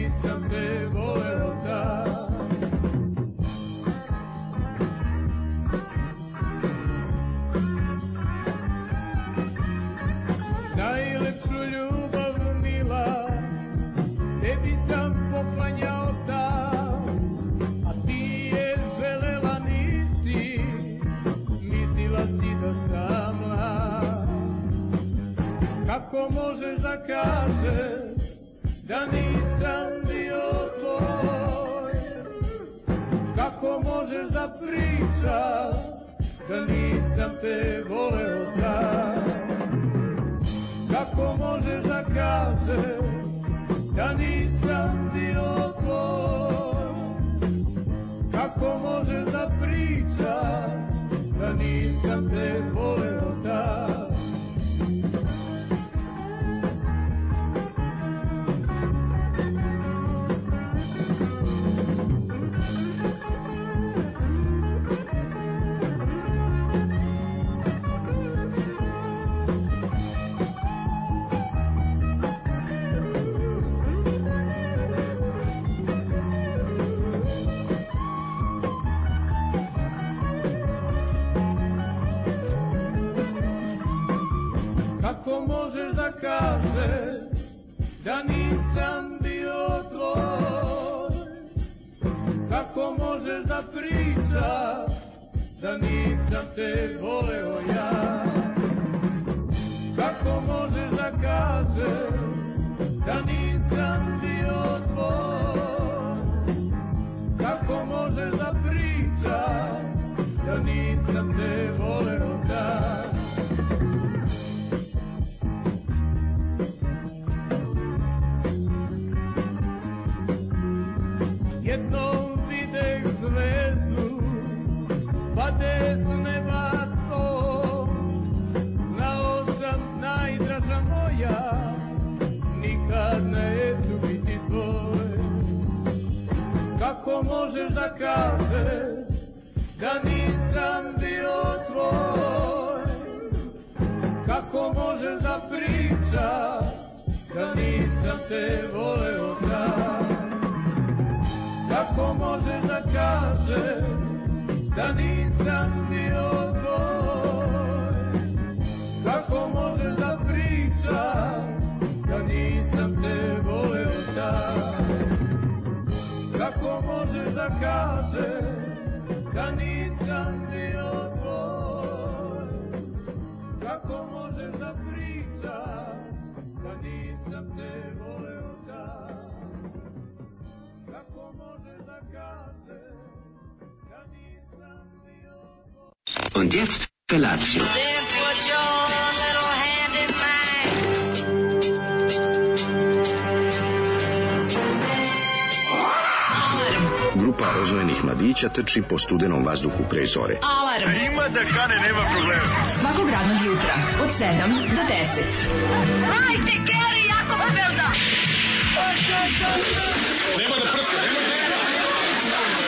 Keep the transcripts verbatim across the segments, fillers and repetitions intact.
nisam te voleo da. Najlepšu ljubav mila tebi sam poklanjao da, a ti je želela nisi, mislila si da sam mlad. Kako možeš da kažeš da nisam bio tvoj? Kako možeš da pričaš da nisam te voleo da? Kako možeš da kažeš da nisam bio tvoj? Kako možeš da pričaš da nisam te voleo da? Kako možeš da kažeš da nisam bio tvoj? Kako možeš da pričaš da nisam te voleo ja? Kako možeš da kažeš da nisam bio tvoj? Kako možeš da pričaš da nisam te voleo da? Jednom videh zvezdu, pade s neba to, znao sam najdraža moja, nikad neću biti tvoj. Kako možeš da kažeš da nisam bio tvoj? Kako možeš da pričaš da nisam te voleo da? Kako možeš da kažeš da nisam bio tvoj? Kako možeš da pričaš da nisam te voleo da? Kako možeš da kažeš da nisam bio tvoj? Kako možeš da pričaš da nisam te voleo da? Kako možeš da kažeš da nisam bio tvoj? Und jetzt Felatio. Then put your little hand in mine. Grupa oznojenih mladića trči po studenom vazduhu pre zore. Alarm. Ima da kane, nema problema. Svakog radnog jutra od sedam do deset. Hajde, Geri, jako se velda. Nema da prska, nema da prska.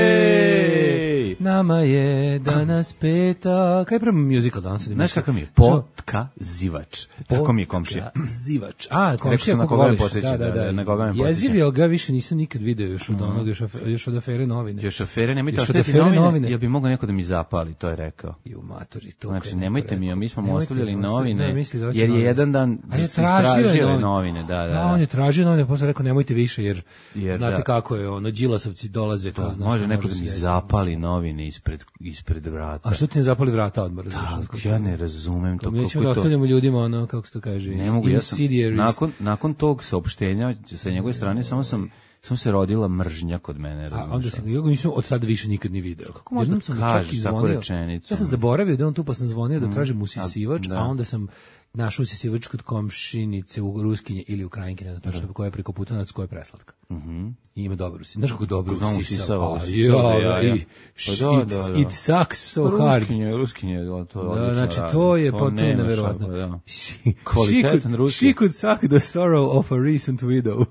Jej! Nama je danas peta... Kaj je prema musical danas? Znaš kakav mi je? Potkazivač. Tako mi je komšija. Potkazivač. A, komšija na kako koga me voliš. podsjeća. Da, da, da. Na koga me podsjeća. Jezivio ga više nisam nikad video još od onog, još, af, još od afere novine. Još afere, nemojte Još od ostaviti afere novine, novine. jel bi mogao neko da mi zapali, to je rekao. I u matori to. Znači, nemojte mi, mi smo mu Nemojte ostavljali mi ostaviti, novine, da, misli da hoće jer je novine. jedan dan A je se tražio je istražio novine. novine, da, da. Da, on je tražio novine, posle rekao nemojte više, jer, Jer znate da. kako je, ono, Đilasovci dolaze. Da, To, znaš, može neko da se mi jesti. zapali novine ispred, ispred vrata. A što ti ne zapali vrata odmah? Da, ja ne razumem to. Mi nećemo kako da to... ostavljamo ljudima ono, kako se to kaže, Ne mogu, ja sam, insidiaries. nakon, nakon tog saopštenja sa njegove strane, samo sam, samo se rodila mržnja kod mene. A razumeš? onda sam, ja ga nisam od tada više nikad ni video. Kako možda Jednom sam mu čak kažeš i takvu zvonio. rečenicu? Ja sam zaboravio da je on tu, pa sam zvonio da tražim usisivač, da. a onda sam našao si se već kod komšinice u Ruskinje ili Ukrajinke, ne znam tačno koja je preko putanac, koja je preslatka. Mhm. I ima dobro si. Znaš kako dobro Znam, usisao. usisao, A, usisao, ja, ja, ja. i- Pa da, it, da, da. it sucks so hard. Ruskinje, Ruskinje, to je Da, odlično znači radi. to je To potpuno nema neverovatno. šapa, da. She, Kvalitetan she could, ruski. she could suck the sorrow of a recent widow.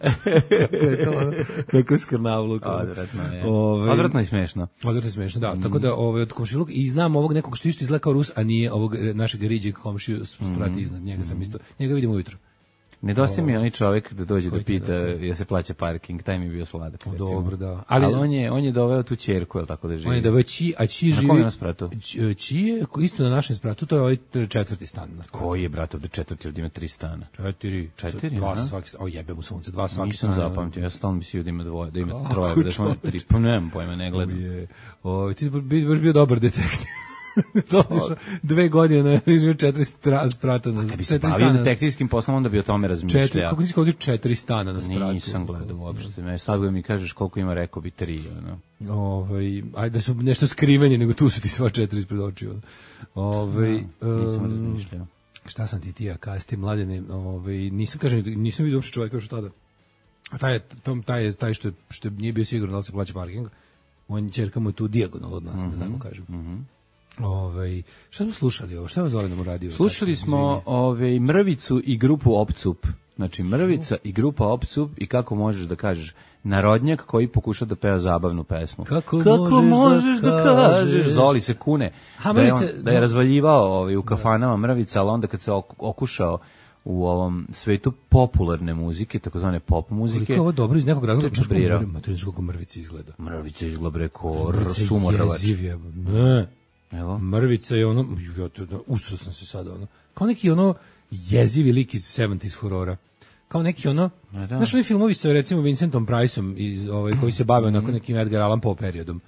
Kako je to, ono, kako skrnavluk. Odvratno je. Ovaj, Odvratno i smešno. Odvratno i smešno, da. Tako da ovaj, od komšiluk, i znam ovog nekog što isto izgleda kao Rus, a nije ovog e, našeg riđeg komšiju sprati iznad njega sam isto. Njega vidim ujutro. Nedostaje mi onaj čovjek da dođe da Koji ti pita nedostaje? je se plaća parking, taj mi je bio sladak. recimo. Dobro, da. Ali, Ali- on je on je doveo tu ćerku, je tako da živi. On je da veći, a čiji Na živi... kom je on spratu? Ć- Čiji je isto na našem spratu, to je ovaj četvrti stan. Koji je brat ovde četvrti, ovde ima tri stana? Četiri. Četiri, Dva sa aha. svaki, o jebe mu sunce, dva sa svaki Nisam strane. zapamtio, ja stalno mislio da ima dvoje, da ima Kako troje, da smo čovječe? tri, pa nemam pojma, ne gledam. Je, o, ti bi baš bio dobar detektiv. To otišao dve godine, živi četiri stra, sprata na Kad bi se četiri bavio stana. detektivskim poslom, onda bi o tome razmišljao. Četiri, kako nisi ovdje četiri stana na spratu? Nisam gledao uopšte. Ne, sad ga mi kažeš koliko ima, rekao bi tri. Ono. Ovaj, ajde da su nešto skriveni, nego tu su ti sva četiri ispred očiju. Ovaj, Nisam um, razmišljao. šta sam ti ti, ja kasti mladene, ovaj, nisam, kažem, nisam vidio uopšte čovjeka još tada. A taj, je, tom, taj, je, taj što, je, što je nije bio siguran da li se plaća parking, on ćerka mu je tu dijagonal od nas, Mhm, da tako kažem. Ovaj, šta smo slušali ovo? Šta vas zvali nam u radiju? Slušali smo ove, Mrvicu i grupu Opcup. Znači, Mrvica i grupa Opcup i kako možeš da kažeš narodnjak koji pokuša da peva zabavnu pesmu. Kako možeš, možeš da, da kažeš? kažeš? Zoli se kune. Ha, da, je on, Mrvice- da je razvaljivao ovaj, u kafanama Mrvica, ali onda kad se ok- okušao u ovom svetu popularne muzike, takozvane pop muzike, Koliko je ovo dobro iz nekog razloga, čuš Brirao. kako mrvica, kako mrvica izgleda. Mrvica izgleda bre ko Mrvica je sumoravač. jeziv je, ne. Evo. Mrvica je ono, ja to da usro sam se sada ono. Kao neki ono jezivi lik iz sedamdesetih horora. Kao neki ono, Ma da. znaš oni filmovi sa recimo Vincentom Priceom iz ovaj koji se bave onako nekim Edgar Allan Poe periodom.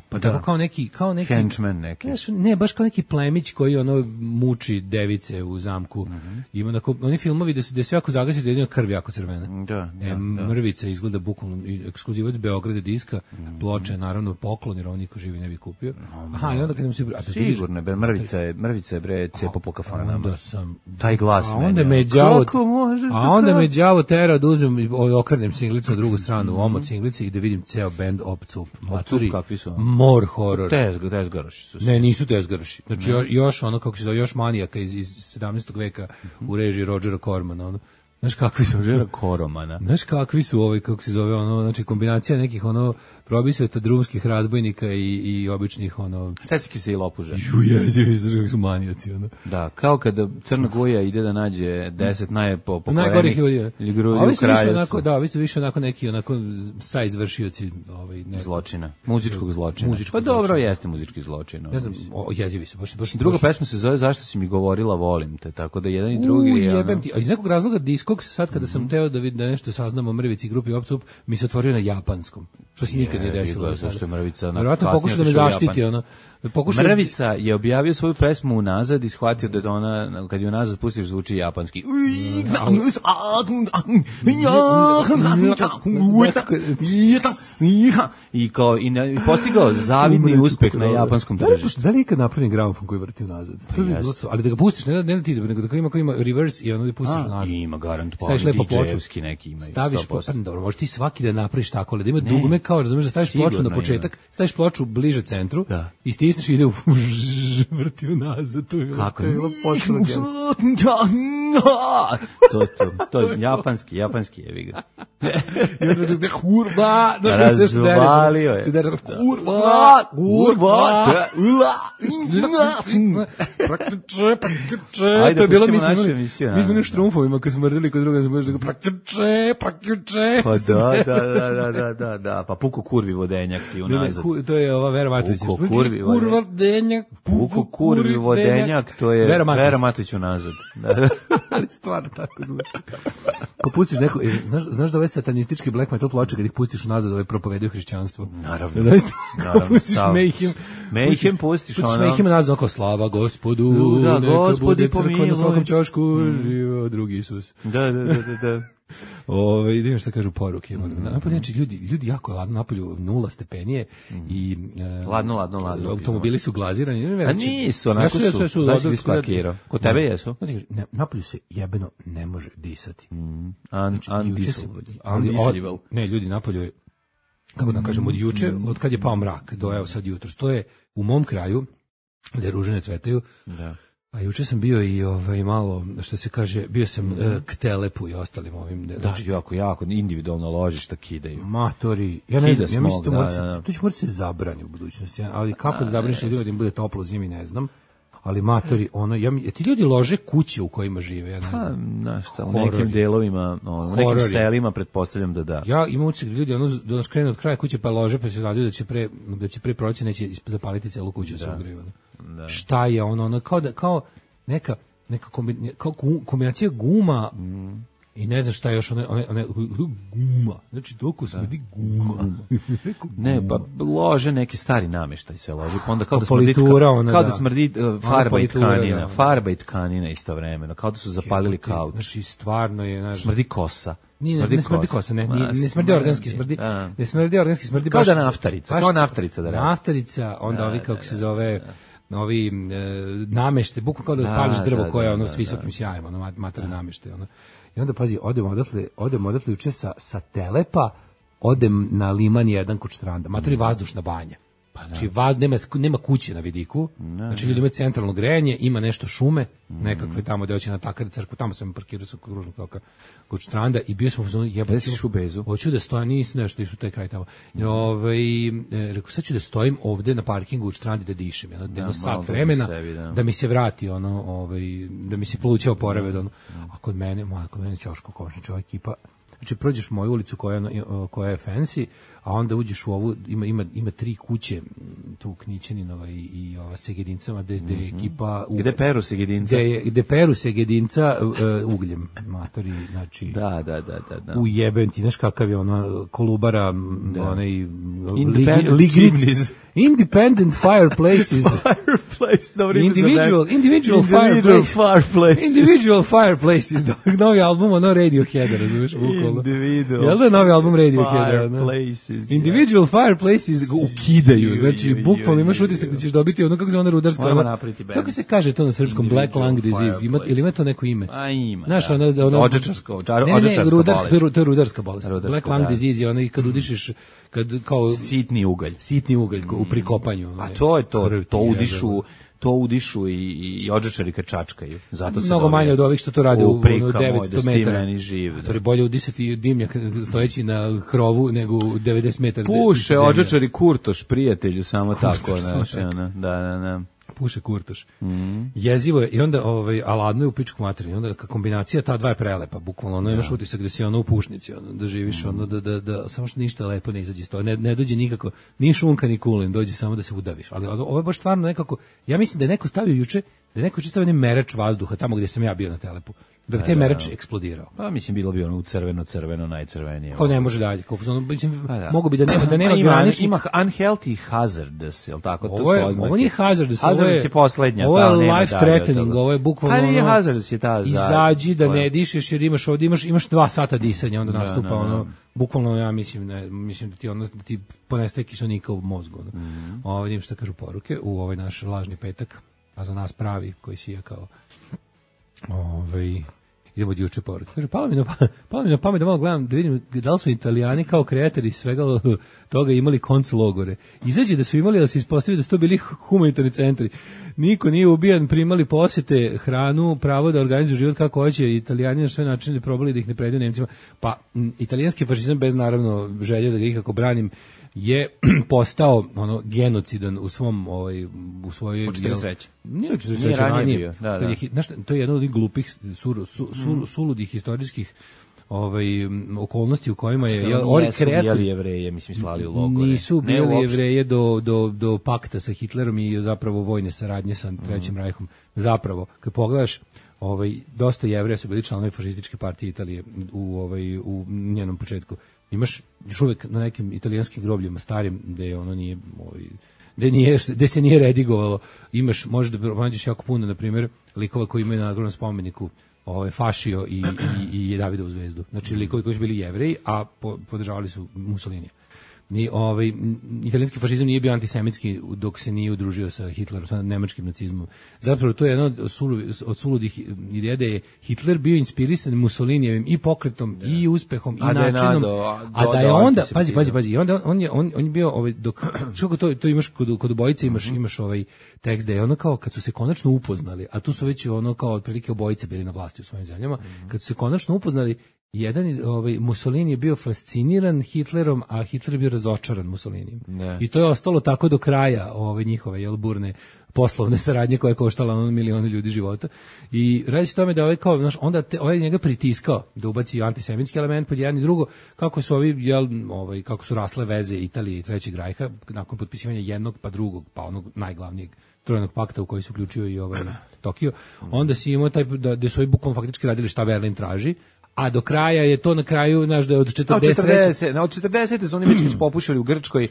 Pa tako kao neki, kao neki Henchman neki. Znaš, ne, baš kao neki plemić koji ono muči device u zamku. Ima onako, oni filmovi da se da sve jako zagasite, jedino krv jako crvena. Da, da, E, da. Mrvica izgleda bukvalno i ekskluzivac Beograda diska, ploče naravno poklon jer on niko živi ne bi kupio. Aha, i onda kad nam se a da vidiš- Sigurno, bre, Mrvica je, Mrvica je bre cepo po kafanama. Onda sam Taj glas a meni, onda ono, me đavo kako možeš a da onda me kažeš? đavo tera da uzmem i okrenem singlicu na drugu stranu, omot singlice i da vidim ceo bend Opcup. Maturi, kakvi su? more horror. Tezga, tezgaroši su. Ne, nisu tezgarši. Znači jo- još ono kako se zove, još manijaka iz iz sedamnaestog veka u režiji Rodgera Cormana, ono. Znaš kakvi su? Žena Koromana. Znaš kakvi su ovaj, kako se zove, ono, znači kombinacija nekih ono probisveta drumskih razbojnika i, i običnih ono Seciki se i lopuže. ju jezivi su kako su manijaci ono. Da, kao kada Crna Guja ide da nađe deset najpo Najgorih ljudi. ljudi A ovi u su više kraju. onako, da, vi ste više onako neki onako sa izvršioci ovaj ne Zločina, muzičkog zločina. Muzičkog pa dobro, zločina. jeste muzički zločin. ne znam, mislim. o, jezivi su baš baš Druga baš- pesma se zove Zašto si mi govorila volim te, tako da jedan i drugi U, je ono- jebem ti. A iz nekog razloga diskog sad kada sam teo da vidim da nešto saznam o Mrvici i grupi Opcup, mi se otvorio na japanskom. Što se nikad nije Jebi desilo. ga, do sada. zašto je Mrvica na- Verovatno kasnije pokušao da me otišao u zaštiti, Japan. ono. Pokušao Mrvica je objavio svoju pesmu unazad i shvatio da je to ona, kad je unazad pustiš, zvuči japanski. I kao, i, ne- i postigao zavidni uspeh na japanskom Da li, tržištu. da li je ikad napravljen gramofon koji vrti unazad? To bi bilo jeste. to. Ali da ga pustiš, ne da ne da ti, nego da ga ima koji ima reverse i ono da pustiš A, unazad. ima garant, pa Staviš lepo ploču. D J-evski neki imaju. Staviš sto po, posto. pa, dobro, možeš ti svaki da napraviš tako, ali da ima dugme kao, razumeš, da staviš ploču Sigurno na početak, staviš ploču bliže centru Da. i stisneš i ide u vrti unazad. To je bilo- Kako? to je bilo potpuno genijalno. to, to, to je japanski, japanski je ga. I onda da kurva, da što se sve Razvalio je. se dere, kurva, kurva, praktiče, praktiče, Ajde, to je bilo, mi pustimo smo našu imali, emisiju, mi smo naravno. imali štrumfovima kad smo mrdili kod druga, smo da praktiče, praktiče. Pa da, da, da, da, da, da, da, pa puko kurvi vodenjak ti Ne, ne, unazad. ku- to je ova Vera Matović. Puko kurvi Kurva vodenjak, Puko kurvi vodenjak, to je Vera Matović. Vera Matović unazad. Da, da. Ali stvarno tako zvuči. Ko pustiš neko, e, znaš, znaš da ove satanistički black metal ploče kad ih pustiš unazad, ove propovedaju hrišćanstvo. Naravno. Zaista, Naravno, kao pustiš sav- Mayhem. Mayhem pustiš ono- Mayhem nazad, oko slava gospodu, Da, neka Gospodi bude crkva na pomiluj. svakom ćošku, živo drugi Isus. Da, da, da, da, da. Ove, idem šta kažu poruke. Mm. Napolje, znači, ljudi, ljudi jako je ladno, napolju nula stepenije mm. i... E, ladno, ladno, ladno. Automobili su glazirani. Ne, A nisu, onako ja su. Sve su Znaš li spakirao? Kod tebe jesu? Ne, napolju se jebeno ne može disati. Mm. Undisable. Ne, ljudi, napolju je, kako da kažem, od juče, od kad je pao mrak, do evo sad jutro. To je u mom kraju, gde ružene cvetaju, da. A juče sam bio i ovaj malo, što se kaže, bio sam mm. uh, k Telepu i ostalim ovim. Da, znači, jako, jako, individualno ložišta kidaju. Matori, ja ne znam, ja mislim da, to, da, da. to će morati se zabrani u budućnosti, ali kako da zabraniš ljudima da im bude toplo zimi, ne znam. Ali matori, ono, ja, ti ljudi lože kuće u kojima žive, ja ne znam. Pa, znaš šta, u nekim delovima, ono, u nekim selima, pretpostavljam da da. Ja imam utisak da ljudi, ono, da nas krenu od kraja kuće pa lože, pa se radiju da će pre, da će pre proleća neće zapaliti celu kuću, da se ugreju. Da. Šta je ono, ono, kao da, kao neka, neka kombinacija, kao kombinacija guma, mm. i ne znam šta je još, one, one, one guma, znači toliko smrdi guma. Ne, pa lože neki stari namještaj se loži, pa onda kao da smrdi, kao, kao da. da smrdi uh, farba i tkanina, da, farba i tkanina istovremeno, kao da su zapalili kauč. Znači stvarno je, znaš, smrdi kosa. Nije, smrdi ne smrdi kosa, ne, ne, ne smrdi organski, smrdi, ne smrdi organski, smrdi kao baš. Da naftarica, baš, kao naftarica da radi. Naftarica, onda ovi kako se zove, ovi e, namešte, bukvalno kao da, da pališ drvo koje je ono s visokim sjajem, ono mater namešte, ono. I onda, pazi, odem odatle, odem odatle juče sa, sa Telepa, odem na Liman jedan kod Štranda, matori vazdušna banja. Pa znači, vaz, nema, nema kuće na vidiku, ne, znači ljudi imaju centralno grejanje, ima nešto šume, mm. nekakve tamo gde hoće na Takari crkvu, tamo sam parkirao sa kružnog toka kod Štranda i bio sam u zonu jebati u Bezu. Hoću da stojim, nisam nešto išao taj kraj tamo. I ovaj e, rekao sad ću da stojim ovde na parkingu u Štrandi da dišem, jedno, jedno sat vremena sebi, da. da mi se vrati ono, ovaj da mi se pluća oporave, ono. A kod mene, ma kod mene ćoško košniča ekipa. Znači prođeš moju ulicu koja koja je fancy, a onda uđeš u ovu, ima ima ima tri kuće tu Knićaninova i i ova Segedincama gde gde mm-hmm. ekipa u, gde peru Segedinca gde gde peru Segedinca uh, ugljem matori, znači da da da da da u jeben ti znaš kakav je ono Kolubara, da. Onaj independent chimneys, independent fireplaces fireplace dobro individual individual fireplaces individual fireplaces novi album ono Radiohead, razumeš, bukvalno jel da novi album Radiohead individual fireplaces ukidaju, znači bukvalno imaš utisak da ćeš dobiti ono kako se ona rudarska, kako se kaže to na srpskom, black lung disease, ima ili ima to neko ime? A ima. Znaš, ono, ono odžečarsko, odžečarska bolest. To je rudarska bolest. Black lung disease je ono i kad udišeš, kad kao sitni ugalj, sitni ugalj u prikopanju. A to je to, to udišu to udišu i, i odžečari kad čačkaju. Zato se mnogo manje od ovih što to rade u, u devetsto metara. Živ, da. To je bolje udisati dimnjak stojeći na krovu nego u devedeset metara. Puše odžečari kurtoš, prijatelju, samo kurtoš, tako. Naš, ona, da, da, da. Puše kurtoš. Mm. Jezivo je i onda ovaj aladno je u pičku materiju. Onda kombinacija ta dva je prelepa, bukvalno. Ono imaš utisak da si ono u pušnici, ono da živiš, mm. ono da da da samo što ništa lepo ne izađe iz toga. Ne, ne dođe nikako ni šunka ni kulen, dođe samo da se udaviš. Ali ovo je baš stvarno nekako, ja mislim da je neko stavio juče, da je neko stavio merač vazduha tamo gdje sam ja bio na Telepu. Da bi taj merač eksplodirao. Pa mislim bilo bi ono u crveno, crveno, najcrvenije. Ko ne može dalje. Ko ono, mislim, da. Mogu bi da nema da nema ima, graničnih. Ima unhealthy hazardous, je l' tako? To ovo je, ovo nije hazardous. Hazardous je poslednja. Ovo je life threatening, ovo je bukvalno ono. Ali hazardous je ta. Izađi da ne dišeš jer imaš ovdje, imaš, imaš dva sata disanja, onda nastupa da, da, da. ono, bukvalno ja mislim, ne, mislim da ti, ono, da ti ponestaje kiselnika u mozgu. Ono. Mm-hmm. Ovo vidim što kažu poruke u ovaj naš lažni petak, a za nas pravi koji sija kao ovaj... Idemo od juče poruke. Kaže, palo mi na, palo mi na pamet da malo gledam, da vidim da li su Italijani kao kreatori svega toga imali konc logore. Izađe da su imali, da se ispostavi da su to bili humanitarni centri. Niko nije ubijan, primali posjete, hranu, pravo da organizuju život kako hoće. Italijani na sve načine probali da ih ne predaju Nemcima. Pa, m, italijanski fašizam, bez naravno želje da ga ikako branim, je postao ono genocidan u svom ovaj u svojoj u četrdeset trećem Nije u četrdeset trećem ranije. Da, da. Je, znaš, to je jedno od glupih sur, su, su, mm. suludih historijskih ovaj okolnosti u kojima je jel oni kreatori Jevreje mislim slali u logore. Nisu bili Jevreje do do do pakta sa Hitlerom i zapravo vojne saradnje sa Trećim mm. Rajhom. Zapravo kad pogledaš ovaj dosta Jevreja su bili članovi fašističke partije Italije u ovaj u njenom početku. Imaš još uvek na nekim italijanskim grobljima starim gde ono nije ovaj gde nije gde se nije redigovalo, imaš možda pronađeš jako puno na primjer likova koji imaju na ogromnom spomeniku ovaj Fašio i i i Davidovu zvezdu. Znači likovi koji su bili Jevreji, a po, podržavali su Mussolinija. Ni ovaj italijanski fašizam nije bio antisemitski dok se nije udružio sa Hitlerom, sa nemačkim nacizmom. Zapravo to je jedno od, sulu, od suludih ideja da je Hitler bio inspirisan Mussolinijevim i pokretom da. i uspehom i a načinom, da je, a, a da je onda pazi pazi pazi i onda on je on, on je bio ovaj dok što to to imaš kod kod obojice imaš mm-hmm. imaš ovaj tekst da je ono kao kad su se konačno upoznali, a tu su već ono kao otprilike obojice bili na vlasti u svojim zemljama, mm-hmm. kad su se konačno upoznali. Jedan ovaj Mussolini je bio fasciniran Hitlerom, a Hitler je bio razočaran Mussolinijem. I to je ostalo tako do kraja ove njihove jel burne poslovne saradnje koja je koštala ono milione ljudi života. I radi se o tome da ovaj kao znaš, onda te, ovaj njega pritiskao da ubaci antisemitski element pod jedan i drugo, kako su ovi jel ovaj kako su rasle veze Italije i Trećeg rajha nakon potpisivanja jednog pa drugog pa onog najglavnijeg trojnog pakta u koji se uključio i ovaj Tokio. Onda si imao taj da, da su ovi bukvalno faktički radili šta Berlin traži. A do kraja je to na kraju, znaš, da je od četrdeset treće Na od četrdesete su oni već popušili u Grčkoj,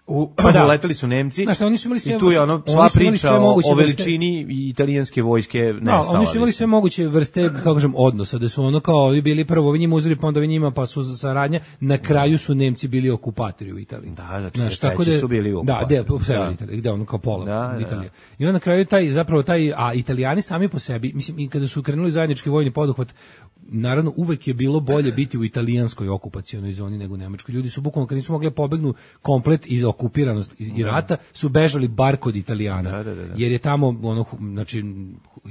u, pa da. Uleteli su Nemci. Znaš, oni su imali sve, i tu je ono sva priča o, o veličini i italijanske vojske nestala. Da, oni su imali sve moguće vrste, kako kažem, odnosa, da su ono kao ovi bili prvo ovi njima uzeli, pa onda ovi njima, pa su za saradnja, na kraju su Nemci bili okupatori u Italiji. Da, znači, znaš, tako da su bili okupatori. Da, u sever Italije, gde ono kao pola da, Italije. I onda na kraju taj, zapravo taj, a Italijani sami po sebi, mislim, i kada su krenuli zajednički vojni poduhvat, naravno uvek je bilo bolje biti u italijanskoj okupacionoj zoni nego u nemačkoj. Ljudi su bukvalno kad nisu mogli pobegnu komplet iz okupiranosti i rata, su bežali bar kod Italijana. Da, da, da, da. Jer je tamo ono znači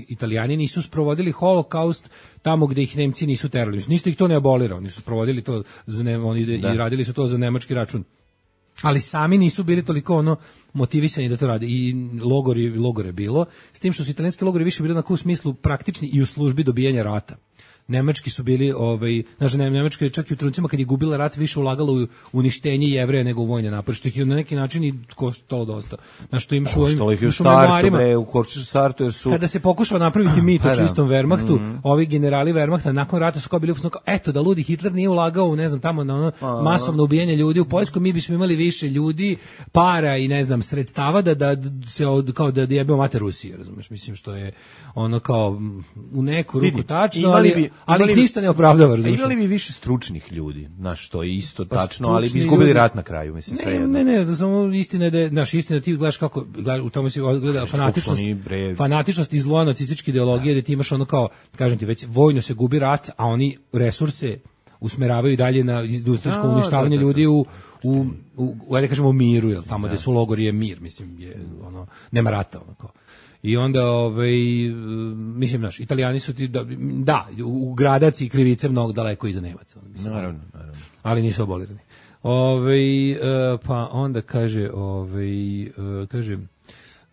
Italijani nisu sprovodili holokaust tamo gde ih Nemci nisu terali. Nisu ih to ne abolirao, oni su sprovodili to za ne, oni da. i radili su to za nemački račun. Ali sami nisu bili toliko ono motivisani da to rade i logori logore bilo, s tim što su italijanski logori više bili na u smislu praktični i u službi dobijanja rata. Nemački su bili, ovaj, znači Nemačka je čak i u trenucima kad je gubila rat više ulagala u uništenje Jevreja nego u vojne napore, što ih je na neki način i koštalo dosta. Znači što imaš u ovim memoarima. U Korču startu jer su... Kada se pokušava napraviti mit o čistom Wehrmachtu, mm-hmm. ovi generali Wehrmachta nakon rata su kao bili kao, eto da ludi Hitler nije ulagao u, ne znam, tamo na ono masovno ubijanje ljudi u Poljskoj, mi bismo imali više ljudi, para i ne znam, sredstava da, da se od, kao da jebemo mater Rusije, razumeš, mislim što je ono kao u neku ruku tačno, ali ali ih ništa ne opravdava, razumiješ. Imali bi više stručnih ljudi, znaš, što je isto pa tačno, ali bi izgubili rat na kraju, mislim, sve jedno. Ne, ne, ne, samo istina je da je, naš istina, ti gledaš kako, gledaš, u tome si gleda fanatičnost, fanatičnost i zlo nacističke ideologije, da ti imaš ono kao, kažem ti, već vojno se gubi rat, a oni resurse usmeravaju dalje na industrijsko uništavanje ljudi u u u, u ajde kažemo miru, jel, tamo gde su logori je mir, mislim, je ono, nema rata, ono kao. I onda, ovaj, mislim, naš, Italijani su ti, da, da u gradaci i krivice mnogo daleko iza Nemaca. Mislim, naravno, naravno. Ali nisu abolirani. Ovaj, pa onda kaže, ovaj, kaže,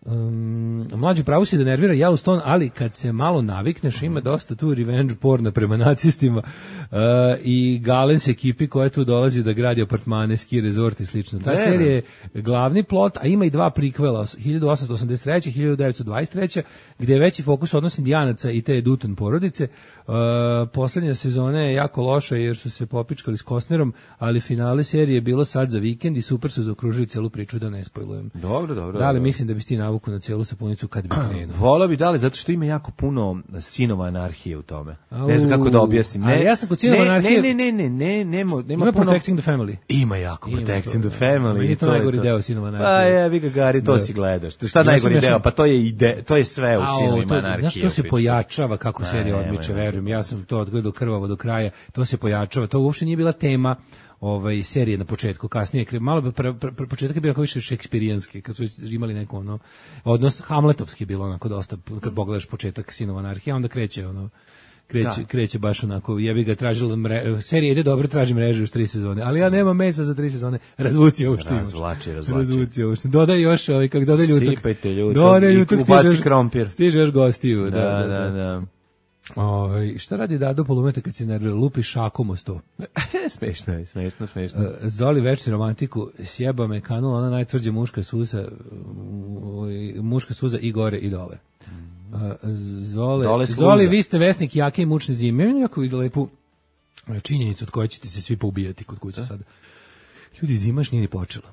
Um, mlađi pravo si da nervira Yellowstone, ali kad se malo navikneš ima dosta tu revenge porna prema nacistima uh, i Galens ekipi koja tu dolazi da gradi apartmane, ski rezort i slično. Ta serija je glavni plot, a ima i dva prikvela, hiljadu osamsto osamdeset treće i hiljadu devetsto dvadeset treće gdje je veći fokus odnos Indijanaca i te Dutton porodice. Uh, poslednja sezona je jako loša jer su se popičkali s Costnerom, ali finale serije je bilo sad za vikend i super su zaokružili celu priču, da ne spojlujem. Dobro, dobro. Da li dobro. Mislim da bi ti navuku na celu sapunicu kad bi krenuo? Vola bi dali, zato što ima jako puno sinova anarhije u tome. Au, ne znam kako da objasnim. Ne, ja sam kod sinova ne, anarhije... Ne, ne, ne, ne, nema, nema ima puno... Protecting the Family. Ima jako ima Protecting to, the Family. Meni je to, to najgori deo sinova anarhije. Pa je, vi ga Gari, to da. Si gledaš. Šta ja najgori deo? Pa to je ide, to je sve u sinovima anarhije. Znaš, to se pojačava kako serija odmiče, verujem. Ja sam to odgledao krvavo do kraja. To se pojačava. To uopšte nije bila tema ovaj serije na početku, kasnije malo pre, pre, pre, početak je bio kao više šekspirijanski, kad su imali neko ono odnos hamletovski je bilo onako dosta, kad pogledaš početak Sinova anarhije, onda kreće ono kreće da. kreće baš onako, jebi ga tražila mre, serija ide dobro, traži mrežu još tri sezone, ali ja nemam mesa za tri sezone, razvuci ovo što imaš. Razvlači, razvlači. Razvuci ovo što. Dodaj još ovaj, kako dodaj ljutok. Sipajte ljutok. Dodaj ljutok, ubaci krompir. Stiže još gostiju. Da, da, da. da. Oj, šta radi Dado Polumeta kad se nervira? Lupi šakom o sto. Smešno je, smešno, smešno. Uh, Zoli večni romantiku, sjeba me kanula, ona najtvrđa muška suza, muška suza i gore i dole. Uh, Zole, Zoli, vi ste vesnik jake i mučne zime. Imam jako lepu činjenicu od koje ćete se svi poubijati kod kuće sad. Ljudi, zima još nije ni počela.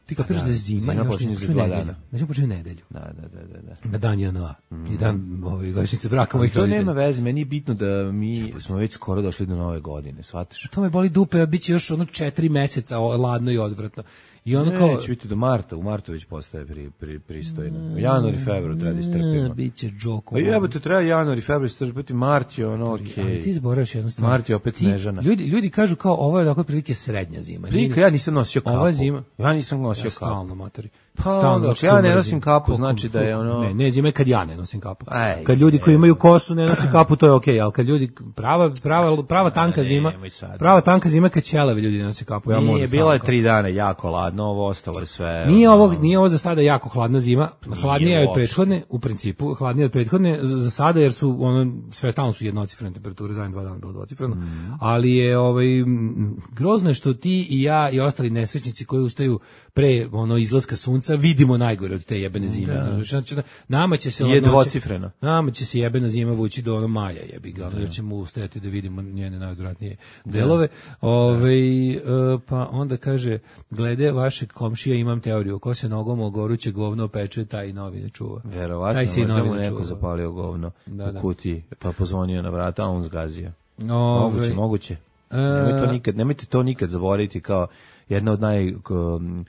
Ti kapiraš da je zima, zima još počinje ne za počinje dva nedelju. dana. Znači počinje nedelju. Da, da, da, da, da. Na dan J N A i dan ovaj godišnjice braka mojih To roditelja. nema veze, meni je bitno da mi smo već skoro došli do nove godine, shvatiš? To me boli dupe, a bit će još ono četiri meseca o, ladno i odvratno. I ono kao... Neće biti do marta, u martu već postaje pri, pri, pristojno. U januar i februar treba da istrpimo. Biće džoko. Pa jebote, treba januar i februar istrpiti, mart je ono okej. Ali ti zaboraveš jednu stvar. Mart je opet Ti- Snežana. Ljudi, ljudi kažu kao ovo je dakle prilike srednja zima. Prika, ja nisam nosio kapu. Ova zima. Ja nisam nosio Ja kapu. stalno, matori. Pa Stalno, onda, znači, ako ja to ne mrzim. nosim kapu, Koliko- znači da je ono- Ne, ne, zima je kad ja ne nosim kapu. Aj, Kad ljudi koji ne. imaju kosu ne nose kapu, to je okej, ali kad ljudi, prava, prava, prava tanka zima, nemoj sad. prava tanka zima kad ćelevi ljudi ne nose kapu. Ja moram Nije, stalno bilo je kapu. tri dana jako ladno, ovo ostalo je sve. Nije ono, ovo, nije ovo za sada jako hladna zima, hladnija je od uopšte. prethodne, u principu, hladnija od prethodne za za sada jer su ono sve stalno su jednocifrene temperature, zadnje dva dana bilo dvocifreno, ali je ovaj m, grozno je što ti i ja i ostali nesrećnici koji ustaju pre ono izlaska sunca vidimo najgore od te jebene zime. Znači, znači, nama će se Je ladnoća- dvocifreno. Nama će se jebena zima vući do ono maja, jebi ga, ono, jer ćemo ustajati da vidimo njene najodvratnije delove. Ovaj, e, pa onda kaže, glede vašeg komšija imam teoriju, ko se nogom o goruće govno peče, taj i novine čuva. Verovatno, Taj se i možda mu novine neko čuva. zapalio govno Da, u da. kutiji, pa pozvonio na vrata, a on zgazio. Ovaj, Moguće, moguće. e, Nemoj to nikad, nemojte to nikad zaboraviti kao jedna od naj ko, m,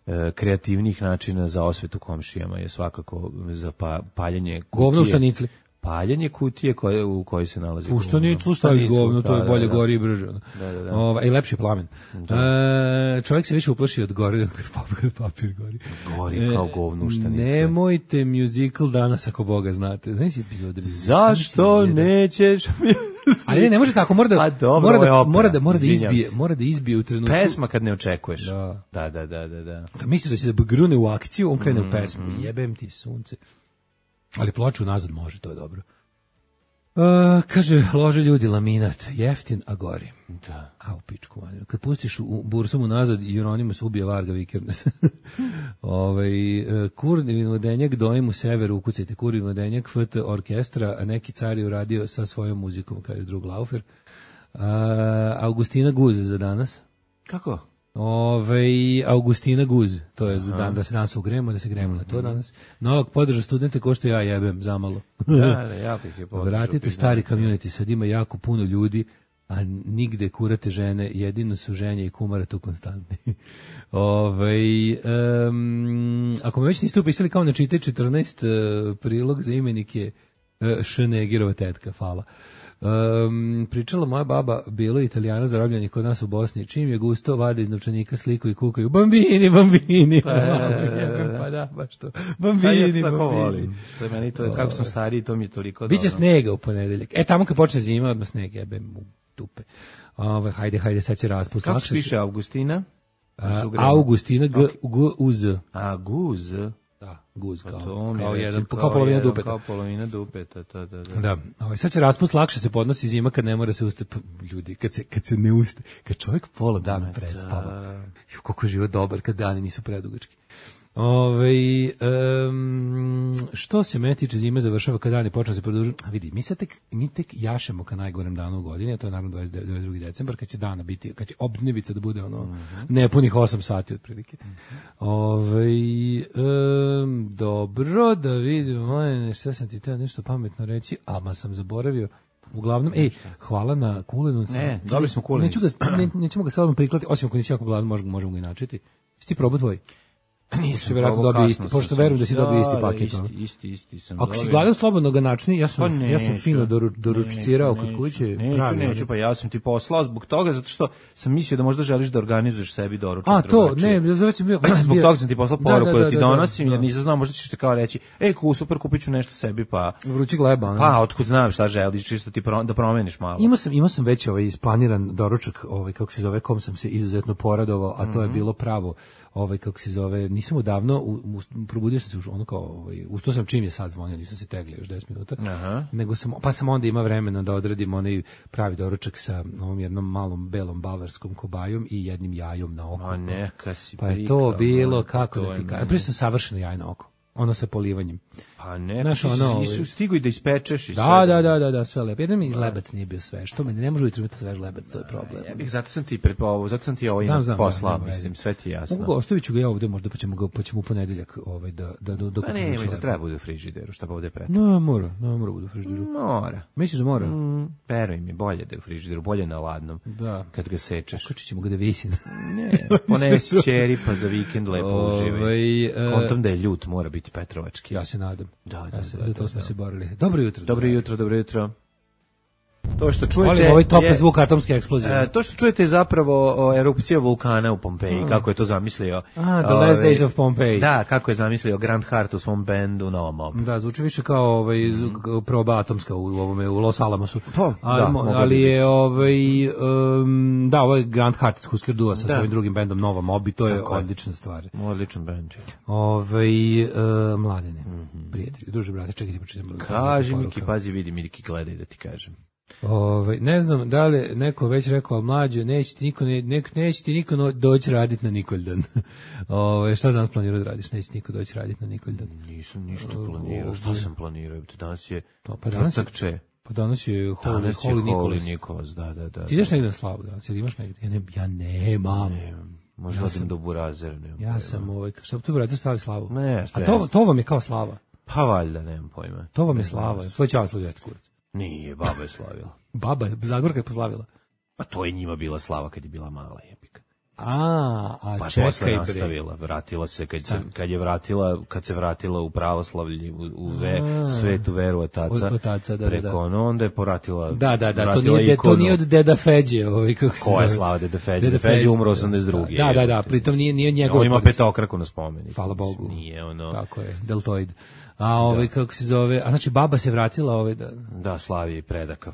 e, kreativnijih načina za osvetu komšijama je svakako za pa, paljenje kutije. Govno u štanicli. Paljenje kutije koje, u kojoj se nalazi U štaniclu staviš Štanicu, govno, to je da, bolje da, da. gori i brže. ono. Da, da, da. Ovaj, i lepši plamen. E, čovjek se više uplaši od gore nego kad papir, kad papir gori. Gori kao govno u štanici. Nemojte musical danas ako Boga znate. Znaš epizode? Zašto Znaš, jedan- nećeš mi... Ali ne, ne može tako, mora da, A dobro, mora ovo je da, opera, mora da, mora da izvinjam izbije, se. mora da izbije u trenutku. Pesma kad ne očekuješ. Da. Da, da, da, da, da. Kad misliš da će da grune u akciju, on krene u pesmu. Mm-hmm. Jebem ti sunce. Ali ploču nazad može, to je dobro. Uh, kaže, lože ljudi laminat, jeftin, a gori. Da. A u pičku manju. Kad pustiš u bursumu nazad, Jeronimus ubije Varga Vikernes. ovaj, uh, kurni vodenjak dojim u severu, ukucajte kurni vodenjak, F T orkestra, a neki car je uradio sa svojom muzikom, kaže drug Laufer. Uh, Augustina Guz za danas. Kako? Ove, Augustina Guz, to je za dan da se danas ugremo, da se gremo na to danas. Novak podrža studente ko što ja jebem zamalo. Da, da, jako ih je podržao, Vratite priznam. stari community, sad ima jako puno ljudi, a nigde kurate žene, jedino su ženje i kumare tu konstantni. Ove, um, ako me već niste upisali kao na čite četrnaest, uh, prilog za imenik je uh, Šnegerova tetka, hvala. Um, pričala moja baba, bilo je Italijana zarobljenih kod nas u Bosni, čim je gusto, vade iz novčanika sliku i kukaju, bambini, bambini, pa da, baš to, Pa bambini, ja to tako bambini. volim. To je meni to, kako sam stariji, to mi je toliko Biće dobro. snega u ponedeljak. E, tamo kad počne zima, odmah sneg, jebem u tupe. Ove, hajde, hajde, sad će raspust. Kako Lakše se piše Augustina? A, Su gremo. Augustina, G, G, U, Z. A, guz. Da, guz, Pa kao, to mi je kao, već jedan, kao kao polovina jedan, dupeta. Kao polovina dupeta, da, da, da. Da, ovaj, sad će raspust, lakše se podnosi zima kad ne mora se uste, pa, ljudi, kad se, kad se ne uste, kad čovjek pola dana predspava, ju, koliko je život dobar kad dani nisu predugački. Ove, um, što se mene tiče zime završava kad dani počne se produžiti. A vidi, mi sad tek, mi tek jašemo ka najgorem danu u godini, a to je naravno dvadeset drugi decembar, kad će dana biti, kad će obdnevica da bude ono, Mhm. nepunih osam sati otprilike. Ove, um, dobro, da vidimo, ne, šta sam ti teo nešto pametno reći, a ma sam zaboravio. Uglavnom, ej, hvala na kulenu. Ne, dobili smo kulenu. Neću ga, ne, nećemo ga sad odmah priklati, osim ako nisi jako gladan, možemo, možemo ga i načeti. Jesi ti probao tvoj? Nisam verovatno probao, dobio kasno isti, sam pošto se- verujem da si dobio isti Da, paket, da, ono. Isti, isti, isti sam Ako si dobio. gladan slobodno ga načni, ja sam, Pa ja sam neću. fino doru, doručcirao kod Neću, kuće. Neću, pravi, neću, ono. pa ja sam ti poslao zbog toga, zato što sam mislio da možda želiš da organizuješ sebi doručak. A, to, drugačije. ne, ja već sam bio... Zbog toga sam ti poslao Da, poruku da, da, da, ti da, donosim, da. jer nisam znao, možda ćeš te kao reći, ej, ku, super, kupit ću nešto sebi, pa... Vrući gleba, ono. Pa, otkud znam šta želiš, čisto ti pro, da promeniš malo. Imao sam, imao sam već ovaj isplaniran doručak, ovaj kako se zove, kom sam se izuzetno poradovao, a to je bilo pravo, ovaj kako se zove, nisam odavno u, u, probudio sam se už ono kao, ovaj ustao sam čim je sad zvonio, nisam se teglio još deset minuta. Aha. Nego sam pa sam onda ima vremena da odradim onaj pravi doručak sa ovom jednom malom belom bavarskom kobajom i jednim jajom na oko. A neka si Pa je prikao, to bilo ono, kako to da je ti meni. kažem, prije sam savršeno jaj na oko. Ono sa polivanjem. Pa ne, Znaš, ti ono, nisu ovaj- stigu i da ispečeš i sve. Da, da, da, da, da, sve lepo. Jedan mi lebac nije bio sve. Što meni ne može ujutro imati svež lebac, to je problem. Ja bih, zato sam ti prepovo, zato sam ti ovo Znam, ima znam, poslao, da, nema mislim, veze. sve ti je jasno. Mogu ga, ostavit ću ga ja ovde možda, pa ćemo ga, pa ćemo u ponedeljak ovaj, da, da, da, da Pa ne, ima da treba bude u frižideru, šta pa ovde pre. No, mora, no, mora bude u frižideru. Mora. Misliš da mora? Mm, veruj mi, bolje da je u frižideru, bolje na ladnom. Da. Kad ga sečeš. Okačit ćemo ga da visi. Ne, ponesi ćeri pa za vikend lepo Ovaj, uživaj. e, Kontom da je ljut, mora biti petrovački. Ja se nadam. Da, da, Ja se, da, za to da, smo da. se borili. Dobro jutro. Dobro dragi. jutro, dobro jutro. To što čujete Volim ovaj tople je- zvuk atomske eksplozije. E, to što čujete je zapravo o, erupcija vulkana u Pompeji, kako je to zamislio. A, The Last ovaj, Days of Pompeii. Da, kako je zamislio Grant Hart u svom bendu Novom Mob. Da, zvuči više kao ovaj zvu- proba atomska u ovome u Los Alamosu. Pa, ali, da, mo- moglo bi ali biti. je ovaj um, da, ovaj Grant Hart iz Husker Du sa Da. svojim drugim bendom Nova Mob i to je Tako je. odlična stvar. Odličan bend. Ovaj uh, mladene, prijatelji, druže brate, čekaj da pročitam. Kaži poruka. Miki, pazi, vidi Miki, gledaj da ti kažem. Ovaj, ne znam da li je neko već rekao, ali mlađo, neće ti niko, ne, nek, neće ti niko no, doći raditi na Nikoldan. Ovaj, šta danas planirao da radiš? Neće ti niko doći raditi na Nikoldan. Nisam ništa planirao, šta sam planirao? Danas je To, pa danas je- Vrcakče. Pa danas je Holy, Danas je Holy Holy Nikolas. Nikolas, da, da, da. Ti ideš negde na slavu, da? Ti imaš negde? Ja, ne, ja nemam. Možda Ja odim sam- do Burazera, nemam Ja pojma. sam, ovaj, što tu brate stavi slavu? Ne, A to, bez. to vam je kao slava. Pa valjda, nemam pojma. To vam je slava. Tvoj čava slavi jeste kurac. Nije, baba je slavila. Baba, Zagorka je poslavila. Pa to je njima bila slava kad je bila mala jebika. A, a Pa posle čekaj bre. nastavila, vratila se kad se kad je vratila, kad se vratila u pravoslavlje, u, u ve, svetu veru otaca. Od otaca, da, da, preko da. ono, onda je poratila. Da, da, da, to vratila nije, de, to ikonu. nije od Deda Feđe, ovaj, kako se Koja je zove? slava Deda Feđe? Deda Deda Feđe Feđe, umro da. osamdeset druge. Da, da, da, jebote. pritom nije, nije njegov. On ima tvornica. petokraku na spomeniku. Hvala Bogu. Nije ono. Tako je, deltoid. A ovaj, kako se zove, a znači baba se vratila, ovaj, da, Da, slavi i predaka.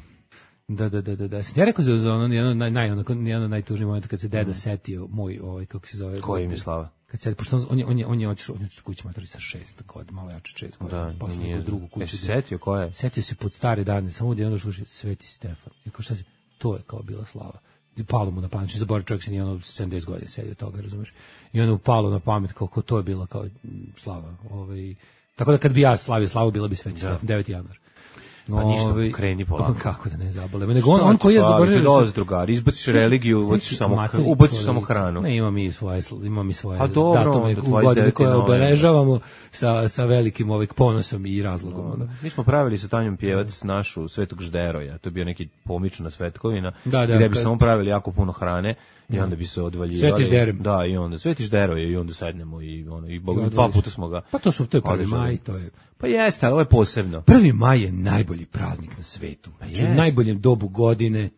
da, da, da, da, da. Sam ti ja rekao za, za ono, jedno, naj, naj, onako, jedno najtužniji moment kad se deda setio, moj, ovaj, kako se zove. Koji mi slava? Kad se, pošto on, on je, on je, on je otišao, on je otišao kući matori sa šest godina, malo jače šest godina, Da, posle nije. neku drugu kuću. Jesi setio ko je? Setio se pod stare dane, samo da je ono sluši Sveti Stefan. I kao šta se, to je kao bila slava. I palo mu na pamet, zaboravio čovjek se nije ono sedamdeset godina sedio toga, razumeš? I ono upalo na pamet kao, kao to je bila kao m, slava. Ovaj, tako da kad bi ja slavio slavu, bila bi Sveti Stefan, deveti januar. Pa ništa, Ovaj, kreni polako. Kako da ne zabole. Nego on, on koji je zaboravio. zaboravio... Dolazi drugar, izbaciš religiju, ubaciš samo, Materi, ubaciš to samo je- hranu. Ne, imamo mi svoje, sl- imamo mi svoje A dobro, datume onda u dvadeset godine deveti koje novembar. obeležavamo sa, sa velikim ovaj ponosom i razlogom. ono. Mi smo pravili sa Tanjom Pjevac našu Svetog Žderoja, to je bio neki pomična svetkovina, Da, da, gde bi kad- samo pravili jako puno hrane i onda bi se odvaljivali. Sveti Žderem. Da, i onda Sveti Žderoje i onda sednemo i ono i, bog, I dva odvališ. puta smo ga. Pa to su, to je prvi održali. maj, to je... Pa jeste, ali ovo je posebno. Prvi maj je najbolji praznik na svetu. Znači, u jest. najboljem dobu godine,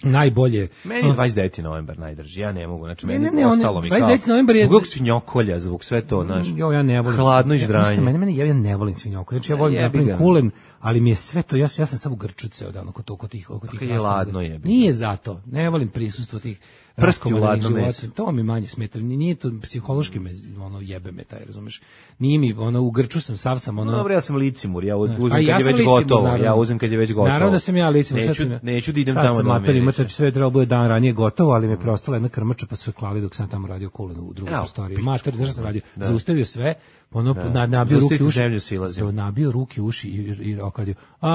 najbolje... Meni je dvadeset deveti novembar najdrži, ja ne mogu, znači Ne, meni ne, ne, on- ostalo mi kao... dvadeset deveti novembar je- Zbog svinjokolja, zbog sve to, znaš, Jo, ja ne volim. hladno i ja, ždranje. ništa, Mene, mene, ja, ja ne volim svinjoku. Znači, ja volim da jebi napravim ga. kulen, ali mi je sve to, ja, sam- ja sam samo grču ceo dan oko, to, oko tih, oko tih kad je raskomadnih. ladno, jebi ga. Nije zato. Ne volim prisustvo tih Prsti u raskomadnih ladno života. meso. To mi manje smeta. Ni- Nije to psihološki me, ono, jebe me taj, razumeš? Nije mi, ono, u grču sam, sav sam, ono... No, dobro, ja sam licimur, ja uzmem A i kad je sam već licimur, gotovo, naravno. ja uzmem kad je već gotovo. Naravno da sam ja licimur. Neću, sad sam ja- neću da idem sad tamo sam da me mater, miriše. imate sve trebalo bude dan ranije gotovo, ali me preostala jedna krmača pa su je klali dok sam tamo radio kulen u drugoj Evo, prostoriji. pičku. Mater, znaš šta sam radio? Da. Zaustavio sve, ono na, nabio Zaustaviti ruke u uši. zemlju silazim. za- Nabio ruke u uši i, i, i okadio. A,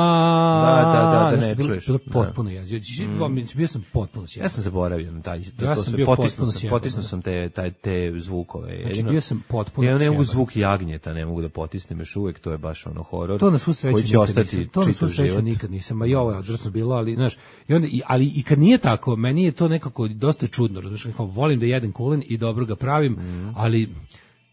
Da, da, da, da znaš, ne bilo- čuješ. Bilo Da. potpuno jezio. Dva minut, bio sam potpuno sjedan. Ja sam zaboravio na taj, to, Ja to sam sve, bio potisnuo potpuno sam, sjeban, potisnuo da. sam te, taj, te zvukove. Znači, Jedino- bio sam potpuno Ja ne mogu sjeban. zvuk jagnjeta, ne mogu da potisnem još uvek, to je baš ono horor. To na svu sreću koji će nikad ostati nisam. To na svu čitav sreću život. nikad nisam. A i ovo je odvratno bilo, ali znaš, i onda i ali i kad nije tako, meni je to nekako dosta čudno, razumiješ, kao volim da jedem kulen i dobro ga pravim, Mhm. ali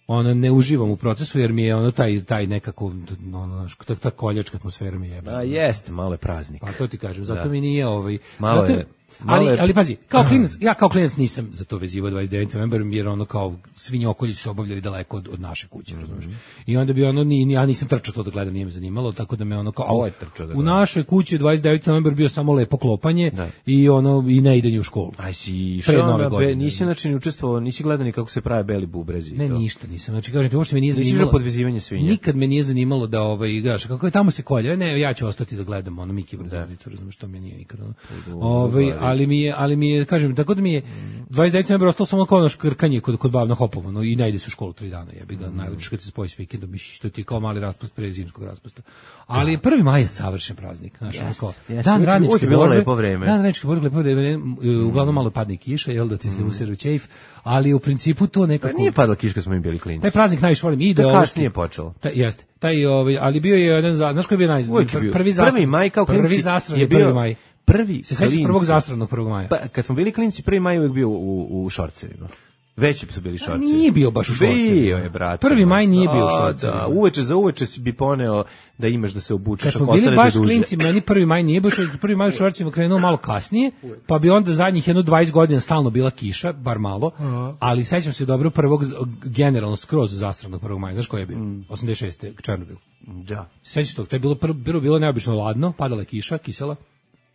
ono ne uživam u procesu jer mi je ono taj taj nekako ono znaš, ta, ta koljačka atmosfera mi jebe. A jeste, malo je praznik. Pa to ti kažem, zato Da. mi nije ovaj Malo zato, je- malo ali je- ali pazi, kao klinac, ja kao klinac nisam za to vezivao dvadeset deveti novembar jer ono kao svinjokolji su se obavljali daleko od, od naše kuće, Mhm. razumiješ. I onda bi ono ni ni- ja nisam trčao to da gledam, nije me zanimalo, tako da me ono kao Ovo je trčao da u gledam. našoj kući dvadeset deveti novembar bio samo lepo klopanje Da. i ono i ne idenje u školu. Aj si Pre išao nove na godine, be, nisi znaš. znači ni učestvovao, nisi gledao ni kako se prave beli bubrezi. i Ne, to. ništa nisam. Znači, kažem ti, uopšte me nije Nisi zanimalo. išao podvezivanje svinja? Nikad me nije zanimalo da ovaj, igraš. Kako je tamo se kolje? Ne, ja ću ostati da gledam ono Miki Brodavnicu, razumiješ, što mi nije nikad. Ono. Ovaj, ja ali mi je, ali mi je, kažem, tako da mi je dvadeset devetog novembra ostalo samo kao ono škrkanje kod, kod bab na Hopovo, no, i ne ide se u školu tri dana, jebi ga, najlepše kad se spoji s vikendom, misliš što ti je kao mali raspust pre zimskog raspusta. Ali prvi maj je savršen praznik, znaš, ono kao, dan radničke borbe, dan radničke borbe, lepo vreme, uglavnom malo padne kiša, jel da ti se useru ćejf, ali u principu to nekako... Pa nije padala kiša kad smo im bili klinci. Taj praznik najviše volim, ide da ovo... kasnije počelo. Ta, jeste, taj, ovaj, ali bio je jedan, znaš koji je bio naj... Prvi, prvi, prvi maj kao klinci prvi zasran je bio... prvi maj. Prvi se sećaš prvog zasranog prvog maja? Pa, kad smo bili klinci, prvi maj uvijek bio u, u šorcevima. Veći su bili šorcevi. Nije bio baš u šorcevima. Bio je, brate. Prvi maj nije da, bio u šorcevima. Da, uveče za uveče si bi poneo da imaš da se obučeš. Kad smo bili baš klinci, meni prvi maj nije baš, prvi maj u šorcevima krenuo malo kasnije, pa bi onda zadnjih jedno dvadeset godina stalno bila kiša, bar malo, ali sećam se dobro prvog, generalno skroz zasranog prvog maja. Znaš koji je bio? osamdeset šeste Černobil. Da. Sećaš tog, to je bilo, bilo, bilo neobično ladno, padala je kiša, kisela.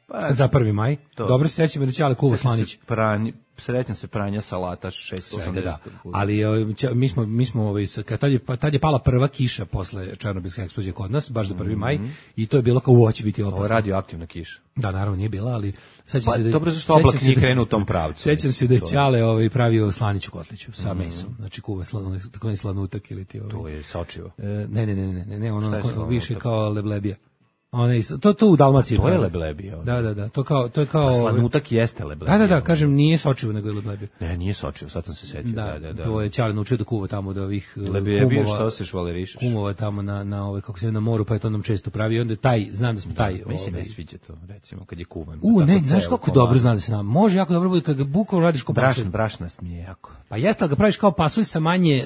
Pa, za prvi maj. To. Dobro se sećam da će Ale Kuva Slanić. Pranj, srećam se pranja salata šesto osamdeset. Da. Ali mi smo mi smo ovaj kad tad je pa tad je pala prva kiša posle Černobilske eksplozije kod nas, baš za prvi maj mm-hmm. i to je bilo kao uoči biti opasno. Radioaktivna kiša. Da, naravno nije bila, ali sećam pa, se da dobro zašto oblak nije krenuo u tom pravcu. Sećam se da je Ćale ovaj pravio slaniću kotliću sa mm-hmm. mesom. Znači kuva slano, tako ne slanutak ili ti ovaj. To je sočivo. E, ne, ne, ne, ne, ne, ne, ono ko, više kao leblebija. One, to to u Dalmaciji. To je leblebija. Da, da, da. To kao to je kao a slanutak jeste leblebija. Da, da, da, kažem nije sočivo nego je leblebija. Ne, nije sočivo, sad sam se setio. Da, da, da, da. To je Ćale naučio da kuva tamo da ovih leblebija što se švalerišeš. Kumova tamo na na ove kako se na moru, pa je to nam često pravi. Onda taj, znam da smo taj. Da, meni se ne sviđa to, recimo kad je kuvan. U, ne, znaš kako dobro zna da se nam. Može jako dobro bude kad ga bukvalno radiš kao pasulj. Brašn, brašnast mi je jako. Pa jeste, al ga praviš kao pasulj sa manje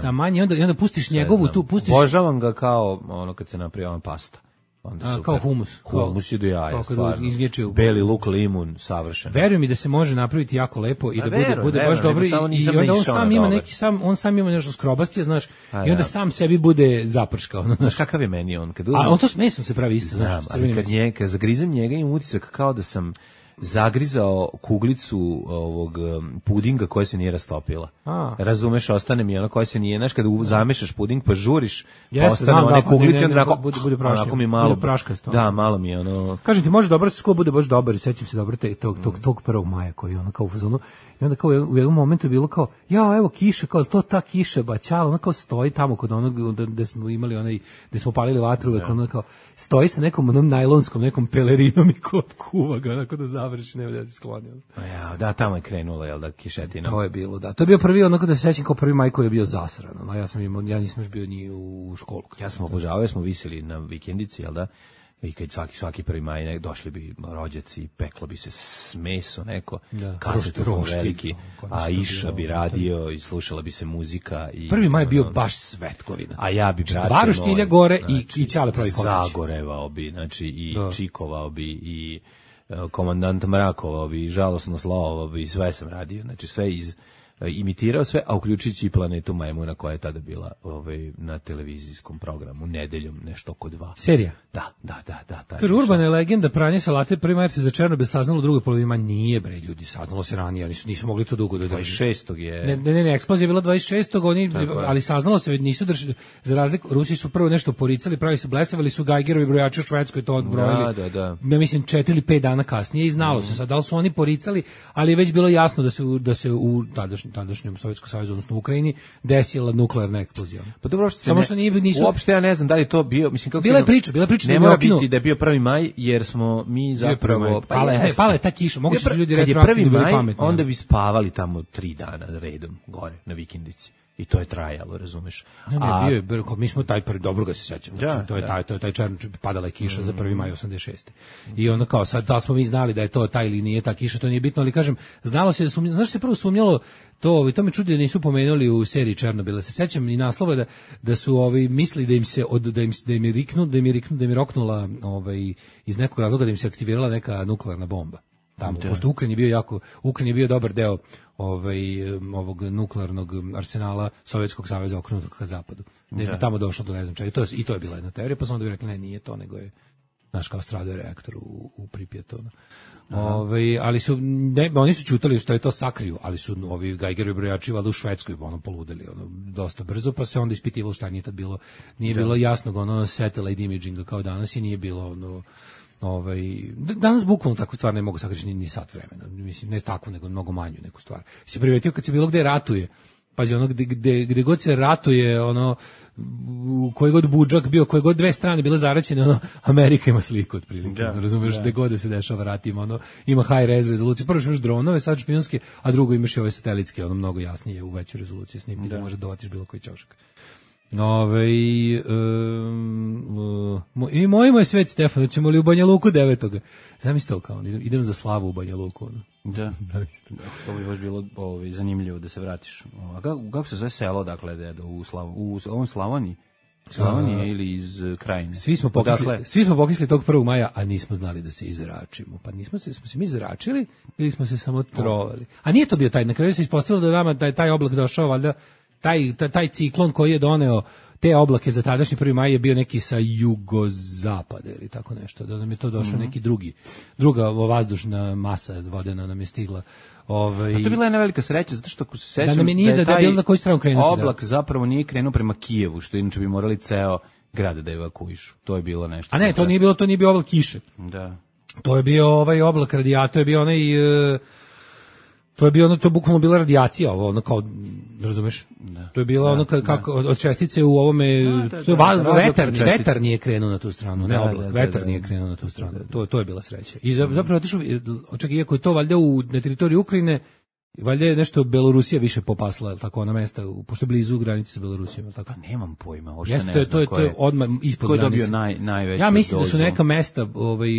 sa manje, onda onda pustiš njegovu tu, pustiš. Obožavam ga kao ono kad se napravi ona pasta. Onda a, kao humus. Humus je do jaja, stvarno. Izvječio. Beli luk, limun, savršen. Verujem mi da se može napraviti jako lepo i da bude, verujem, bude baš dobro. I, i onda on sam ima neki, sam, on sam ima nešto skrobastije, znaš, a, i onda ja. sam sebi bude zaprškao. Znaš, znaš kakav je meni on? Kad uzmem, a on to s mesom se pravi isto, znaš. Ali kad, nje, kad zagrizem njega imam utisak kao da sam zagrizao kuglicu ovog pudinga koja se nije rastopila. A. Razumeš, ostane mi ono koja se nije, znaš, kada zamešaš puding pa žuriš, jeste, ostane one da, kuglice, ne, ne, ne, onako, bude, bude praška, onako mi malo, bude praškasto. Da, malo mi je ono... Kažem ti, može dobro se skoro bude baš dobar i sećam se dobro te, tog, tog, tog prvog maja koji je ono kao u fazonu. I onda kao u jednom momentu je bilo kao, ja, evo kiša, kao to ta kiša, baćala, ona kao stoji tamo kod onog gde smo imali onaj, gde smo palili vatru, uvek, ona kao, stoji sa nekom onom najlonskom, nekom pelerinom i kod kuva ga, onako da završi, nema da se skloni. Ja, da, tamo je krenula, jel da, kišetina. To je bilo, da. To je bio prvi, onako da se sećam kao prvi maj koji je bio zasran. No, ja sam imao, ja nisam još bio ni u školu. Ja sam obožavao, smo viseli na vikendici, jel da? I kad svaki svaki prvi maj ne, došli bi rođaci, peklo bi se s meso neko, da, kasetofon veliki, a Iša bi radio i slušala bi se muzika. I prvi maj bio baš svetkovina. A ja bi, brate, dva roštilja gore znači, i, i Ćale pravi konač. Zagorevao bi, znači i da. Čikovao bi i uh, komandant Mrakovao bi i žalosno slovao bi i sve sam radio, znači sve iz imitirao sve, a uključujući i Planetu majmuna koja je tada bila ovaj, na televizijskom programu, nedeljom, nešto oko dva. Serija? Da, da, da. da kaže, urbana je legenda, pranje salate, prvi maj se za Černobil saznalo, u drugoj polovini nije, bre, ljudi, saznalo se ranije, nisu, nisu mogli to dugo da drži. dvadeset šestog je... Ne, ne, ne, eksplozija je bila dvadeset šestog oni, ali saznalo se, nisu držali, za razliku, Rusi su prvo nešto poricali, pravi se blesavali su Geigerovi brojači u Švedskoj to odbrojili. Da, da, da. Ja mislim, četiri ili pet dana kasnije i znalo mm. se sad, da li su oni poricali, ali je već bilo jasno da se, da se u tadašnjem, tadašnjem Sovjetskom savezu, odnosno u Ukrajini, desila nuklearna eksplozija. Pa dobro, što samo ne, što nije nisu uopšte ja ne znam da li to bio, mislim kako bila je priča, bila je priča ne mora biti da je bio prvi maj jer smo mi zapravo pa pale, je, pale ta kiša, mogu se ljudi retroaktivno bili pametni. Onda bi spavali tamo tri dana redom gore na vikendici. I to je trajalo, razumeš? Ne, ne, a, bio je, bio, mi smo taj prvi, dobro ga se sećam, znači, da, to je da. taj, to je taj černo, padala je kiša mm. za prvi maj osamdeset šeste. I onda kao, sad, da smo mi znali da je to taj ili nije ta kiša, to nije bitno, ali kažem, znalo se da sumnjalo, znaš se prvo sumnjalo, to, to me čudi da nisu pomenuli u seriji Černobila, se sećam i naslova da, da su ovi mislili da im se, od, da im, da im je riknu, da im je riknu, da im je roknula ovaj, iz nekog razloga da im se aktivirala neka nuklearna bomba. Tamo, da. Pošto Ukrajin je bio jako, Ukrajin je bio dobar deo ovaj, ovog nuklearnog arsenala Sovjetskog saveza okrenutog ka zapadu. Da je tamo došlo do ne znam čega. I to je, i to je bila jedna teorija, pa su onda bi rekli, ne, nije to, nego je naš kao stradao je reaktor u, u Pripjatu. Ove, ali su, ne, oni su čutali u stvari to sakriju, ali su ovi Geigerovi brojači valjda u Švedskoj ono poludeli ono, dosta brzo, pa se onda ispitivalo šta nije tad bilo, nije bilo jasnog ono satellite imaginga kao danas i nije bilo ono, Ovaj, danas bukvalno takvu stvar ne mogu sakriti ni, ni sat vremena. Mislim, ne takvu, nego mnogo manju neku stvar. Si primetio kad se bilo gde ratuje, pazi, ono gde, gde, gde god se ratuje, ono, u koji god budžak bio, koje god dve strane bile zaraćene, ono, Amerika ima sliku otprilike, da, ono, razumeš, da. gde god da se dešava rat ima, ono, ima high res rezolucije, prvo imaš dronove, sad špijunske, a drugo imaš i ove satelitske, ono, mnogo jasnije u većoj rezoluciji snimki, da, da može dovatiš bilo koji ćošak. Ove, um, uh, i moj moj svet, Stefano, ćemo li u Banja Luku devetoga? Zamisli to kao, idem, idem za slavu u Banja Luku. Ono. Da, to bi baš bilo ovaj, zanimljivo da se vratiš. A kako, kako se zove selo, dakle, da u, Slav, u ovom Slavoniji? Slavonije ili iz uh, Krajine? Svi smo pokisli, dakle, svi smo pokisli tog prvog maja, a nismo znali da se izračimo. Pa nismo se, smo se mi zračili ili smo se samo trovali. A nije to bio taj, na kraju se ispostavilo da nama taj, taj oblak došao, valjda, taj, taj, taj ciklon koji je doneo te oblake za tadašnji prvi maj je bio neki sa jugozapada ili tako nešto, da nam je to došao mm-hmm. neki drugi, druga vazdušna masa vodena nam je stigla. Ovaj, a to je bila jedna velika sreća, zato što ako se sećam da, nam je nije, da, je da, da je bilo na koju stranu krenuti. Oblak da. zapravo nije krenuo prema Kijevu, što inače bi morali ceo grad da evakuišu. To je bilo nešto. A ne, to nije bilo, to nije bio oblak kiše. Da. To je bio ovaj oblak radijatora, to je bio onaj... Uh, to je bio ono, to je bukvalno bila radijacija, ovo, ono kao, razumeš? Da. To je bilo da, ono ka, kako, od čestice u ovome, da, da, to je da, da, vetar, vetar nije krenuo na tu stranu, ne da, oblak, da, da, vetar da, nije krenuo na tu stranu, da, da, da. To, to je bila sreća. I zapravo otišao, čak iako je to valjda u, na teritoriji Ukrajine, valjda je nešto Belorusija više popasla, tako, ona mesta, pošto je blizu granice sa Belorusijom, tako. Pa nemam pojma, uopšte Jeste, ne to je, znam to je, ko je, to je odmah ispod ko je granice. dobio naj, najveću Ja mislim dozu. da su neka mesta ovaj,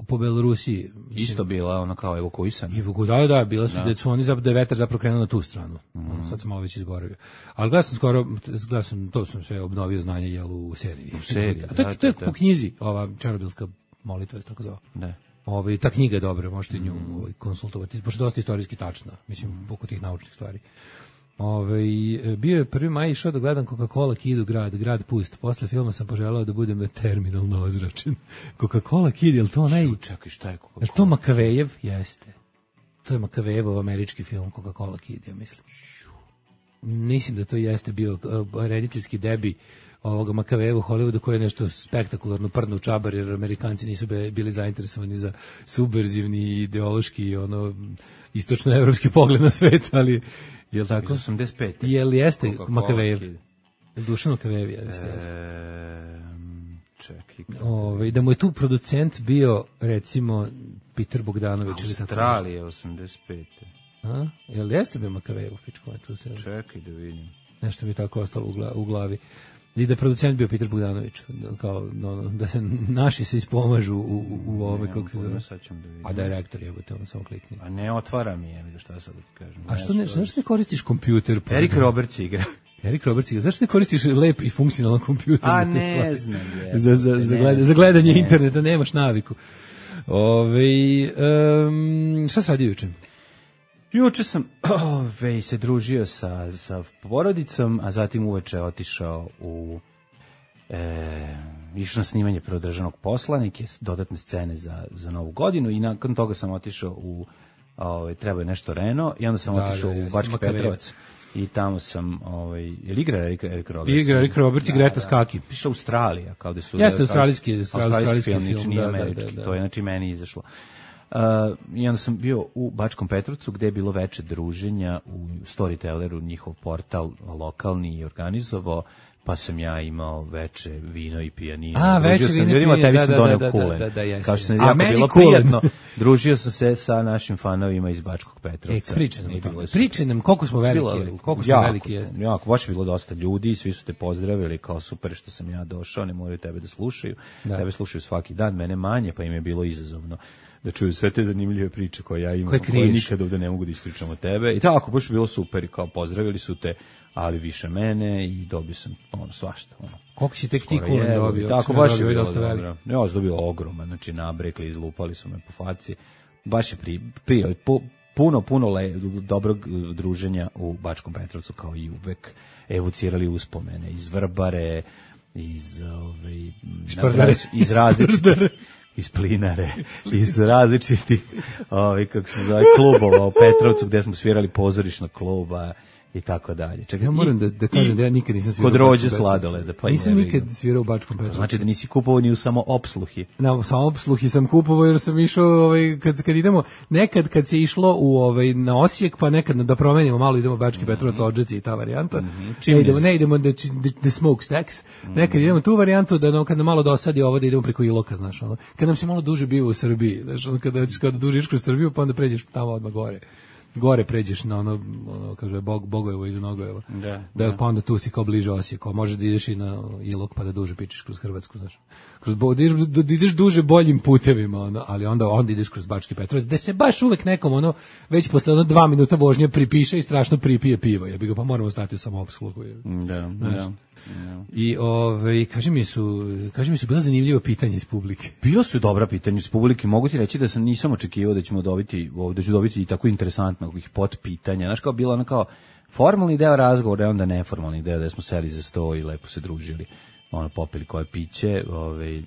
po Belorusiji. Mislim, isto bila, ona kao evakuisana. Da, da, bila su, da. da su oni, da je vetar zapravo krenuo na tu stranu. Mm. Sad sam malo već izboravio. Ali gledao sam skoro, gledao sam, to sam sve obnovio znanje, jel, u seriji. U seriji, A to, da, to je da, po knjizi, ova černobilska molitva, tako zove. Da. Ovaj, ta knjiga je dobra, možete nju ovaj, konsultovati, pošto je dosta istorijski tačna, mislim, oko tih naučnih stvari. Ovaj, bio je prvi maj, išao da gledam Coca-Cola Kid u grad, grad pust. Posle filma sam poželao da budem terminalno ozračen. Coca-Cola Kid, je li to onaj... Čekaj, šta je Coca-Cola? Je to Makavejev? Jeste. To je Makavejevov američki film Coca-Cola Kid, ja mislim. Mislim da to jeste bio uh, rediteljski debi ovoga Makavejeva u Hollywoodu, koji je nešto spektakularno prdno u čabar, jer Amerikanci nisu bili zainteresovani za subverzivni ideološki ono istočnoevropski pogled na svet, ali je li tako? osamdeset pet. Je li jeste Makavejev? Dušan Makavejev, ja mislim. E, čekaj. Ove, da mu je tu producent bio, recimo, Peter Bogdanović. Australije, osamdeset pet. A? Je li jeste bio Makavejev? Čekaj da vidim. Nešto mi tako ostalo u glavi. I da je producent bio Peter Bogdanović, kao no, da se naši se ispomažu u, u, u ove, kako se zove. Da a direktor je, te ono samo klikni. A ne otvara mi je, šta sad da ti kažem. A što ne, zašto ne koristiš kompjuter? Pa Erik Roberts igra. Erik Roberts igra. Zašto ne koristiš lep i funkcionalan kompjuter? A za te ne stvari? znam. Je, za, za, za, gleda, za gledanje ne interneta nemaš naviku. Ove, um, šta se radi juče? Juče sam ove, se družio sa, sa porodicom, a zatim uveče otišao u e, išao na snimanje Predržavnog posla, neke dodatne scene za, za Novu godinu i nakon toga sam otišao u ove, treba je nešto Reno i onda sam da, otišao da, u Bački Petrovac i tamo sam, ovaj, je li igra Erik, Erik Roberts? Igra Erik Roberts i da, Greta Skaki. Piše Australija, kao da su... Jeste australijski, australijski, australijski film, film, film nije da, američki, da, da, da. To je znači meni izašlo. Uh, I onda sam bio u Bačkom Petrovcu gde je bilo veče druženja u Storytelleru, njihov portal lokalni i organizovao, pa sam ja imao veče vino i pijanino. A, veče vino i pijanino, tebi sam da, doneo da, kulen. Da, da, da, jeste. Kao što sam jako bilo kulen. Prijatno, družio sam se sa našim fanovima iz Bačkog Petrovca. E, pričaj nam to. Pričaj nam koliko smo veliki, bilo, koliko smo jako, veliki jeste. Jako, baš je bilo dosta ljudi, svi su te pozdravili kao super što sam ja došao, ne moraju tebe da slušaju. Da. Tebe slušaju svaki dan, mene manje, pa im je bilo izazovno da čuju sve te zanimljive priče koje ja imam, koje, koje nikada ovde ne mogu da ispričam o tebe. I tako, baš je bilo super i kao pozdravili su te, ali više mene i dobio sam ono svašta. Ono. Koliko si tek ti kulen dobio? Tako, baš je bilo dobro. Ja sam dobio ogroman, znači nabrekli, izlupali su me po faci. Baš je pri, pri, po, puno, puno le, dobrog druženja u Bačkom Petrovcu, kao i uvek. Evocirali uspomene iz Vrbare, iz, ove, Špardare. iz različitih iz Plinare, iz različitih ovaj, kako se zove, klubova u Petrovcu gde smo svirali pozorišna kluba i tako dalje. Čekaj, Ja moram i- da, da kažem i da ja nikad nisam svirao kod u Bačkom rođe Petrovcu. sladoleda, pa nisam jebi nikad ga. svirao u Bačkom Petrovcu. Znači da nisi kupovao ni u samo opsluhi. Na samoobsluhi sam kupovao jer sam išao ovaj kad kad idemo nekad kad se išlo u ovaj na Osijek pa nekad da promenimo malo idemo Bački Mhm. Petrovac Odžaci i ta varijanta. Čim Ne idemo je- ne idemo da the smoke stacks. Nekad idemo tu varijantu da no, kad nam malo dosadi ovo da idemo preko Iloka, znaš, ono. Kad nam se malo duže bio u Srbiji, znaš, ono, kada kada duže išao kroz Srbiju pa onda pređeš tamo odmah gore. Gore pređeš na ono, ono kaže Bog Bogojevo iza Nogojevo. Da, da, pa onda tu si kao bliže Osijeku, možeš da ideš i na Ilok pa da duže pičeš kroz Hrvatsku, znaš. Kroz bo, da ideš, da ideš duže boljim putevima, ono, ali onda onda ideš kroz Bački Petrovac, da se baš uvek nekom ono već posle ono dva minuta vožnje pripiše i strašno pripije piva. Ja bih ga pa moramo stati u samoopslugu. Da, Znaš. da. I ovaj kaži mi su, kaži mi su bila zanimljiva pitanja iz publike. Bilo su dobra pitanja iz publike, mogu ti reći da sam nisam očekivao da ćemo dobiti, da ću dobiti i tako interesantnog pot pitanja. Znaš, kao bilo ono kao formalni deo razgovora, onda neformalni deo da smo seli za sto i lepo se družili, ono popili koje piće, ovaj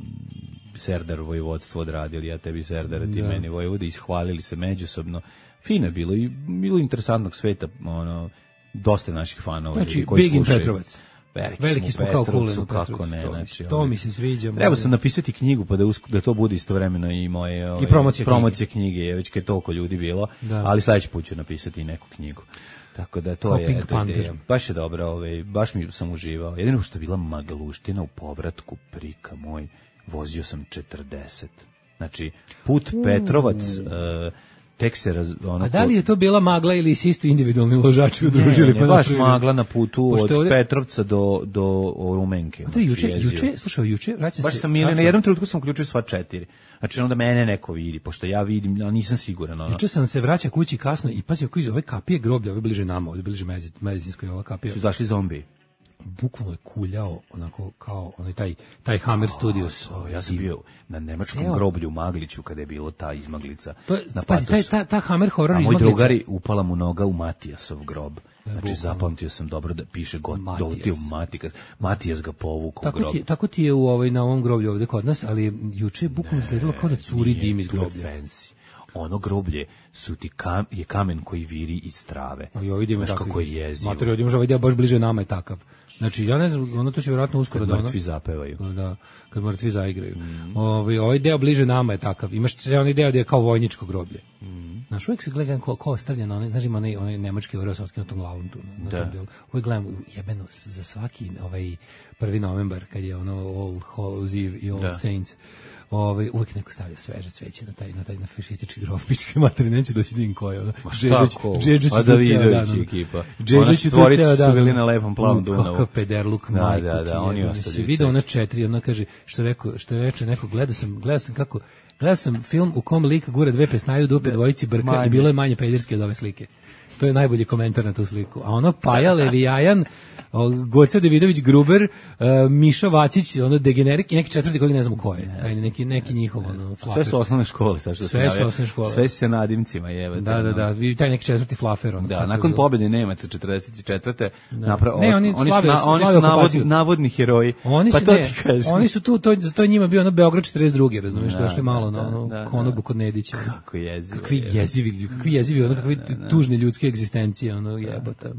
Serdar vojvodstvo odradili, ja tebi Serdar, ti Da. meni vojvode, ishvalili se međusobno. Fino je bilo i bilo interesantnog sveta, ono dosta naših fanova Znači, koji Big in slušaju. Petrovac. Veliki, Veliki smo kao Petrovcu, Kulen u kako Petrovcu, ne, to mi znači, se- to ovaj, mi se sviđa. Trebao sam napisati knjigu pa da, usk- da to bude istovremeno i moje ovaj, promocija promocije knjige, je već kad je toliko ljudi bilo, Da. ali sledeći put ću napisati i neku knjigu. Tako da to Kao je Pink eto, ideja. Panther. Baš je dobro, ovaj, baš mi sam uživao. Jedino što je bila magluština u povratku, prika moj, vozio sam četrdeset. Znači, put Petrovac, e, tek se raz, ono, A da li je to bila magla ili si isto individualni ložači udružili? ne, ne, pa baš napravili? magla na putu Pošto od je ovdje- Petrovca do, do Rumenke. A to je znači, juče, jezio. juče, slušaj, juče, vraćam Baš se. sam ili na kasno. jednom trenutku sam uključio sva četiri. Znači onda mene neko vidi, pošto ja vidim, a nisam siguran. Ono. Juče sam se vraća kući kasno i pazi, ako iz ove kapije groblja, ove bliže nama, ovdje bliže mezi- medicinskoj ova kapija, Su zašli zombi. bukvalno je kuljao onako kao onaj taj taj Hammer Studios. O, ja sam bio na nemačkom Ceo- groblju u Magliću kada je bilo ta izmaglica. To je, na pazi, taj, Patosu. ta, ta Hammer horror A moj izmaglica- drugari upala mu noga u Matijasov grob. Znači bukvalno. zapamtio sam dobro da piše god Matijas. doletio Matijas. Matijas ga povukao u Tako grob. ti, je- tako ti je u ovaj, na ovom groblju ovde kod nas, ali juče je bukvalno izgledalo kao da curi Nije, dim iz to je groblja. fancy. Ono groblje su ti kam, je kamen koji viri iz trave. A joj, idemo Znaš tako. kako je jezivo. Materijal, idemo ovaj deo baš bliže nama je takav. Znači, ja ne znam, ono to će vjerojatno uskoro Kad da ono... mrtvi zapevaju. Da, kad mrtvi zaigraju. Mm. Ovaj, ovaj deo bliže nama je takav. Imaš se onaj deo gdje je kao vojničko groblje. Mm. Znaš, uvijek se gledam ko, ko ostavlja na onaj, znaš ima onaj, onaj nemački oreo sa otkrenutom glavom tu. Na, na Da. tom delu. Uvijek gledam jebeno s- za svaki ovaj prvi novembar kad je ono All Hallows Eve i All Da. Saints. Ovaj uvek neko stavlja sveže cveće na taj na taj na fašistički grob pičke materine neće doći din koje ono. Ma šta ko? Džedžić A je tu ceo Davidović dan, ono. ekipa. Ona Džedžić je tu stvorica ceo su dan. bili ono. na lepom plavom U, Dunavu. Kakav pederluk, Da, majku da, da, ti oni jebem. ostavljaju Si video cveće. ona četiri, ona kaže, što rekao, što reče neko, gledao sam, gledao sam kako, gledao sam film u kom lik gura dve pesnaju dupe dvojici brka Manje. i bilo je manje pederski od ove slike. To je najbolji komentar na tu sliku. A ono Paja Levijajan, o, Goca Davidović Gruber, uh, Miša Vacić, ono degenerik i neki četvrti koji ne znam ko je. Taj neki neki njihov ono Sve flafer. su osnovne škole, sad što Sve sam su naveo. osnovne škole. Sve se nadimcima jebe. Da, da, da, vi taj neki četvrti flafer ono. Da, kako nakon je- pobjede Nemaca četrdeset četvrte napra- Ne, oni oni su, slave- na, oni slave su navod, okupaciju. navodni heroji. Oni pa su to ne, ti kažem. oni su tu, to, to je njima bio ono Beograd četrdeset druge, razumiješ, Da, došli malo da, na ono da, da. konobu kod Nedića. Kako jezivo. Kakvi jebe. jezivi, ljudi, kakvi jezivi, ono kakvi tužne ljudske egzistencije, ono jebote.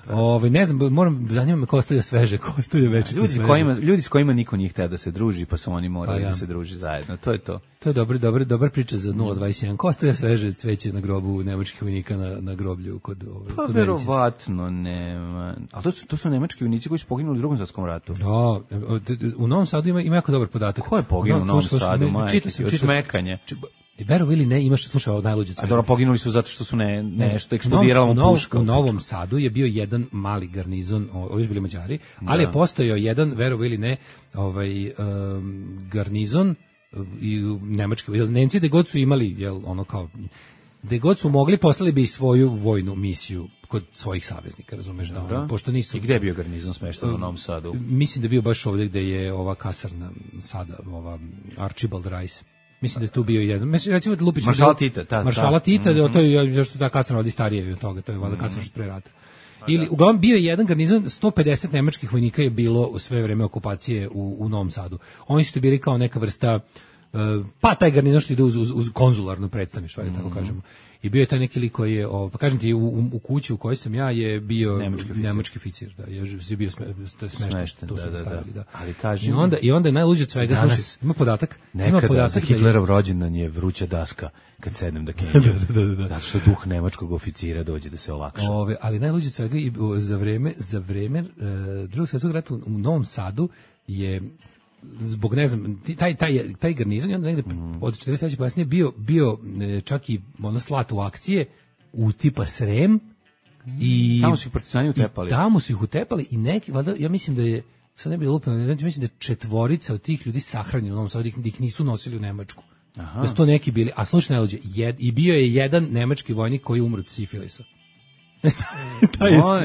Ove, ne znam, moram, zanima me ko ostavlja sveže, ko ostavlja večito Ljudi, sveže. s kojima, ljudi s kojima niko nije hteo da se druži, pa su oni morali Pa ja. da se druži zajedno. To je to. To je dobra, dobra, dobra priča za nula dvadeset jedan. Ko ostavlja sveže cveće na grobu nemačkih vojnika na, na groblju kod, ove, Pa kod medicinske? verovatno nema. A to su, to su nemački vojnici koji su poginuli u drugom svjetskom ratu. Da, u Novom Sadu ima, ima jako dobar podatak. Ko je poginuo u Novom Slušaj, Sadu, ne, majke čitao ti, sam, od čitao sam. smekanja? I verovo ili ne, imaš, slušaj, ovo najluđe A cveće. dobro, poginuli su zato što su ne, nešto U eksplodirala mu Novom- puška. U Novom Sadu je bio jedan mali garnizon, o- ovi su bili Mađari, ali je postojao jedan, verovo ili ne, ovaj um, garnizon um, i u nemački, jel Nemci da god su imali, jel ono kao da god su mogli poslali bi i svoju vojnu misiju kod svojih saveznika, razumeš, da ono, pošto nisu I gde je bio garnizon smešten u Novom Sadu? Mislim da je bio baš ovdje gde je ova kasarna sada, ova Archibald Rice. Mislim da je tu bio jedan. Mislim, recimo da Lupić... Maršala Tita, ta, Maršala ta. Tita, da, to je, zašto ta kasarna ovdje starija je od toga, to je valjda kasarna što pre rata. Ili, uglavnom, bio je jedan garnizon, sto pedeset nemačkih vojnika je bilo u sve vreme okupacije u, u Novom Sadu. Oni su tu bili kao neka vrsta pa taj garnizon što ide uz, uz, uz konzularno predstavništvo, mm. tako kažemo. I bio je taj neki lik koji je, o, pa kažem ti, u, u, u kući u kojoj sam ja je bio nemački, nemački oficir, da, je, je bio sme, smešten, to da, su da, stavili, da. Ali kažem, I onda, i onda je najluđe od svega, danas, slušaj, ima podatak, nekada ima podatak za Hitlerov rođendan je vruća daska kad sednem da kenjam. da, da, da, da. Zato što duh nemačkog oficira dođe da se olakša. Ove, ali najluđe od svega i za vreme, za vreme uh, drugog svjetskog rata u Novom Sadu je zbog ne znam taj taj taj garnizon je onda negde mm. od četrdeset treće kasnije bio bio čak i ono slat u akcije u tipa Srem i tamo su ih partizani utepali. Tamo su ih utepali i neki valjda ja mislim da je sad ne bi lupano, ja mislim da je četvorica od tih ljudi sahranjeno u Novom Sadu, da ih nisu nosili u Nemačku. Aha. Da su to neki bili, a slušaj najluđe, jed, i bio je jedan nemački vojnik koji je umro od sifilisa.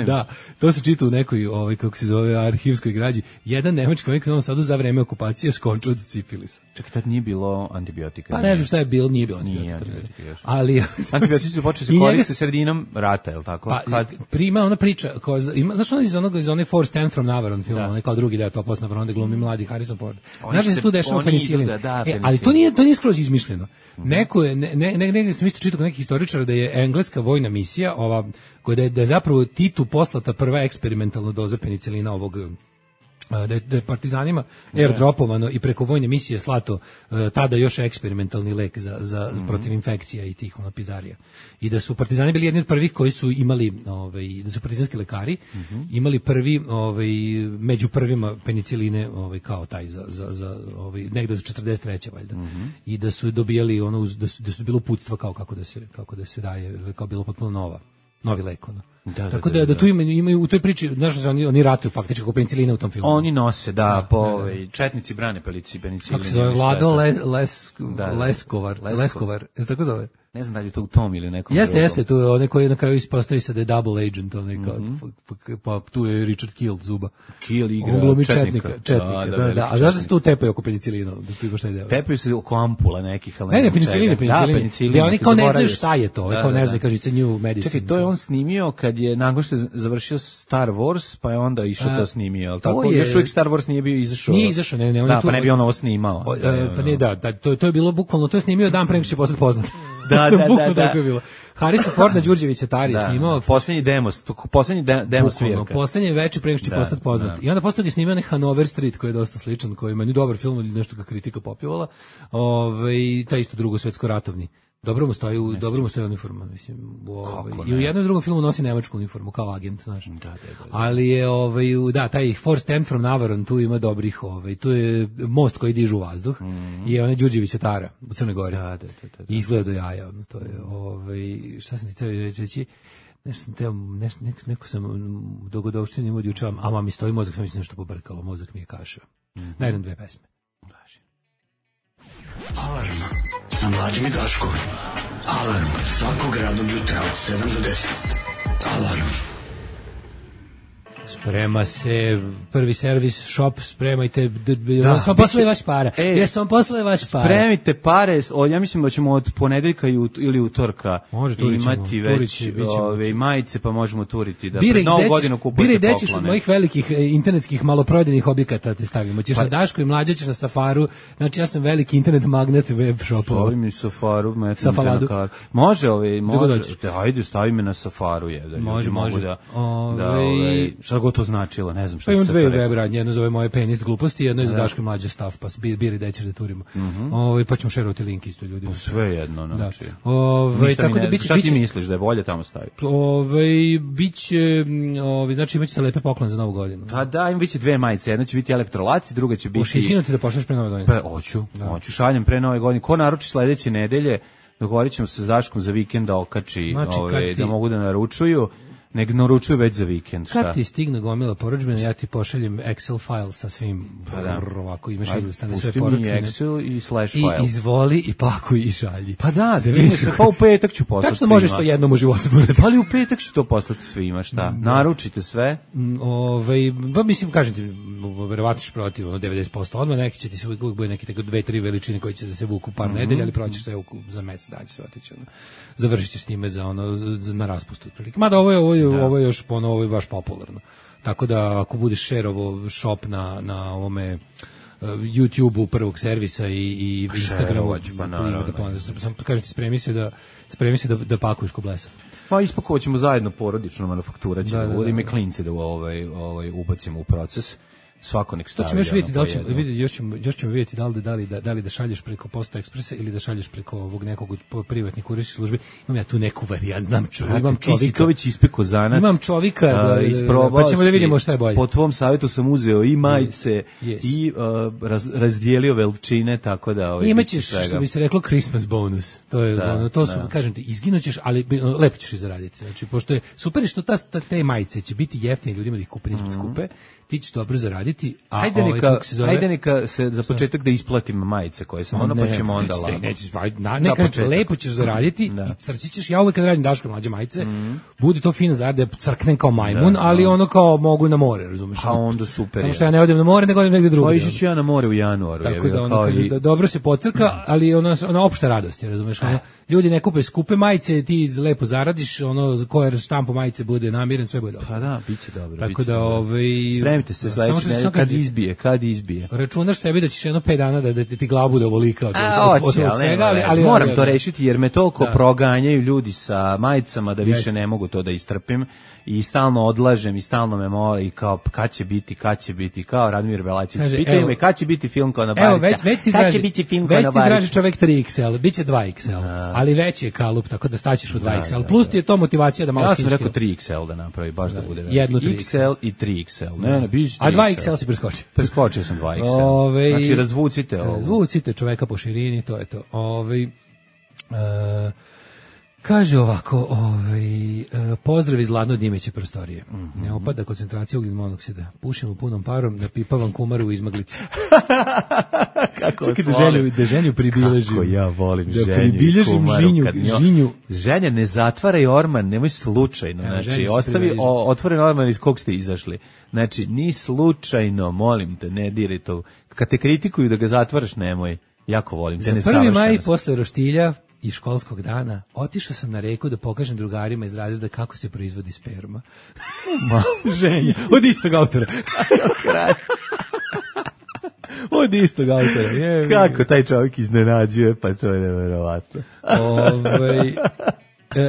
da, to se čita u nekoj, ovaj, kako se zove, arhivskoj građi. Jedan nemački vojnik u Novom Sadu za vreme okupacije skončio od sifilisa. Čekaj, tad nije bilo antibiotika. Pa ne znam šta je bilo, nije bilo antibiotika. Nije antibiotika ali antibiotici su počeli se koristiti sredinom rata, je li tako? Pa, kad prima ona priča, ko, ima, znaš ono iz onog, iz one Four Stand from Navarone filma, onaj kao drugi deo Topos na Vrone, glumi mladi Harrison Ford. Znaš da se tu dešava penicilin. Da, da, e, ali to nije, to nije skroz izmišljeno. Mm-hmm. Neko je, ne, ne, ne, ne, sam isto čitao nekih historičara da je engleska vojna misija, ova, koja je, da je zapravo Titu poslata prva eksperimentalna doza penicilina ovog, da je, da je partizanima airdropovano i preko vojne misije slato tada još eksperimentalni lek za, za mm-hmm. protiv infekcija i tih ono pizarija. I da su partizani bili jedni od prvih koji su imali, ovaj, da su partizanski lekari mm-hmm. imali prvi, ovaj, među prvima peniciline ovaj, kao taj za, za, za ovaj, negde od četrdeset treće valjda. Mm-hmm. I da su dobijali ono, da su, da su bilo uputstva kao kako da se, kako da se daje, kao bilo potpuno nova. Novi lek, ono. Da, tako da, da, da, da tu imaju, imaju u toj priči, znaš da oni, oni ratuju faktički oko penicilina u tom filmu. Oni nose, da, da po da, da. Četnici brane pelici penicilina. Kako se zove, Vlado Le, Les, da, da. Leskovar, Leskovar, Leskovar, je tako zove? Ne znam da li je to u tom ili nekom. Jeste, drugom. Jeste, tu je onaj koji na kraju ispostavi se da je double agent, onaj kao, mm-hmm. pa, pa tu je Richard Kiel zuba. Kiel igra on glumi četnika. Četnika, da, da, da, da. A znaš da se tu tepaju oko penicilina? Da tu imaš taj deo. Tepaju se oko ampula nekih, ali ne, ne, peniciline, peniciline. Da, peniciline. Oni kao ne znaju šta je to, kao ne znaju, kaže, it's a new medicine. Čekaj, to je on snimio kad je, nakon što je završio Star Wars, pa je onda išao to snimio, ali tako? Još uvijek Star Wars nije bio izašao. Nije izašao, ne, ne. Da, pa ne bi on ovo snimao. Pa ne, da, to je bilo bukvalno, to je snimio dan pre nego što će postati poznat. Da, da, da, da. Tako je bilo. Harrison Ford na Đurđević Atari da, snimao poslednji demo, poslednji de, demo svirka. Poslednji veći pre nego što će postati poznat. Da. I onda posle toga snimao Hanover Street koji je dosta sličan, koji je meni dobar film ili nešto ga kritika popjevala. Ovaj taj isto drugo svetsko ratovni. Dobro mu stoji, u, dobro mu stoji uniforma, mislim. Ovaj i u jednom i drugom filmu nosi nemačku uniformu kao agent, znaš. Da, da, da, da. Ali je ovaj da, taj Four Stand from Navarone tu ima dobrih, ovaj tu je most koji diže u vazduh. Mm-hmm. I onaj Đurđević Atara u Crnoj Gori. Da, da, da, da, da. Izgleda do jaja, ono, to je ovaj šta sam ti teo reći? Nešto sam teo, nešto, neko, neko sam dogodovštini imao juče, a mami stoji mozak, sam mislim nešto pobrkalo, mozak mi je kašao. Mm-hmm. Na jedan, dve pesme. Važi. Alarm sa Mlađim i Daškom. Alarm svakog radnog jutra od sedam do deset. Alarm. Sprema se prvi servis shop, spremajte, da smo poslali vaš para. E, Jesam vam poslali vaš para. Spremite pare, o, ja mislim da ćemo od ponedeljka ili utorka imati već ove majice, pa možemo turiti da pred novu godinu kupujete poklone. Bire, gde ćeš od mojih velikih internetskih maloprodajnih objekata te stavimo. Ćeš pa, na Dašku i Mlađa, ćeš na Safaru. Znači ja sam veliki internet magnet web shopova. Stavi mi Safaru, Safaladu. Može, ove, može. Ajde, stavi me na Safaru, je, da može, može. Da, da, ove, šta god to značilo, ne znam šta pa se dve web radnje, jedno zove moje penist gluposti, jedno je za Daško i Mlađa stav, pa biri da ćeš da turimo. Mm-hmm. Ovaj pa ćemo šerovati link isto ljudima. Sve jedno, znači. Da. Ovaj tako da biće šta ti misliš da je bolje tamo staviti? Ovaj biće, ovaj znači imaće lepe poklone za Novu godinu. Pa da, im biće dve majice, jedna će biti elektrolaci, druga će biti. Hoćeš iskinuti da pošalješ pre Nove godine? Pa hoću, da. hoću šaljem pre Nove godine. Ko naruči sledeće nedelje, dogovorit ćemo se s Daškom za vikend da okači, znači, ove, ti... da mogu da naručuju. Nek naručuju već za vikend, šta? Kad ti stigne gomila porudžbina, ja ti pošaljem Excel file sa svim, pa da. ovako imaš izlistane sve porudžbine. Pusti mi Excel i slash file. I izvoli i pakuj i šalji. Pa da, stigne se, pa u petak ću poslati svima. Tačno možeš to jednom u životu da uradiš. Ali u petak ću to poslati svima, šta? Da. Naručite sve. Ove, ba, mislim, kažem ti, verovatiš protiv, ono, devedeset posto odmah, neki će ti se uvijek bude neki tako dve, tri veličine koji će da se vuku par mm-hmm. nedelja, ali proćeš sve za mesec dana će sve otići, ono. Završit ćeš s njime za ono, za, na raspustu. Mada ovo je, ovo je, da. ovo je još ponovo, ovo je baš popularno. Tako da ako budeš šerovo shop na, na ovome YouTubeu prvog servisa i, i Instagramu. pa naravno. Da sam kažem ti, spremi se da, spremi se da, da pakuješ ko blesa. Pa ispakovat ćemo zajedno porodično manufaktura, će Da, da, da, da, ime da. klince da ovaj, ovaj, ubacimo u proces. Svako nek To stavi. ćemo još vidjeti, da li ono, ćemo, po jedno. vidjeti, još ćemo, još ćemo vidjeti da li, da, li, da, da li da šalješ preko Posta Ekspresa ili da šalješ preko ovog nekog od po- privatnih kurirskih službi. Imam ja tu neku varijant, znam čovjek, imam Ti si to čovjeka. već ispekao zanat. Imam čovjeka, da, A, da, da, isprobao pa ćemo da si. vidimo šta je bolje. Po tvom savjetu sam uzeo i majice Yes. i uh, raz, razdijelio veličine, tako da ovaj, Imaćeš, bit će svega. što bi se reklo, Christmas bonus. To je, Da, ono, to su, da. kažem ti, izginućeš, ali bi- ono, lepo ćeš i zaraditi. Znači, pošto je super je što ta, ta, te majice će biti jeftine ljudima da ih kupe, nisu skupe, ti ćeš dobro zaraditi, a Ajde ovaj, neka, kako se zove, ajde neka se za početak da isplatim majice koje sam ono, pa ćemo onda nećeš, lako. nećeš, aj, na, Za ne kažem, početak. lepo ćeš zaraditi, Da. i crći ćeš, ja uvek kad radim Daško mlađe majice, bude to fina zarada, crknem kao majmun, ali ono kao mogu na more, razumeš? A onda super Samo je. što ja ne odem na more, nego odem negde Pa drugdje. ići ću ja na more u januaru. Tako jebi da ga, ono kao kaže i- da dobro se pocrka, ali ona ona opšta radost, je, razumeš? Ono, ljudi ne kupe skupe majice, ti lepo zaradiš, ono ko je štampo majice bude namiren, sve bude dobro. Pa da, biće dobro. Tako biće da, dobro. ovaj, Spremite se da, samo sledeće što nedelje sam kad kaže- izbije, kad izbije. Računaš sebi da ćeš jedno pet dana da, da ti ti glavu bude ovolika od, A, od, od, hoće, od ali, svega, nema ali, veze. ali moram ali- to rešiti jer me toliko Da. proganjaju ljudi sa majicama da više Jeste. ne mogu to da istrpim i stalno odlažem i stalno me mole i kao kad će biti, kad će biti, kao Radmir Belačić. Kaže, Pitaju evo- me kad će biti film Konobarica. Evo, već, već ti kad draži, će biti film već ti draži Konobarica. čovek tri iks el, bit će dva iks el, ali veći je kalup, tako da staćeš u dva iks el. Plus ti je to motivacija da malo Ja sam skineš rekao kilo. tri iks el da napravi, baš da, bude. jednu tri iks el i tri iks el. Ne, ne, biće A dva iks el si preskočio. Preskočio sam dva iks el. Ove, Znači, razvucite ovo. Razvucite čoveka po širini, to je to. Ove, e, kaže ovako, ovaj, e, pozdrav iz Ladno Dimiće prostorije. Mhm. Ne opada koncentracija ugljen monoksida. Pušimo punom parom, napipavam kumaru u izmaglici. Kako Čekaj da vas volim. ženju, da ženju pribiležim. Kako ja volim Da ženju i pribilježim kumaru. žinju- kad njoj- žinju. Ženja, ne zatvaraj orman, nemoj slučajno. Evo, Znači, ženju se ostavi približi. o, otvoren orman iz kog ste izašli. Znači, ni slučajno, molim te, ne diraj to. Kad te kritikuju da ga zatvaraš, nemoj. Jako volim te Za prvi nesavršenosti. maj posle roštilja i školskog dana otišao sam na reku da pokažem drugarima iz razreda kako se proizvodi sperma. Ženja, od istog autora. Od istog autora. Je, Kako taj čovjek iznenađuje, pa to je neverovatno. Ovaj, Da,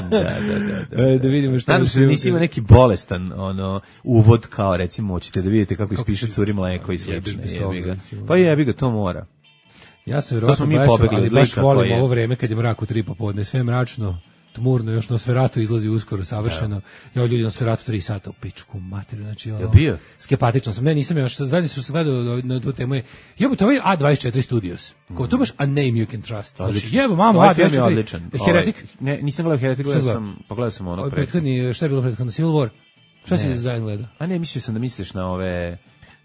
da, da. da. e, da vidimo šta Nadam još se da ima. nisi imao neki bolestan ono, uvod kao recimo, hoćete da vidite kako ispiše curi mleko i Jebeš slično. bez Jebi toga, ga. recimo. Pa jebi ga, to mora. Ja sam To verovatno smo mi blesav, pobegli ali od baš lika volim koji je- ovo vreme kad je mrak u tri popodne, sve je mračno, tmurno, još Nosferatu izlazi uskoro savršeno. Ja ljudi Nosferatu tri sata u pičku materiju, znači ono. Jel bio? Skepatičan sam. Ne, nisam još zadnje što sam gledao na tu temu je. Jebote, ovaj A dvadeset četiri Studios. Ko to baš a name you can trust. Znači, Odlično. jebo mamo Ovaj A film dvadeset je četiri. odličan. Heretic. Ovaj, ne, nisam gledao Heretic, gledao Šta sam, pogledao sam ono Ovaj pre. prethodni, šta je bilo prethodno? Civil War. Šta si zajedno gledao? A ne, mislio sam da misliš na ove,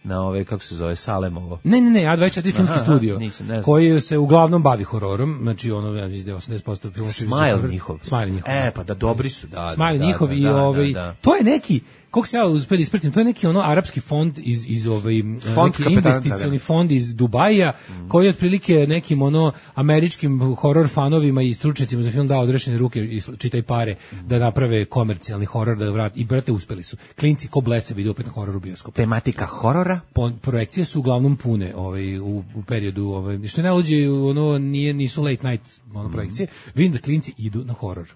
na ove, kako se zove, Salemovo. Ne, ne, ne, A dvadeset četiri filmski Aha, studio, nisam, ne znam. koji se uglavnom bavi hororom, znači ono, ja mislim da je osamdeset posto filmova. Smile njihov. Smile njihov. E, pa da dobri su, da. Smile da, njihov da, i da, ovaj, da, da. to je neki, kako se ja uspio da ispratim, to je neki ono arapski fond iz, iz ovaj, Fond neki kapetana investicioni Dragana. fond iz Dubaja, Mm. koji je otprilike nekim ono američkim horor fanovima i stručnjacima za film dao odrešene ruke i sl- čitaj pare Mm. da naprave komercijalni horor, da vrati, i brate uspeli su. Klinci ko blese vide opet na horor u bioskopu. Tematika horora? Po- projekcije su uglavnom pune ovaj u, u periodu ovaj što je najluđe ono nije nisu late night ono projekcije, vidim da klinci idu na horor.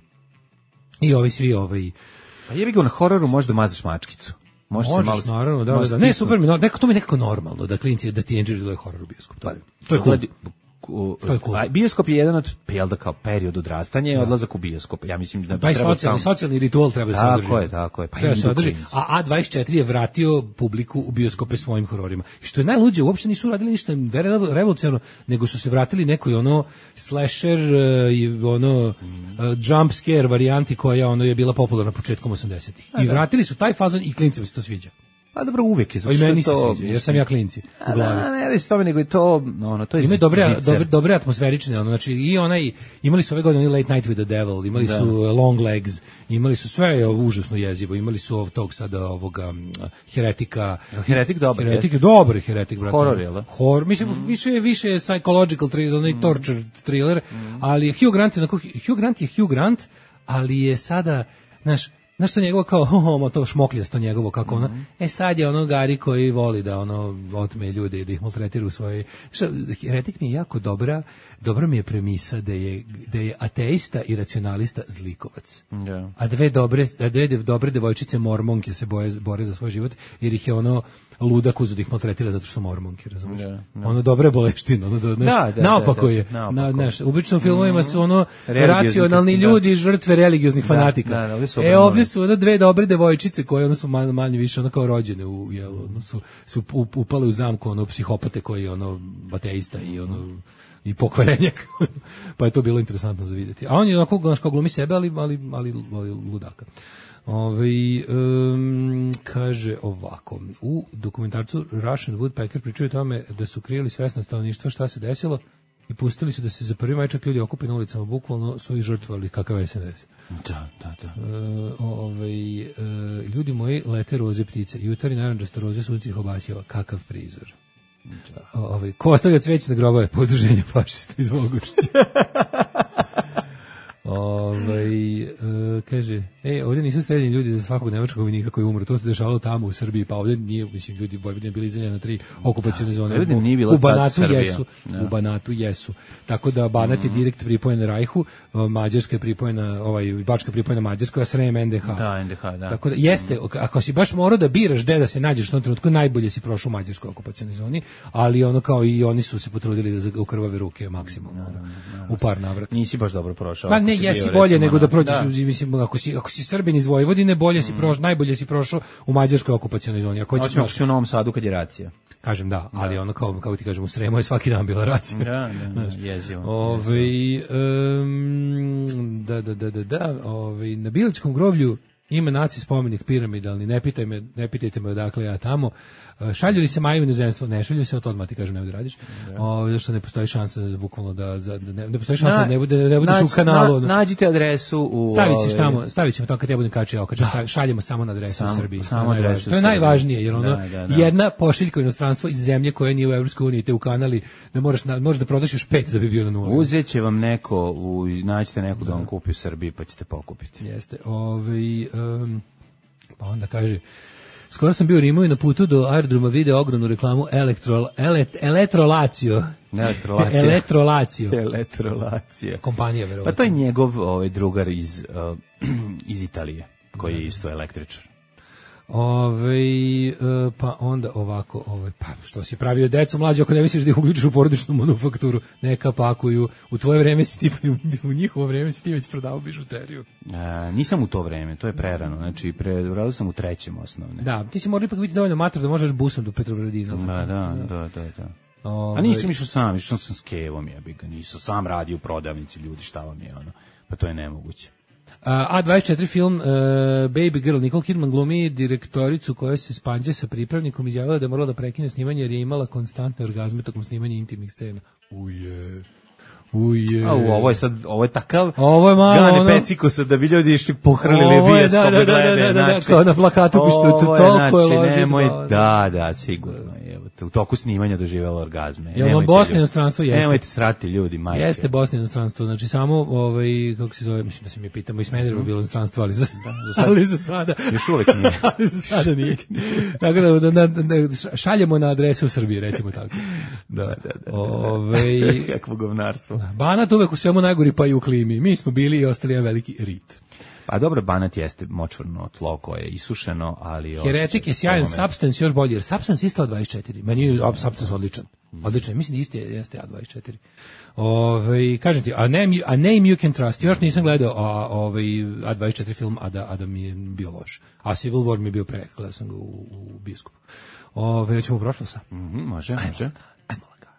I ovi svi ovaj Pa jebi ga, na hororu možda mazaš mačkicu. Može se možeš malo... naravno da, da, može da. Ne, stisnuti. super mi, no, neko to mi je nekako normalno da klinci da teenageri gledaju horor u bioskopu. To je to je cool. Gledi- u- To je cool. a bioskop je jedan od, jel da kao period odrastanja i odlazak u bioskop. Ja mislim da Taj treba socijalni, stalno- socijalni ritual treba da se održi. Tako je, tako je. Pa Treba da se idu održi. klinci. A A dvadeset četiri je vratio publiku u bioskope svojim hororima. I što je najluđe, uopšte nisu radili ništa re- revolucionarno, nego su se vratili nekoj ono slasher uh, i ono uh, jump scare varijanti koja ono je bila popularna početkom osamdesetih. I vratili su taj fazon i klincima se to sviđa. Pa dobro, uvek je. A zato i što je meni se to, sviđa, jer sam ja klinci u A glavi. da, ne, ne, s tome, nego je to, ono, to je Imaju dobre, zicer. dobre, dobre atmosferične, ono, znači i onaj, imali su ove godine Late Night with the Devil, imali Da. su uh, Long Legs, imali su sve je užasno jezivo, imali su ovog tog sada ovoga um, Heretika. Heretik dobar, Heretik je jeste. dobar Heretik, brate. Horor, jel da? Horor, mislim, više je više je psychological thriller, onaj torture thriller, ali Hugh Grant je, onako, Hugh Grant je Hugh Grant, ali je sada, znaš, Znaš što njegovo kao, ho, to šmokljasto njegovo, kako ono, Mhm. e sad je ono Gari koji voli da ono otme ljude i da ih maltretira u svojoj... Što, Heretik mi je jako dobra, dobra mi je premisa da je, da je ateista i racionalista zlikovac. Da. A dve dobre, a dve dobre devojčice mormonke se boje, bore za svoj život, jer ih je ono ludak uzeo da ih maltretira zato što su mormonke, razumiješ? Da, da. Ono dobra boleština, ono do, znaš, Da, da, naopako da, da, je. naopako. Na, znaš, u običnim filmovima su ono Religiozni, racionalni da. ljudi, žrtve religioznih Da, fanatika. da, da, ovdje su e, obrnuli. ovdje su ono dve dobre devojčice koje ono su manje, manje više ono kao rođene u jelu, ono su, su up- upale u zamku ono psihopate koji je ono ateista i ono i pokvarenjak. Pa je to bilo interesantno za vidjeti. A on je onako znaš, kao glumi sebe, ali, ali, ali, ali ludaka. Ove, um, kaže ovako, u dokumentarcu Russian Woodpecker pričaju o tome da su krijeli svesno stanovništvo šta se desilo i pustili su da se za prvi majčak ljudi okupe na ulicama, bukvalno su ih žrtvovali kakav S N S. Da, da, da. E, ovaj, e, ljudi moji lete roze ptice, jutarnji naranđaste roze sunce ih obasjava, kakav prizor. O, ovaj, ko ostavlja cveće na grobove? Podruženje fašista iz Vogošća. Ovaj e, kaže, e, ovdje nisu streljeni ljudi za svakog nemačkog vojnika koji umre, to se dešavalo tamo u Srbiji, pa ovdje nije, mislim, ljudi Vojvodine bili izdeljeni na tri okupacione zone. Vojvodina nije bila U Banatu tad Srbija. jesu, Da. u Banatu jesu. Tako da Banat je direkt pripojen Rajhu, Mađarska je pripojena, ovaj Bačka je pripojena Mađarskoj, a Srem N D H. Da, N D H, da. Tako da jeste, ako si baš morao da biraš gde da se nađeš u tom trenutku, najbolje si prošao u mađarskoj okupacionoj zoni, ali ono kao i oni su se potrudili da za- u krvave ruke maksimalno, ono, u par navrata. Nisi baš dobro prošao. Pa ako ne, si jesi bio, bolje recimo, nego da na- prođeš, mislim, ako si, ako si Srbin iz Vojvodine, bolje si prošao, najbolje si prošao u mađarskoj okupacionoj zoni. Ako hoćeš, Osim ako si u Novom Sadu kad je racija. kažem da, ali ono kao, kao ti kažem, u Sremu je svaki dan bila racija. Da, da, da, jezivo. Ove, um, da, da, da, da, da, ove, na Bilićkom groblju ima naci spomenik piramidalni, ne, pitaj me, ne pitajte me odakle ja tamo. E, Šalju li se maju u inozemstvo? Ne šalju se, to odmah ti kažem ne da radiš. O, zato što ne postoji šansa da bukvalno da, za, da ne, ne postoji šansa da ne, bude, da ne budeš u nađi- kanalu. na- ono. nađite adresu u... Stavit ćeš ove, tamo, stavit ćemo tamo kad ja budem kačio okače, stavi- šaljemo samo na adresu Samo- u Srbiji. samo to je najvažnije. adresu u To je Srbiji. najvažnije, jer ono, Da, da, da. jedna pošiljka u inostranstvo iz zemlje koja nije u Evropskoj uniji te u kanali, da moraš, na, možeš da prodaš još pet da bi bio na nula. Uzet će vam neko, u, naćete neko da vam kupi u Srbiji pa ćete pokupiti. Jeste. Ovaj um, pa onda kaže, skoro sam bio u Rimu i na putu do aerodroma video ogromnu reklamu Elektro, elet, Elektrolacio. Elektrolacija. Elektrolacio. Elektrolacija. Kompanija, verovatno. Pa to je njegov ovaj, drugar iz, uh, iz Italije, koji je isto električar. Ove, e, pa onda ovako, ovaj, pa što si pravio decu mlađe, ako ne misliš da ih uključiš u porodičnu manufakturu, neka pakuju, u tvoje vreme si ti, u njihovo vreme si ti već prodao bižuteriju. E, nisam u to vreme, to je prerano, znači prebrao sam u trećem osnovne. Da, ti si morao ipak biti dovoljno mator da možeš busom do Petrogradina. ali Da, tako? da, da, da, da. Ovaj, A nisam išao sam, išao sam s Kevom, jebi ga, nisam sam radio u prodavnici, ljudi, šta vam je ono, pa to je nemoguće. A dvadeset četiri film uh, Baby Girl, Nicole Kidman glumi direktoricu koja se spanđe sa pripravnikom, izjavila da je morala da prekine snimanje jer je imala konstantne orgazme tokom snimanja intimnih scena. Uje. Uje. A u, ovo je sad, ovo je takav Ovo je malo Gane ono- Pecikosa da bi ljudi išli pohrlili Ovo je, bijeskope da, da, da, glede, da, da, da, znači, kao na plakatu, što je to ovo toliko je znači, ložitba, nemoj, ono. da, da, sigurno, evo te, u toku snimanja doživjela orgazme. Jel vam Nemojte, Bosna ljudi. inostranstvo? Jeste. Nemojte srati ljudi, majke. Jeste Bosna inostranstvo, znači samo ovaj kako se zove, mislim da se mi pitamo i Smederevo bilo inostranstvo, ali za, za sad- ali za sada Još uvek nije. ali za sada nije. Tako da, da, da, da šaljemo na adresu u Srbiji, recimo tako. Da, da, da. Ovaj Kakvo govnarstvo. Banat uvek u svemu najgori, pa i u klimi. Mi smo bili i ostali jedan veliki rit. Pa dobro, Banat jeste močvarno tlo koje je isušeno, ali... Heretik je sjajan, osjeća- Substance još bolji, jer Substance isto A dvadeset četiri. Meni je a, Substance odličan. Odličan, mislim da isti je, jeste A dvadeset četiri. Ove, kažem ti, a name, you- a name you can trust, još nisam gledao a, ovaj, A dvadeset četiri film, a da, a da mi je bio loš. A Civil War mi je bio pre, gledao sam ga u, u bioskopu. Ove, ćemo u prošlost. Mhm, može, može. Ajmo lagano.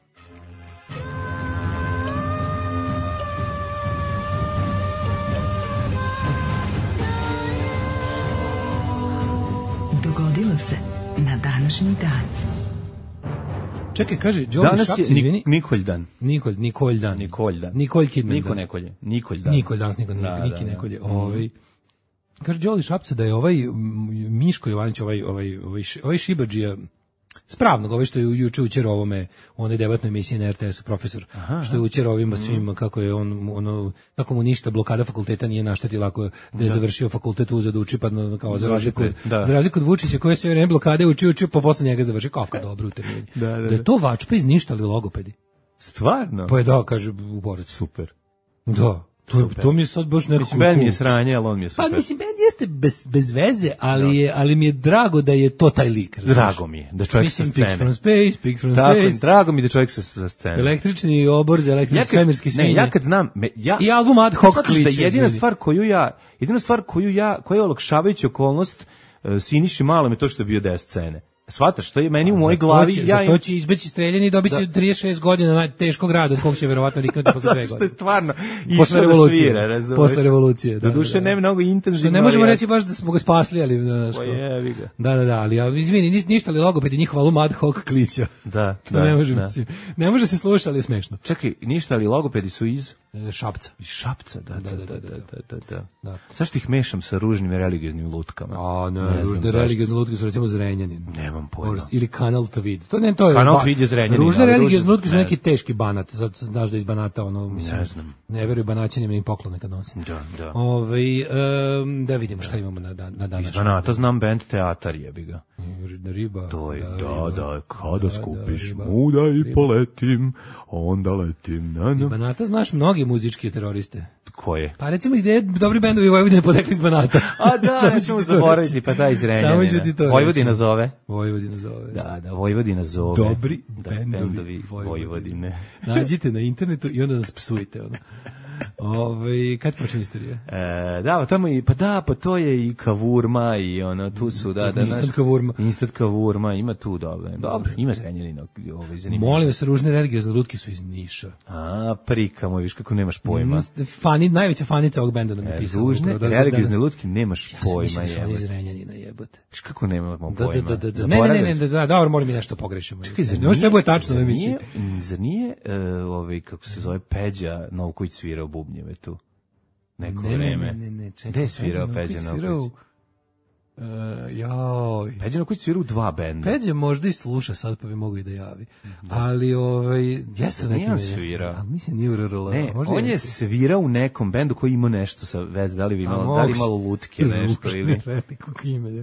Dogodilo se na današnji dan. Čekaj, kaže, Joey Danas Šapc, je izvini. Nik Nikoljdan. Nikol, Nikolj dan. Nikoljdan. Nikolj Kidman. Niko dan. nekolje. Nikoljdan. Nikolj danas, Niko, Da, Niki da, da. Nekolje. Ovaj, kaže Đoli Šapca da je ovaj m, Miško Jovanić, ovaj, ovaj, ovaj, š- ovaj Šibadžija, Spravnog, ovaj što je juče učer ovome, u onoj debatnoj emisiji na er te esu, profesor, aha, što je učer ovima svima, kako je on, ono, kako mu ništa blokada fakulteta nije naštetila ako da je završio fakultet uzeo da uči, pa kao za razliku, da. za razliku od Vučića koji je sve vreme blokade uči, uči, pa posle njega završi, kafka dobro u termini. Da, da, da. da je to vačpa iz ništa, ali logopedi. Stvarno? Pa je da, kaže u Borac. Super. Da. To, to mi je sad baš nekako... Mislim, Ben mi je sranje, ali on mi je super. Pa mislim, Ben jeste bez, bez veze, ali, je, ali mi je drago da je to taj lik. Razumiješ? Drago mi je da čovjek mislim, sa scene. Mislim, Pick from Space, Pick from Tako, Space. Drago mi je da čovjek sa, sa scene. Električni obor za električni ja svemirski svinje. Ne, ja kad znam... Me, ja, I album Ad Hoc kliče. Da jedina stvar koju ja... Jedina stvar koju ja... Koja je olakšavajuća okolnost uh, Siniši Malom je to što je bio deo scene. Svataš, što je meni u mojoj glavi... Će, ja im... to će izbeći streljeni i dobit će da. trideset šest godina teškog rada, od kog će verovatno riknuti posle dve godine. Što je stvarno išao da svira, razumiješ? Posle revolucije, da. Do duše, da, da. ne mnogo intenzivno. Ne možemo reći baš da smo ga spasli, ali... Pa jebi ga. Da, da, da, ali ja, izvini, ništa li logopedi njihova album Ad Hoc klića. Da, da. Ne može, da. Mislim, ne može se slušati, ali je smešno. Čekaj, ništa li logopedi su iz... E, Šapca. Iz Šapca, da, da, da, da, da, da, da. da. Zašto ih mešam sa ružnim religioznim lutkama? A, ne, ne ružne religiozne lutke su recimo Zrenjanin. Nemam pojma. Ili Kanal Tvid. To ne, to je Kanal Tvid je Zrenjanin. Ružne religiozne lutke su neki teški banat. Znaš da iz Banata, ono, mislim, ne znam. Ne veruju Banaćanima im poklone kad nosi. Da, da. Ove, um, da vidimo šta imamo na, na, na danas. Iz Banata znam band Teatar, jebi ga. Riba. To je, da, riba, da, kada da, skupiš da, muda i riba. Poletim, onda letim. Na, na. Iz Banata znaš mnogi muzički teroriste. Koje? Pa recimo gde je dobri bendovi Vojvodine potekli iz Banata. A da, nećemo zaboraviti, pa taj iz Renjanina. Samo ću ti to Vojvodina zove. Vojvodina zove. Da, da, Vojvodina zove. Dobri da, bendovi, bendovi Vojvodine. Vojvodine. Nađite na internetu i onda nas psujte. Ono. Ove, kad počne istorija? E, da, tamo i, pa da, pa to je i Kavurma i ono, tu su, da, da. Instant Kavurma. Instant Kavurma, ima tu, dobro. Dobro, ima Zrenjanina, ovaj, zanimljivo. Molim vas, ružne religiozne lutke su iz Niša. A, prika moj, viš kako nemaš pojma. Mm, fani, najveća fanica ovog benda da mi e, pisala. Ružne religiozne lutke nemaš ja pojma, jebote. Ja sam iz Zrenjanina, jebote. Viš kako nemamo da, pojma? Da, da, da, ne, ne, ne, ne, da, dobro, moram mi nešto pogrešimo. Čekaj, zar nije, sve bude tačno zar da nije, zar nije uh, ovaj, kako se zove, Peđa Novković svirao bubnjeve tu? Neko ne, vreme. Ne, ne, ne, čekaj. Gde je svirao Peđa Novković? Uh, joj. Peđa Novković svira u dva benda. Peđa možda i sluša sad, pa bi mogu i da javi. Da. Ali, ovaj, jesu neki... Nije svirao. Ali mislim, nije u R R L. Ne, on je svirao u nekom bendu koji ima nešto sa veze, da li bi imalo, da li imalo lutke, nešto ili...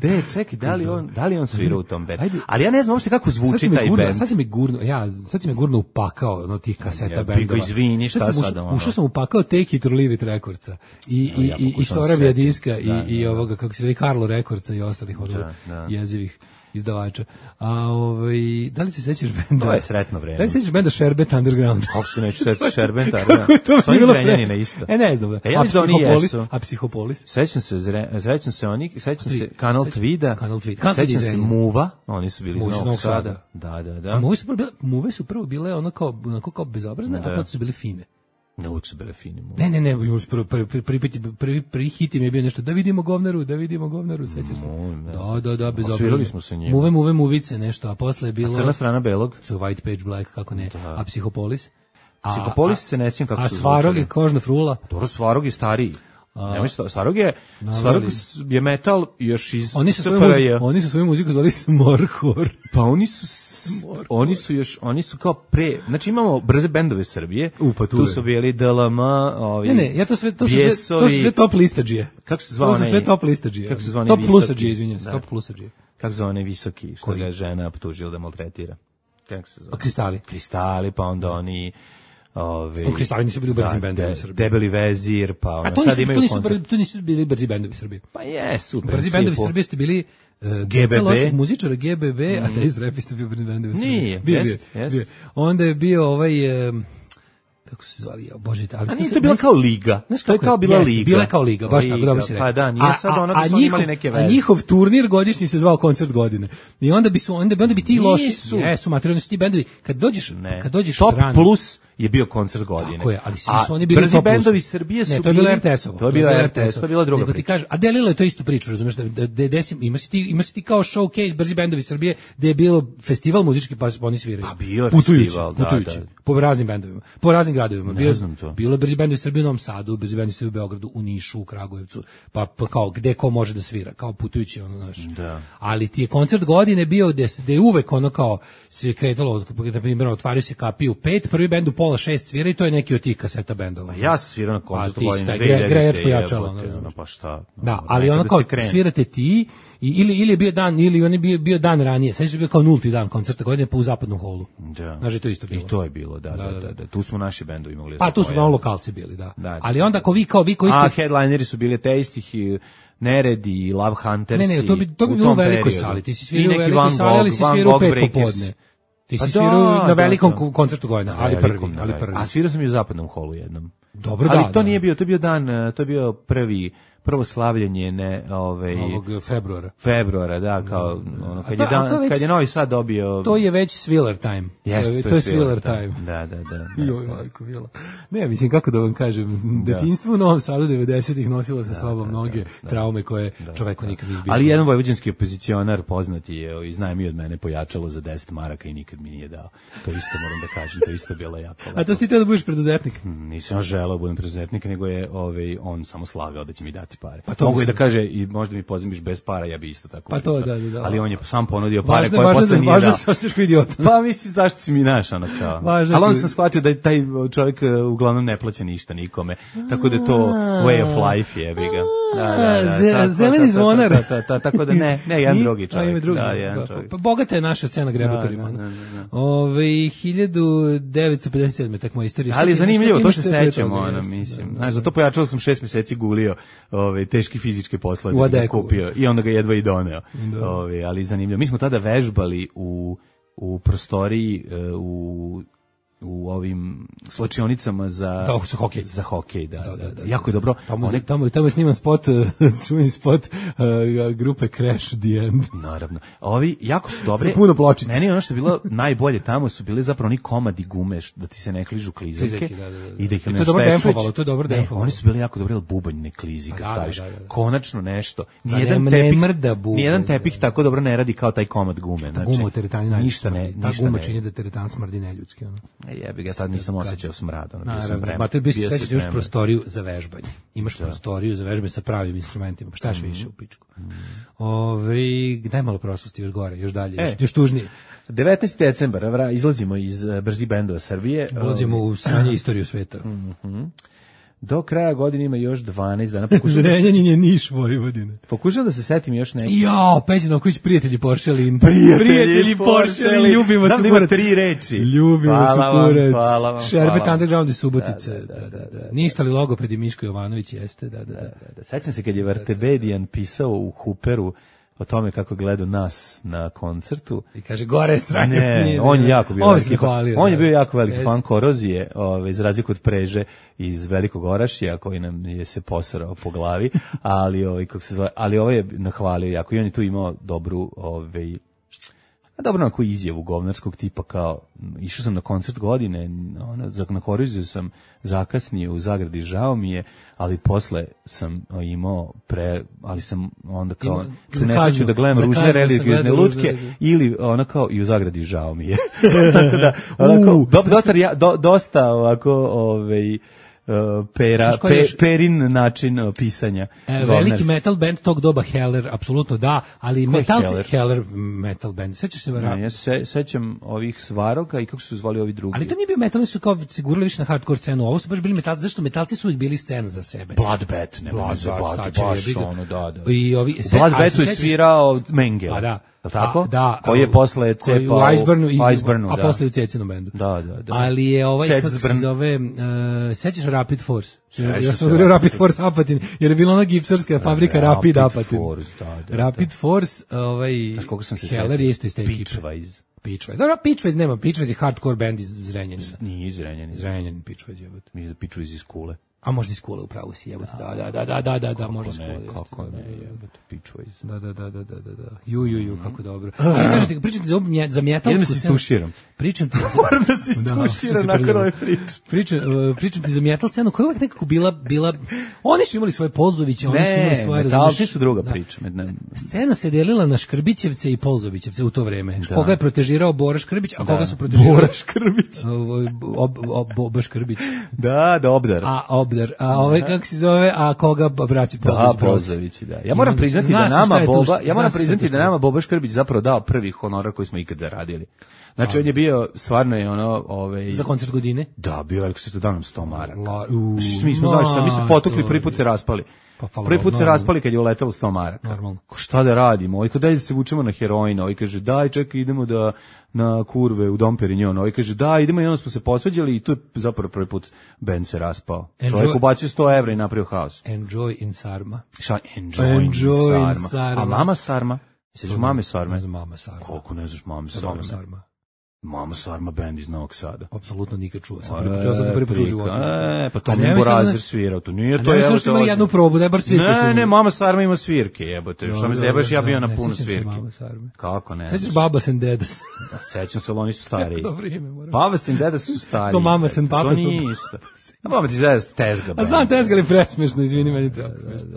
De, čekaj, da li on, da li on svirao u tom bendu? Ajde. Ali ja ne znam uopšte kako zvuči taj gurno, bend. Sad si mi gurno, ja, sad si me gurno upakao, no, tih kaseta ja, bendova. Izvini, šta sad? sad ušao sam upakao Take It or Leave It Recordsa. I, i, ja, i, i Soravija diska, i, da, i da, ovoga, kako se zove, Karlo Recordsa i ostalih od da. jezivih izdavača. A ovaj, da li se sećaš benda? To je sretno vreme. Da li se sećaš benda Šerbet Underground? Kako se neću sećati Šerbet Underground? To je Zrenjanina isto. E, ne znam. Da. E, ja mislim da oni jesu. A Psihopolis? Sećam se, sećam se oni, sećam se Kanal Tvida, Kanal Tvida. Sećam se Muva, oni su bili iz Novog Sada. Da, da, da. Muve su prvo, Muve su prvo bile ono kao, onako kao bezobrazne, a potom su bile fine. Ne, uvijek su bile fine. Ne, ne, ne, prvi, prvi, prvi, prvi, prvi hit im je bio nešto, da vidimo govnaru, da vidimo govnaru, sećaš se? Da, da, da, bez obrazno. smo se njima. Muve, muve, muvice, nešto, a posle je bilo... A Crna strana belog? So White Page Black, kako ne, da. A Psihopolis? A, Psihopolis se ne sjećam kako a su zvučali. A Svarog je kožna frula? Dobro, Svarog je stariji. Nemoj, Svarog je, Svarog je metal još iz oni su svoju muziku, oni su svoju muziku zvali Smorhor. Pa oni su Smorhor. Oni su još, oni su kao pre, znači imamo brze bendove Srbije, Upa, tu, tu su bili D L M, ovi Ne, ne, ja to sve, to su sve, to su sve top listadžije. Kako se zvao onaj? To su sve top listadžije. Kako se zvao top plusadžije, izvinjam se, top plusadžije. Kako se zvao onaj visoki, što ga žena optužila da maltretira? Kako se zove? Kristali. Kristali, pa onda oni Ove, o Kristali nisu bili u brzim bendovi u Srbiji. Debeli vezir, pa ono, sad imaju to nisu, to nisu bili brzi bendovi u Srbiji. Pa jesu. Brzi bendovi u Srbiji ste bili uh, G B B. loših muzičara G B B, mm. a Days Rap ste bio brzi bendovi u Srbiji. Nije, bio, jest, bio, jest. bio. Onda je bio ovaj... Um, kako se zvali, ja, bože, ali a nije to bila kao liga. To je kao bila liga. Bila je kao liga, baš tako, dobro si rekao. Pa da, nije sad ono da su imali neke veze. A njihov turnir godišnji se zvao Koncert godine. I onda bi su onda bi onda bi ti loši, jesu materijalni su ti bendovi. Kad dođeš, kad dođeš Top rano, plus je bio koncert godine. Tako je, ali svi A su oni bili brzi u top plusu. bendovi Srbije su ne, to je bilo bili- er te esovo. To je bilo er te es, to je bila druga Nego ti priča. kaže, a delilo je to istu priču, razumeš, da, da, da desim, ima si ti, ima si ti kao showcase brzi bendovi Srbije, gde je bilo festival muzički pa oni sviraju. A bio je putujući, festival, da, putujući, da. po raznim bendovima, po raznim gradovima. Ne Bio, znam to. Bilo je brzi bendovi Srbije u Novom Sadu, brzi bendovi Srbije u Beogradu, u Nišu, u Kragujevcu, pa, pa kao gde ko može da svira, kao putujući ono naš. Da. Ali ti je koncert godine bio gde, se- gde je uvek ono kao se je kretalo, na primjer, otvaraju se kapije u pet, prvi bend u pola šest svira i to je neki od tih kaseta bendova. Ja sam svirao na koncertu A ti si godine taj dve gre- hiljadite, grejač pojačala, jebote, ono, ono, pa šta. Da, ono, ali nekada ono kao se krene. svirate ti i, ili ili je bio dan ili on je bio bio dan ranije. Sad je bio kao nulti dan koncerta godine pa u zapadnom holu. Da. Znaš, je to isto bilo. I to je bilo, da, da, Da, da. da. da. Tu smo naši bendovi mogli da Pa se tu su pojave. malo lokalci bili, da. Da, da. Ali onda ako vi kao vi koji A ste headlineri su bili Teistih i Neredi i Love Hunters. Ne, ne, to bi to bi u bilo u tom velikoj periodu. sali. Ti si I svirao u neki velikoj Van sali, ali Gogh, si Van svirao u Gogh pet Breakers. popodne. Ti Pa si da, svirao na da, velikom da. ko- koncertu godine, Na ali velikom, prvi, na ali velikom. prvi. A svirao sam i u zapadnom holu jednom. Dobro, ali da, to da. nije bio, to je bio dan, eh, to je bio prvi prvo slavljenje ne, ovaj Ovog februara. februara, da, kao ono kad to- je a dan, to već- kad je Novi Sad dobio. To je već Swiller time. Jeste, to je, to to je je Swiller Swiller time. time. Da, da, da, da. Joj, majko, mila. Ne, mislim, kako da vam kažem, detinjstvo u Novom Sadu devedesetih nosilo sa sobom mnoge traume koje čoveku nikad nije izbio. Ali jedan vojvođanski opozicionar poznati je i zna mi od mene pojačalo za deset maraka i nikad mi nije dao. To isto moram da kažem, to isto bilo jako. A to si ti teo da budeš preduzetnik? Nisam želeo da budem preduzetnik, nego je ovaj, on samo slagao da će mi dati pare. Pa to Mogu i da mislim. kaže i možda mi pozajmiš bez para, ja bi isto tako. Pa to, pristao. da, da, da. Ali on je sam ponudio pare Važno, koje važno, posle da, nije važno dao. da se osjećaš kao idiot. Pa mislim, zašto si mi naš, ono kao. Važno Ali onda ti- sam shvatio da taj čovjek e, uglavnom ne plaća ništa nikome, tako da je to way of life, jebi ga. Da, da, da, Ze- tako, zeleni ta, ta, zvonar. ta, ta, ta, Tako da ne, ne, jedan Nije? drugi A, čovjek. ima drugi. Da, jedan Pa- čovjek. Pa bogata je naša scena grebatorima. Da, da, da, da. Ove, hiljadu devetsto pedeset sedme tak moja istorija. Ali je Šta ti- zanimljivo, šta ti to imaš se sve pre sećamo, toga, ono, jeste, mislim. da, Znaš, da. za to pojačalo sam šest mjeseci gulio ove, teški fizičke poslove U da bi ga Adeku. kupio i onda ga jedva i doneo. Ove, ali zanimljivo. Mi smo tada vežbali u, u prostoriji, e, u u ovim slačionicama za Da, za hokej. Za hokej, da, Da, da, da, da. da. Jako je dobro. Tamo, One- tamo, tamo je sniman spot, čuveni spot uh, grupe Crash The End. Naravno. Ovi jako su dobre. Sa puno pločica. Meni ono što je bilo najbolje tamo su bili zapravo oni komadi gume što- da ti se ne kližu klizaljke. Klizaljke, da, da, da. I da ih I to je nešto dobro pečveć. demfovalo, to je dobro Ne, demfovalo. oni su bili jako dobri, ali bubanj ne klizi kad Pa da, da, staviš. da, da. Konačno nešto. Da, Nijedan ne- ne tepih, mrda bubanj, nijedan da, tepih da. tako dobro ne radi kao taj komad gume. Znači, Guma u teretani najviše ništa ne, smrdi. Ta ništa guma ne. čini da teretan smrdi neljudski. Ono. E, jebi ga, tad nisam osjećao smrad. Ono, bio sam Naravno, spreman. ma te bi se Bio sam sećaš, imaš spreman. prostoriju za vežbanje. Imaš prostoriju za vežbanje sa pravim instrumentima. Pa šta Mhm. još više u pičku? Ove, daj malo prošlosti još gore, još dalje, još, E. još tužnije. devetnaesti decembar, vra, izlazimo iz uh, Brzi bendova Srbije. Ulazimo u sranje istoriju sveta. Do kraja godine ima još dvanaest dana. Pokušam, da, se- Zrenjanin je Niš Vojvodine. pokušam da se setim još neki. Jao, Peđa Novković, prijatelji Poršelin. Prijatelji Poršelin, Poršelin. ljubimo Znam se da ima kurac. tri reči. Ljubimo Hvala se vam, kurac. hvala vam, Šerbet hvala vam. Underground i Subotice. Da, da, da. Ništa li logoped i Miško Jovanović jeste, da, da, da. Da, sećam se kad je Vartebedijan pisao u Huperu o tome kako gleda nas na koncertu. I kaže, gore strane. Ne, on je jako bio On veliki se fan. hvalio, On je da. bio jako veliki Jeste. fan Korozije, ovaj za razliku od Preže iz Velikog Orašja koji nam je se posrao po glavi, ali ovaj kako se zove, ali ovaj je nahvalio jako i on je tu imao dobru ovaj a dobro onako izjavu govnarskog tipa kao m, išao sam na koncert godine, ona, za- na Koroziju sam zakasnio u Zagradi, žao mi je, ali posle sam o, imao pre, ali sam onda kao Ima- se ne kaznu. sjećam da gledam Za ružne kaznu sam religiozne gledao ružne lutke religiozne. ili ona kao i u Zagradi žao mi je. Tako da, onako, U. do, dotar ja, do, dosta ovako, ovaj, uh, pera, Znaš koji je pe, još- perin način uh, pisanja. E, veliki govnarski. metal band tog doba Heller, apsolutno da, ali Ko je metalci Heller? Heller metal band. Sećaš se vara? Ne, ja se sećam ovih Svaroga i kako su se zvali ovi drugi. Ali to nije bio metal, oni su kao sigurali više na hardcore scenu. Ovo su baš bili metalci, zašto metalci su uvijek bili scena za sebe. Bloodbath, nema Bloodbath, me zabaviti, staće, baš jebi ga. ono, da, da. I ovi, U sve- Bloodbathu ali se je sećaš- svirao Mengele. Pa da. Je li tako? A, da. Koji je posle koji cepao u Iceburnu, i, Iceburnu, a da. posle u Cecinom bendu. Da, da, da. Ali je ovaj, kako se Cecburn. zove, uh, sećaš Rapid Force? Sećam Ja se sam govorio Rapid Rapid Force Apatin, jer je bila ona gipsarska fabrika Rapid, Rapid Apatin. Force, da, da, Rapid Force, ovaj, Znaš koliko sam se Heller setio? je isto iz te ekipe. Pitchwise. Pitchwise. Dobro, Pitchwise nema, Pitchwise je hardcore band iz Zrenjanina. Nije iz Zrenjanina. Zrenjanin Pitchwise je. Mislim da Pitchwise iz Kule. A možda iz Kule, upravo si, jebote, da, da, da, da, da, da, da, možda iz Ne, Kule. kako ne, jebote, piču iz. Da, da, da, da, da, da, da. Ju, ju, ju, kako dobro. Ali kažete, pričam ti za, ovu mje- za mjetalsku Idem da se scenu. stuširam. Pričam ti za... Moram da se Da, stuširam se nakon prljavo. ove priče. Pričam, uh, pričam ti za metal scenu koja je uvek nekako bila, bila... Oni su imali svoje Polzoviće, oni su imali Ne, svoje... metalci razumeš, su druga da. priča. Med- ne- Scena se delila na Škrbićevce i Polzovićevce u to vreme. Da. Koga je protežirao Bora Škrbić, a koga su protežirali... Bora Škrbić. Ovo, ob, ob, Boba Škrbić. Da, da, obdar. A Obdar, a ovaj kako se zove, a koga braći Da, Polzović? Polzovići, da. Ja moram onda se priznati zna da se nama šta je tu, Boba, zna ja moram se šta je priznati tu da nama Boba Škrbić zapravo dao prvi honora koji smo ikad zaradili. Znači on je bio stvarno je ono, ovaj Za koncert godine? Da, bio veliko se dao nam sto maraka. La, u, Mi smo znaš šta, mi se potukli, prvi put se raspali. Pa, hvala Prvi put Bogu, se normalno. raspali kad je uletelo sto maraka. Normalno. Ko šta da radimo? Ovaj daj da se vučemo na heroina, ovaj kaže daj čekaj idemo da na kurve u Dom Perignon, ovaj kaže da idemo i onda smo se posvađali i tu je zapravo prvi put bend se raspao. Enjoy- Čovjek ubacio sto evra i napravio haos. Enjoy in Sarma. Šta? Enjoy, Enjoy in Sarma. Sarma. A mama Sarma? Sećaš mame Sarme? Ne znam mama Sarma. Koliko ne znaš mame Mama Sarme? Sarma. Mama Sarma band iz Novog Sada. Apsolutno nikad čuo. Sam prvi put, ja sam se prvi put čuo u životu. E, pa to A mi ne je mislim da- Borazer svirao, to nije A to. ne evo mislim što te imali ozbiljno. jednu probu, daj bar svirke su Ne, imali. ne, mama Sarma ima svirke, jebote. Što me Dobro, zebaš, ja dobro, bio da, na ne puno sjećam se svirke. Mama Sarme. Kako ne? Sećaš znaš? Babas and Dedas? Da, sećam se, ali oni su stariji. Dobro ime, moram. Babas and Dedas su stariji. To Mamas and Papas To nije isto. A mama ti zada tezga. A band. znam tezga, ali presmešno, izvini, meni to jako smešno.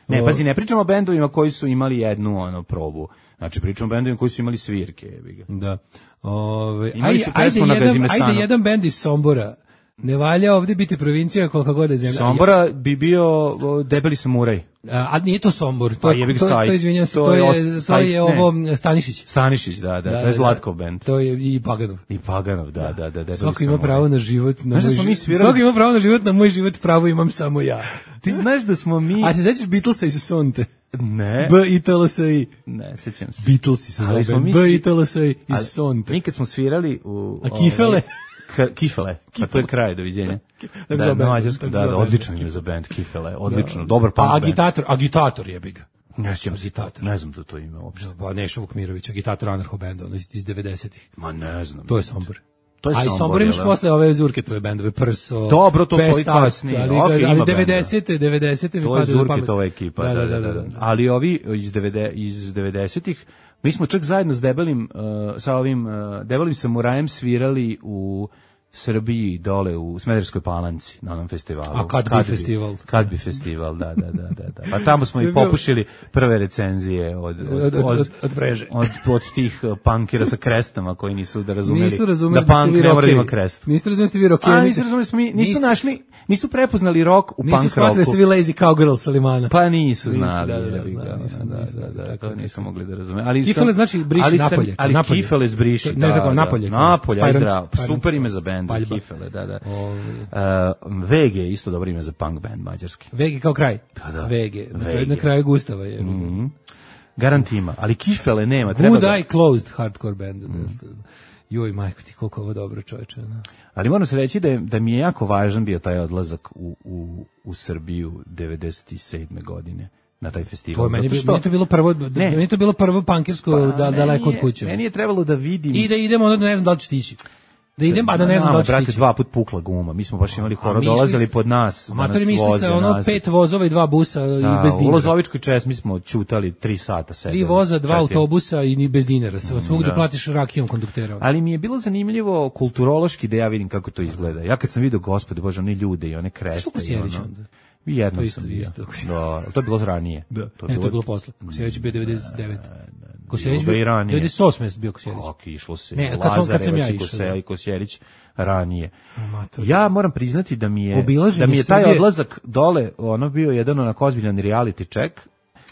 Ne, pazi, ne pričamo o bendovima koji su imali jednu ono probu. Znači, pričamo o bendovima koji su imali svirke, jebi ga. Da. Ove, Imali ajde, su ajde, pesmu na jedan, Gazimestanu. ajde jedan bend iz Sombora. Ne valja ovdje biti provincija koliko god je zemlja. Sombora bi bio o, Debeli samuraj. A, a nije to Sombor, to, Pa je, jebi ga to, Staj. to, izvinjam se, To to, je je, ost- to Staj, je ne. ovo Stanišić. Stanišić, da, da, to je Zlatkov bend. To je i Paganov. I Paganov, da, da, da. Debeli Svako ima samuraj. pravo na život, na Znaš da moj smo mi život. svirali- Svako ima pravo na život, na moj život pravo imam samo ja. Ti znaš da smo mi... A se sećaš Beatlesa iz Sonte? Ne, B I T L S I. ne, sećam se. Beatlesi se Ali zove smo band. mi B svi- I T L S I iz Ali Sonte. Mi kad smo svirali u... A Kifele? ovaj, K- Kifele, pa to je kraj, doviđenja. Tako Da, zove na band, mađarskom, tako da, da, zove odličan band. ime za band, Kifele, odlično, dobar punk Pa band. agitator, agitator jebi ga. Ne sjećam se, Agitator. ne znam da to ime uopšte. Pa Neša Vukmirović, agitator anarcho benda, ono iz, iz devedesetih. Ma ne znam. To je Sombor. To je A i Sombor, Sombor imaš jel da? posle ove Zurke tvoje bendove, Prso, Dobro, to su Best ovi Art, kasniji. ali, Ok, ima ali benda. devedesete, devedesete mi To je padaju na pamet. Zurkitova ekipa, da, da, da, da. Ali ovi iz devede iz devedesetih, mi smo čak zajedno s Debelim, uh, sa ovim uh, Debelim samurajem svirali u Srbiji dole u Smederevskoj Palanci na onom festivalu. A kad bi festival? Kad bi festival, da, da, da, da, da. Pa tamo smo To je i bio- popušili prve recenzije od od Od- od- od- od mreže. Od, od tih uh, punkira sa krestama koji nisu da razumeli. Nisu razumeli da da ste punk vi ne mora da ima rockeri. krest. Niste razumeli da ste vi rockeri. A niste- nisu razumeli, smo mi, nisu niste- našli, nisu prepoznali rock u Nisu punk shvatili da ste rocku. vi lazy cowgirl sa Limana. Pa nisu Nisu, znali, da, da, da, jebi ga, znali, nisu, da, nisu, da, da, da, tako, to nisam tako. mogli da razume. Ali Kifele sam- znači briši ali sam- napolje, Ali napolje. Kifele zbriši, Ne, da, tako, da. napolje. Napolje, aj Fajrant- zdravo. Fajrant- Super ime za bend, Paljba. Kifele, da, da. Ovaj. Uh, V G je isto dobro ime za punk band mađarski. Vege kao kraj. Pa da. Vege. Na, kraju- Vege. na kraju Gustava je. Mhm. Garant ima, ali Kifele nema. Treba Good da, Eye Closed hardcore band. Joj, majko ti, koliko ovo dobro čoveče. No. ali moram se reći da, je, da mi je jako važan bio taj odlazak u, u, u Srbiju devedeset sedme godine na taj festival. To je meni, Zato bi- što- meni je to bilo prvo, Ne. meni je to bilo prvo punkirsko da, meni daleko od je- kuće. Meni je trebalo da vidim... I da idemo, onda ne znam da li ću stići. Da idem, a da ne znam da li ću brate, stići. dva put pukla guma. Mi smo baš imali A horo, mi dolazili išli s- pod nas, da nas Amatori mi išli voze sa ono nazad. pet vozova i dva busa i Da, bez u dinara. Lozovičkoj česmi smo ćutali tri sata sedeli. Tri voza, dva Četiri. autobusa i ni bez dinara. Sve svugde Da. platiš rakijom konduktera. Ali mi je bilo zanimljivo kulturološki da ja vidim kako to izgleda. Ja kad sam vidio, gospode Bože, oni ljude i one kreste. Što i Kosjerić ono- onda? I jednom To isto, sam bio. isto. Da, ali to je bilo ranije. Da. To je, ne, to je bilo posle. Kosjerić je bio devedeset devete. Kosjerić bilo bio i ranije. devedeset osme bio Kosjerić. Kako išlo se. Ne, kad sam- kad sam ja Lazarevac i išao, Kose- da. i Kosjerić ranije. Amator. Ja moram priznati da mi je Obilaženje da mi je taj Srbije- odlazak dole ono bio jedan onako ozbiljan reality check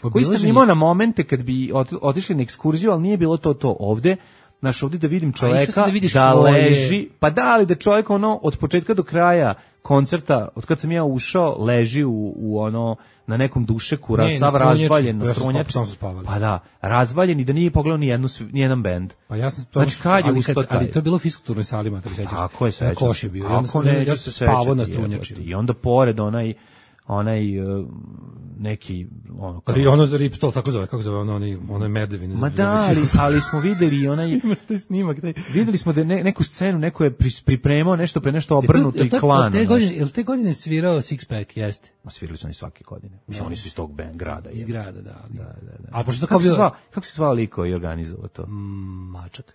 koji sam Obilaženje- imao na momente kad bi ot- otišli na ekskurziju, ali nije bilo to to ovde. Naš ovde da vidim išao čoveka si da vidiš da svoje- leži, pa da, ali da čovjek ono od početka do kraja koncerta, od kad sam ja ušao, leži u, u ono na nekom dušeku, Ne, raz, na sav strunjači. razvaljen na Ja sam strunjači. spavao, tamo smo spavali. Pa da, razvaljen i da nije pogledao ni jednu sv- ni jedan bend. Pa ja sam Znači, kad je ali, ustao taj? ali to je bilo u fiskulturnoj sali, mater, sećaš se? Kako je Na sećam koš se. je bio. I onda Kako sam- ne, ja ja sam se spavao sećam, na jebote. strunjači. I onda pored onaj onaj uh, neki ono kao... Ono za Ripstol, tako zove, kako zove, ono, ono, ono je Medevine. Ma da, ali, ali smo videli onaj... Ima taj snimak. Taj... Videli smo da ne, neku scenu, neko je pripremao nešto pre nešto obrnuto i klan. Je li te godine svirao Six Pack, jeste? Ma svirali su oni svake godine. Mislim, oni su iz tog band grada. Iz grada, da. Ali... da, da, da. A pošto kako, bio... se zvao, kako se zvao liko i organizovao to? Mm, Mačak.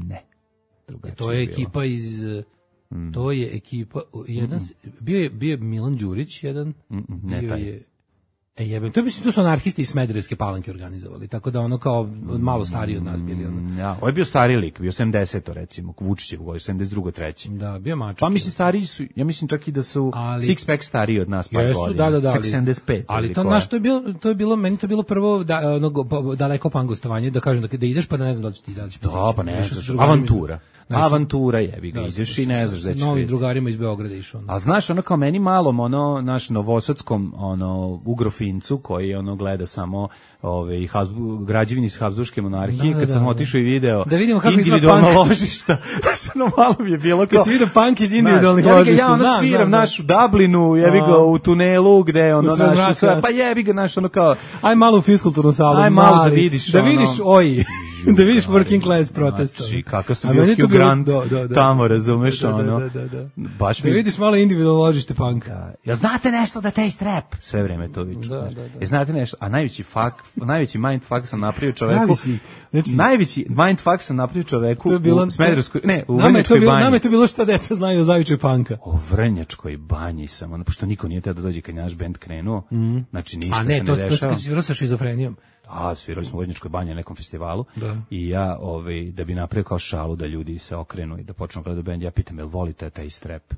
Ne. Drugačije to je ekipa bilo. iz... Mm. To je ekipa... Jedan, mm. bio, je, bio je Milan Đurić, jedan... Mm, ne, bio taj. je... E jebem, to, to su anarhisti iz Smederevske Palanke organizovali, tako da ono kao malo stariji od nas bili. Ono. Ja, ovo je bio stari lik, bio sedamdeseto recimo, Vučićev goj, sedamdeset drugo treći Da, bio Mačak. Pa mislim stariji su, ja mislim čak i da su ali, Six Pack stariji od nas par jesu, godina. Da, da, da, ali, sedamdeset pet ali to, naš, to, je bilo, to je bilo, meni to je bilo prvo da, ono, daleko pangostovanje, da kažem da, da ideš pa da ne znam da li će ti da li će da, pa ne znaš, avantura. Znaš, avantura jebi ga, da, ideš i ne znaš da ćeš. Novim drugarima iz Beograda išao. Al znaš, ono kao meni malom, ono, naš novosadskom, ono, ugrofincu koji ono gleda samo ove građevine iz Habsburške monarhije, da, kad da, sam da, otišao i video da vidimo kako individualna ložišta, ono malo mi je bilo kao kad si vidio punk iz individualnih naš, ložišta. Ja ono znam, sviram znam, našu Dublinu, jebi ga u tunelu gde ono naš, pa jebi ga naš ono kao aj malo u fiskulturnu salu, aj malo da vidiš, da vidiš oj da vidiš working class protesta. Znači, kakav sam bio Hugh Grant tamo, razumeš, ono. Baš mi... Da vidiš malo individualno ložište punka. Ja znate nešto da taste rap? Sve vreme to viču. Ja znate nešto, a najveći fuck, najveći mindfuck sam napravio čoveku. Najveći mindfuck sam napravio čoveku u Smederevskoj, ne, u Vrnjačkoj banji. Nama je to bilo šta deca znaju o zavičaju punka. O Vrnjačkoj banji sam, ono, pošto niko nije teo da dođe kad naš bend krenuo, znači ništa se ne dešava. A ne, to je svirao sa šizofrenijom. A, svirali smo u Vrnjačkoj banji na nekom festivalu da. I ja, ovaj, da bi napravio kao šalu da ljudi se okrenu i da počnu gledati bend, ja pitam, jel volite taj strep?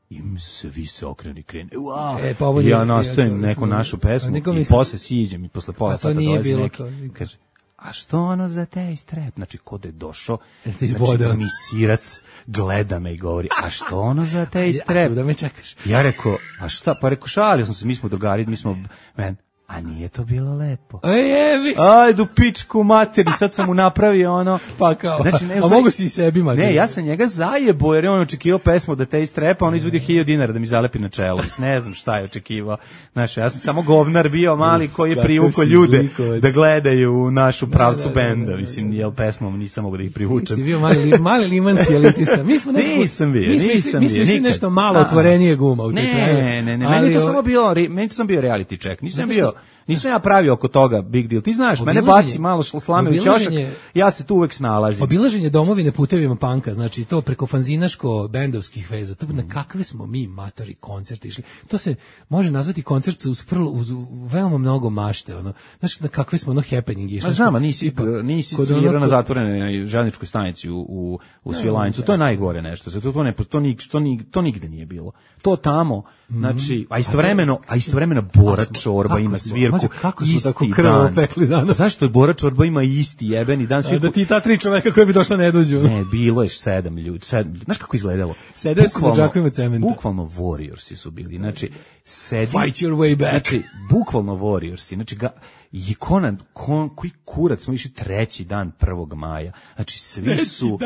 I svi se okrenu i krenu. Wow. E, pa I ja nastavim neku našu pesmu i posle siđem i posle pola sata dolazi neki. Kaže, a što ono za taj strep? Znači, kod je došao, znači, mi sirac gleda me i govori, a što ono za taj strep? Da me čekaš. Ja rekao, a šta? Pa rekao, šalio sam se, mi smo drugari, mi smo, men, a nije to bilo lepo. Ej, jebi. Ajde u pičku materi, sad sam mu napravio ono. Pa kao, znači, ne, a mogu si i sebi materi. Ne, ja sam njega zajebo, jer je on očekivao pesmu da te istrepa, on izvodio hiljadu dinara da mi zalepi na čelo. Ne znam šta je očekivao. Znaš, ja sam samo govnar bio mali koji je privukao ljude zlikovac. Da gledaju našu pravcu da, da, benda. Da, da, da. Mislim, jel pesmom nisam mogu da ih privučem. Si bio mali, mali limanski elitista. Mi smo nekako, nisam bio, mi smo nisam mi smo bio. nešto malo otvorenije guma u ne, ne, ne, ne, meni to samo bilo, meni to sam bio reality check. Nisam bio Nisam ja pravio oko toga big deal. Ti znaš, mene baci malo slame u ćošak, ja se tu uvek snalazim. Obilaženje domovine putevima panka, znači to preko fanzinaško-bendovskih veza, to na kakve smo mi matori koncerti išli. To se može nazvati koncert uz, prlo, uz veoma mnogo mašte. Ono. Znaš, na kakve smo ono happening išli. A znam, a nisi, nisi svirao na zatvorenoj željezničkoj stanici u, u, u Svilajncu. To je najgore nešto. To, to, ne, to, to, to, to nigde nije bilo. To tamo, znači, a istovremeno, a istovremeno Bora Čorba ima svirku. Mađo, kako smo tako krvo opekli danas? Zašto je Bora Čorba ima isti jebeni dan svirku? Da ti ta tri čoveka koji bi došla ne dođu. Ne, bilo je sedam ljudi. Sedam. Znaš kako izgledalo? Sedeo su na džakovima cementa. Bukvalno Warriorsi su bili. Znači, sedi... Fight your way back. Znači, bukvalno Warriorsi. Znači, ga... I Konan, kon, koji kurac smo išli treći dan prvog maja. Znači, svi su,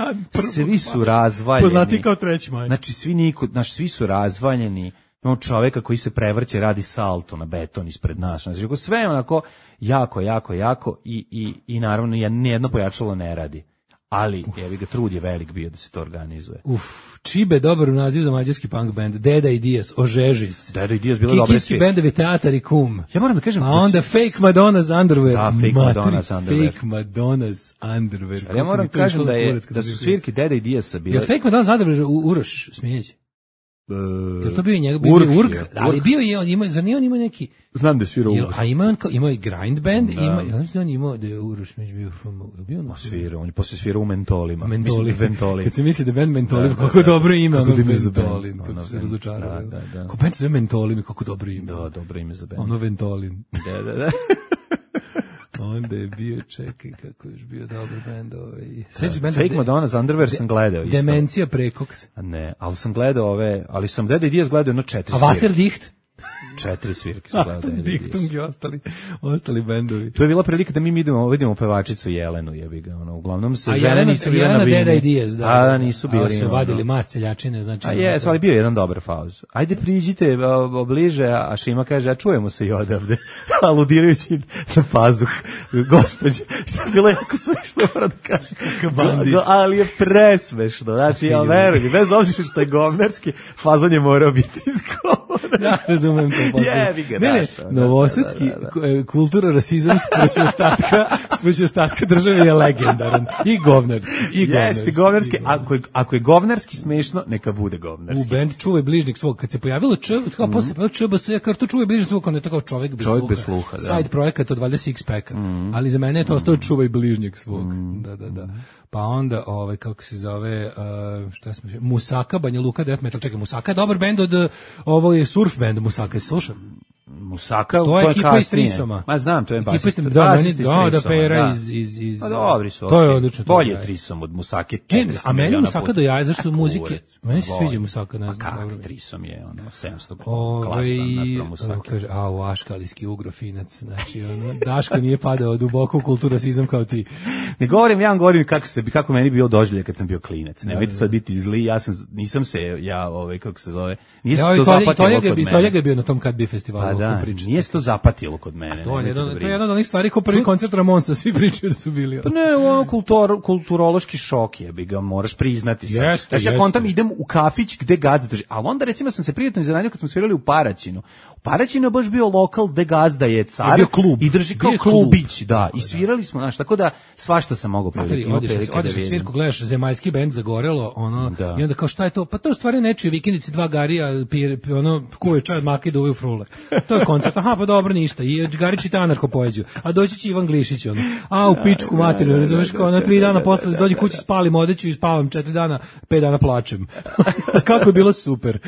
svi su razvaljeni. Poznati kao treći maj. Znači, svi, niko, znači, svi su razvaljeni. Imamo čoveka koji se prevrće, radi salto na beton ispred nas. Znači, sve onako jako, jako, jako i, i, i naravno nijedno pojačalo ne radi. Ali, jevi ga, trud je velik bio da se to organizuje. Uf, Čibe, dobar naziv za mađarski punk band. Deda i Dijas, Ožežis. Deda i Dijas bilo dobre svi. Kikijski bendovi Teatar i Kum. Ja moram da kažem... A onda Fake Madonna's Underwear. Da, Fake Matri, Madonna's Underwear. Fake Madonna's Underwear. Ali ja moram da kažem da, je, da su svirke Deda i Dijasa bile... Je Fake Madonna's Underwear u Uroš Smijeđe? Uh, je to bio njegov bio Urk, Urk, ali bio je on ima za nije on ima neki znam da je svirao Urk. A ima on ima i grind band, da. Ima ja mislim da on ima da je Uroš među bio from bio on svirao, on je posle svirao u Mentolima. Mentoli. Mislim Mentoli. Kad se misli da band Mentoli, da, kako da, dobro ime ono Mentolin, kako se razočarao. Da, da, da. Ko band sve Mentoli, kako dobro ime. Da, dobro ime za band. Ono Mentolin. Da, da, da. Onda je bio, čekaj, kako je bio dobar band ovaj. Fake Madonna's Underwear sam gledao isto. Demencija prekoks. Ne, ali sam gledao ove, ali sam Deda i Dijas gledao jedno četiri. A Wasserdicht? Četiri svirke sam gledao Dead Ideas. Diktung i ostali, ostali bendovi. To je bila prilika da mi idemo, vidimo pevačicu Jelenu, jebi ga, ono, uglavnom se A žene Jelena, nisu bile na Jelena bini. Dead Ideas, da. A, nisu bili. A su ono. vadili mas celjačine, znači. A jes, ali bio je jedan dobar fauz. Ajde priđite o, bliže, a Šima kaže, a čujemo se i odavde. Aludirajući na pazuh. Gospođe, što je bilo jako smešno, moram da kažem. bandit. Ali je presmešno. Znači, ja verujem, bez obzira što je govnarski, fazon je morao biti izgovoren. Ja razumem to. Jebi ga, ne, ne, daš, da, novosadski da, da, da. kultura, rasizam sproći ostatka, sproći ostatka države je legendaran. I govnarski. I Jeste govnarski. Ako je, ako je govnarski smešno, neka bude govnarski. U band Čuvaj bližnjeg svog. Kad se pojavilo Č, kao mm. posle Č B S, ja kao to Čuvaj bližnjeg svog, on je to kao čovjek bez čovjek sluha. Bez sluha da. Side projekat od valjda Sixpacka. Mm. Ali za mene je to ostao Čuvaj bližnjeg svog. Mm. Da, da, da. Pa onda, ovaj, kako se zove, uh, šta smo, Musaka, Banja Luka, Death Metal, čekaj, Musaka je dobar band od, uh, ovo je surf band Musaka, je slušam? Musaka, to je ekipa iz kasnije. Trisoma. Ma znam, to je basista. Da, meni, da, da, Pera iz, iz, iz... Pa dobri su. To je odlično. Bolje Trisom od Musake četiristo A meni Musaka puta. do jaja, zašto muzike... Meni se sviđa Musaka, ne znam. A kako Trisom je, ono, sedamsto Ove, klasan naspram Musake. Kaže, a, u aškalijski ugrofinac, znači, ono, Daško nije padao duboko u kulturu rasizam kao ti. Ne govorim, ja vam govorim kako, se, kako meni bio doživljaj kad sam bio klinac. Nemojte sad biti zli, ja sam, nisam se, ja, ovaj, kako se zove, nije se to zapatilo kod mene. Toljega je bio na tom Kad bi festivalu. Pa da, nije se to zapatilo kod mene. To je jedno, to je jedno od onih stvari kao prvi koncert Ramonsa, svi pričaju da su bili. Pa ne, ono kultur, kulturološki šok je, bi ga moraš priznati sad. Jeste, znači, ja jeste. kontam, idem u kafić gde gazda drži, ali onda recimo sam se prijatno iznenadio kad smo svirali u Paraćinu. U Paraćinu je baš bio lokal gde gazda je car je bio klub. I drži kao klubić, da, i svirali smo, znaš, tako da svašta sam mogao prilike. Odeš na svirku, gledaš zemaljski bend Zagorelo, ono, da. I onda kao šta je to? Pa to je u stvari nečije vikendici, dva garija, pir, ono, kuje čaj od maka i duvaju frule. To je koncert, aha, pa dobro, ništa. I Garić čita anarko poeziju. A doći će Ivan Glišić, ono, a u pičku materiju, razumeš, kao na tri dana posle dođe kući, spalim odeću i spavam četiri dana, pet dana plačem. Kako je bilo super.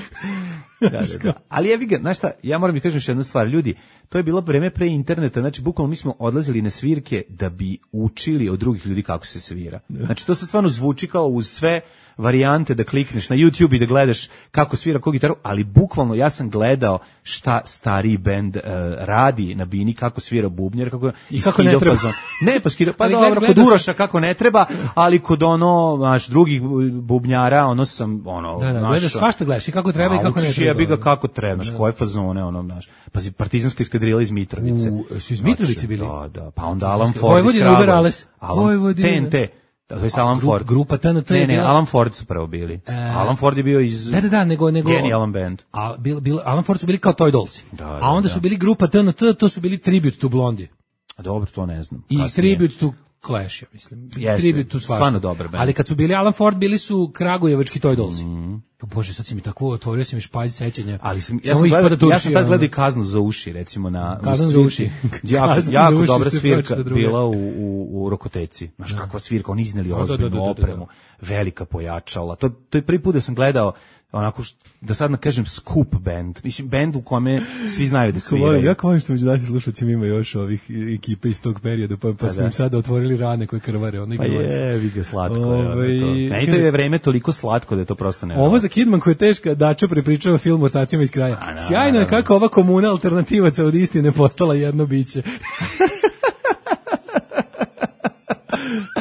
Da, da, da. Ali jevi ga, znaš šta, ja moram mi kažem još jednu stvar, ljudi, to je bilo vreme pre interneta, znači bukvalno mi smo odlazili na svirke da bi učili od drugih ljudi kako se svira. Znači to se stvarno zvuči kao uz sve varijante da klikneš na YouTube i da gledaš kako svira koju gitaru, ali bukvalno ja sam gledao šta stariji bend uh, radi na bini, kako svira bubnjar, kako i kako ne treba. Fazon. Ne, pa skida, pa dobro, kod Uroša kako ne treba, ali kod ono, znaš, drugih bubnjara, ono sam, ono, da, da, naš, gledaš svašta gledaš i kako treba i kako ne treba. Ja bih ga kako treba, znaš, koje fazone, ono, znaš, pazi, partizanska eskadrila iz Mitrovice. U, su iz Mitrovice bili? Da, da, pa onda Alan Ford Vojvodina Uber Ales. Vojvodina. T N T. To je Alan grup, Ford. Grupa T N T. Ne, ne, Alan Ford su prvo bili. E, Alan Ford je bio iz da, da, da, nego, nego, Genialan band. A bil, bil, Alan Ford su bili kao Toy Dolls. Da, da, a onda da. su bili grupa T N T, to su bili Tribute to Blondie. A dobro, to ne znam. I kasnije. Tribute to Clash, ja mislim. Jeste, Tribute to svašta. Stvarno dobar band. Ali kad su bili Alan Ford, bili su Kragujevački Toy Dolls. Mm. Bože, sad si mi tako otvorio, si mi špajz sećanja. Ali sam, ja, sam gleda, ja sam tad gledao Kaznu za uši, recimo na Kaznu za uši. jako, jako uši, dobra svirka bila u, u, u Rokoteci. Znaš, da. Kakva svirka, oni izneli ozbiljnu da, da, da, opremu, velika pojačala. To, to je prvi put da sam gledao onako, da sad kažem, skup band. Mislim, band u kome svi znaju da sviraju. Ja volim što među naši slušalcima ima još ovih ekipe iz tog perioda, pa, pa smo im sada otvorili rane koje krvare. Ono pa je, vi ga slatko. Ove, je, to. Ne, to je vreme toliko slatko da je to prosto ne. Ovo za Kidman koja je teška, Dačo prepričava film o tacima iz kraja. A, na, sjajno je kako ova komuna alternativaca od istine postala jedno biće.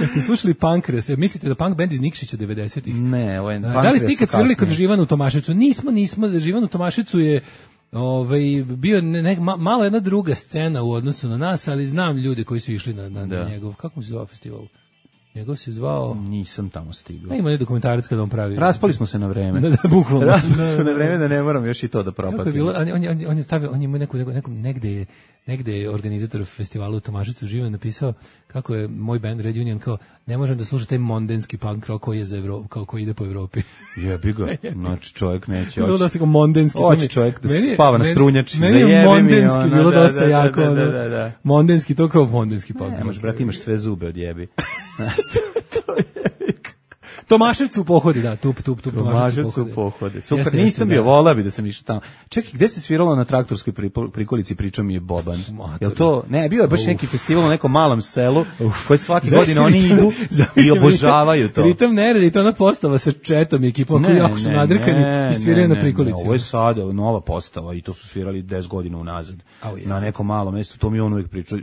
Jeste slušali Pankres? Mislite da punk band iz Nikšića devedesetih? Ne, ovaj Da li ste nikad svirali kod Živana u Tomaševcu? Nismo, nismo. Živan u Tomaševcu je ovaj, bio ne, ne, malo jedna druga scena u odnosu na nas, ali znam ljude koji su išli na, na, na njegov, kako mu se zvao festival? Njegov se zvao... Nisam tamo stigao. A ima je dokumentarac kada on pravi. Raspali smo se na vreme. Da, da, bukvalno. Raspali smo se na vreme da ne moram još i to da propatim. Kako je bilo? On, on, on, on je stavio, on je neku, neku, negde je, negde je organizator festivala u Tomaševcu živo napisao kako je moj band Red Union kao ne možem da slušam taj mondenski punk rock koji je za Evropu, kao koji ide po Evropi. Jebi ga. Znači čovjek neće bilo dosta kao mondenski. Hoće čovjek da se spava na strunjači. Meni je mondenski bilo dosta jako. Mondenski, to kao mondenski punk. Nemaš, brate, imaš sve zube od jebi. Znaš, to je Tomaševcu u pohodi, da, tup, tup, tup, Tomaševcu u pohode. Super, Jeste, nisam jeste, bio, da. volao bi da sam išao tamo. Čekaj, gde se sviralo na traktorskoj pripo- prikolici, pričao mi je Boban. Jel to, ne, bio je baš neki festival u nekom malom selu, koji svake godine oni idu i obožavaju to. Pritom ne radi, to ona postava sa Četom i ekipom koji jako su nadrkani i sviraju na prikolici. Ovo je sada nova postava i to su svirali deset godina unazad. Au je. Na nekom malom mestu, to mi on uvijek pričao,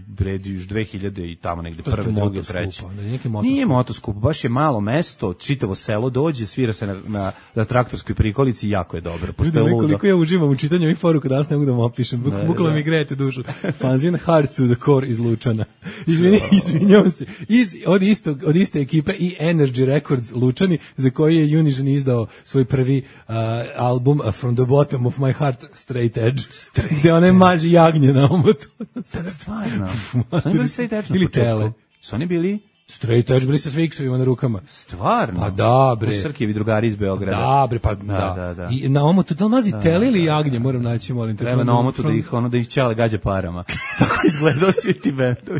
vredi još dve hiljade i tamo negde To je prve, neki druge, motoskup, treće. onda je neki motoskup. Nije motoskup, baš je malo mesto, čitavo selo dođe, svira se na, na, na traktorskoj prikolici i jako je dobro, pošto je Vidim ludo. koliko ja uživam u čitanju ovih poruka, danas ne mogu da vam opišem. Buk, bukvalno mi grejete dušu. Fanzin Hard to the Core iz Lučana. Izvini, izvinjavam se. Iz, od, istog, od iste ekipe i Energy Records Lučani, za koji je Unižan izdao svoj prvi uh, album uh, From the Bottom of My Heart, Straight Edge. Gde one maži jagnje na omotu. Stvarno. Su oni bili straight edge na Ili početku? tele. Su oni bili? Straight Edge, bili sa sve X-ovima na rukama. Stvarno? Pa da, bre. U Srkijevi drugari iz Beograda. Da, bre, pa da. Da, da, da. I na omotu, da li mazi tele ili jagnje, moram naći, molim te. Treba From- na omotu da from- ih, ono, da ih ćale gađa parama. Tako izgledao svi ti bendovi.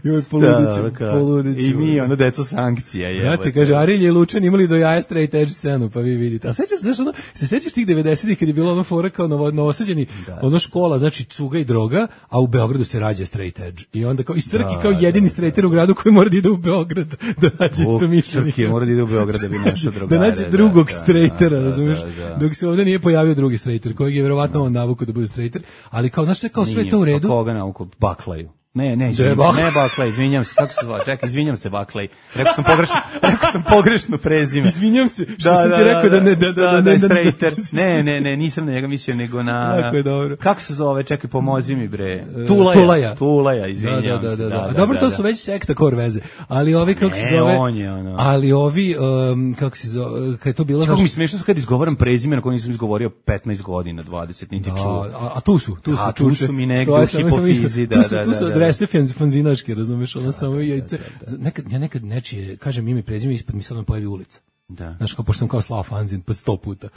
Joj, poludiću, Da, kao, poludiću. I mi, ono, deca sankcija. Ja jebote. ti kaže, Arilje i Lučan imali do jaja straight edge scenu, pa vi vidite. A sećaš, znaš, ono, se sećaš tih devedesetih kad je bilo ono fora kao novo, novosađeni, ono škola, znači cuga i droga, a u Beogradu se rađa straight edge. I onda kao, i Srki Da, kao jedini straighter u gradu koji mora da ide u Beograd da nađe U, isto mišljenje. Srki mora da ide u Beograd da bi našao Da drugare. nađe drugog da, straightera, da, razumiješ? da, da. Dok se ovdje nije pojavio drugi straighter, kojeg je verovatno on navukao da bude straighter, ali kao, znaš što je kao sve Nije, to u redu? Pa koga nauku? Baklaju. Ne, ne, Da je izvinjam se, Bakla- ne Baklaj, izvinjam se, kako se zove, čekaj, izvinjam se Baklaj, rekao sam pogrešno, rekao sam pogrešno prezime. Izvinjam se, što sam ti rekao da ne, da, da, da, da, ne, je da, straighter. Ne, ne, ne, nisam na njega mislio, nego na... Jako je dobro. Kako se zove, čekaj, pomozi mi, bre. Tulaja. Tulaja. Tulaja, izvinjam da, da, da, se. da, da. Dobro, to su već sekta kor veze. Ali ovi, kako se Ne, zove... on je ono. Ali ovi, um, kako se zove, kad je to bilo... Kako mi smiješno kad izgovaram prezime na koje nisam izgovorio petnaest godina, dvadeset, niti Da, čuo. a, a tu su, tu su, A, tu čuče. su mi negde Stoje u samo- samo hipofizi, isto. da, Tu su, da, tu su da, da. adrese fanz- fanzinaške, razumeš, ono samo jajce. Nekad, ja nekad nečije, kažem ime i prezime, ispod mi sad pojavi ulica. Da. Znaš, kao, pošto sam kao slao fanzin, pa sto puta.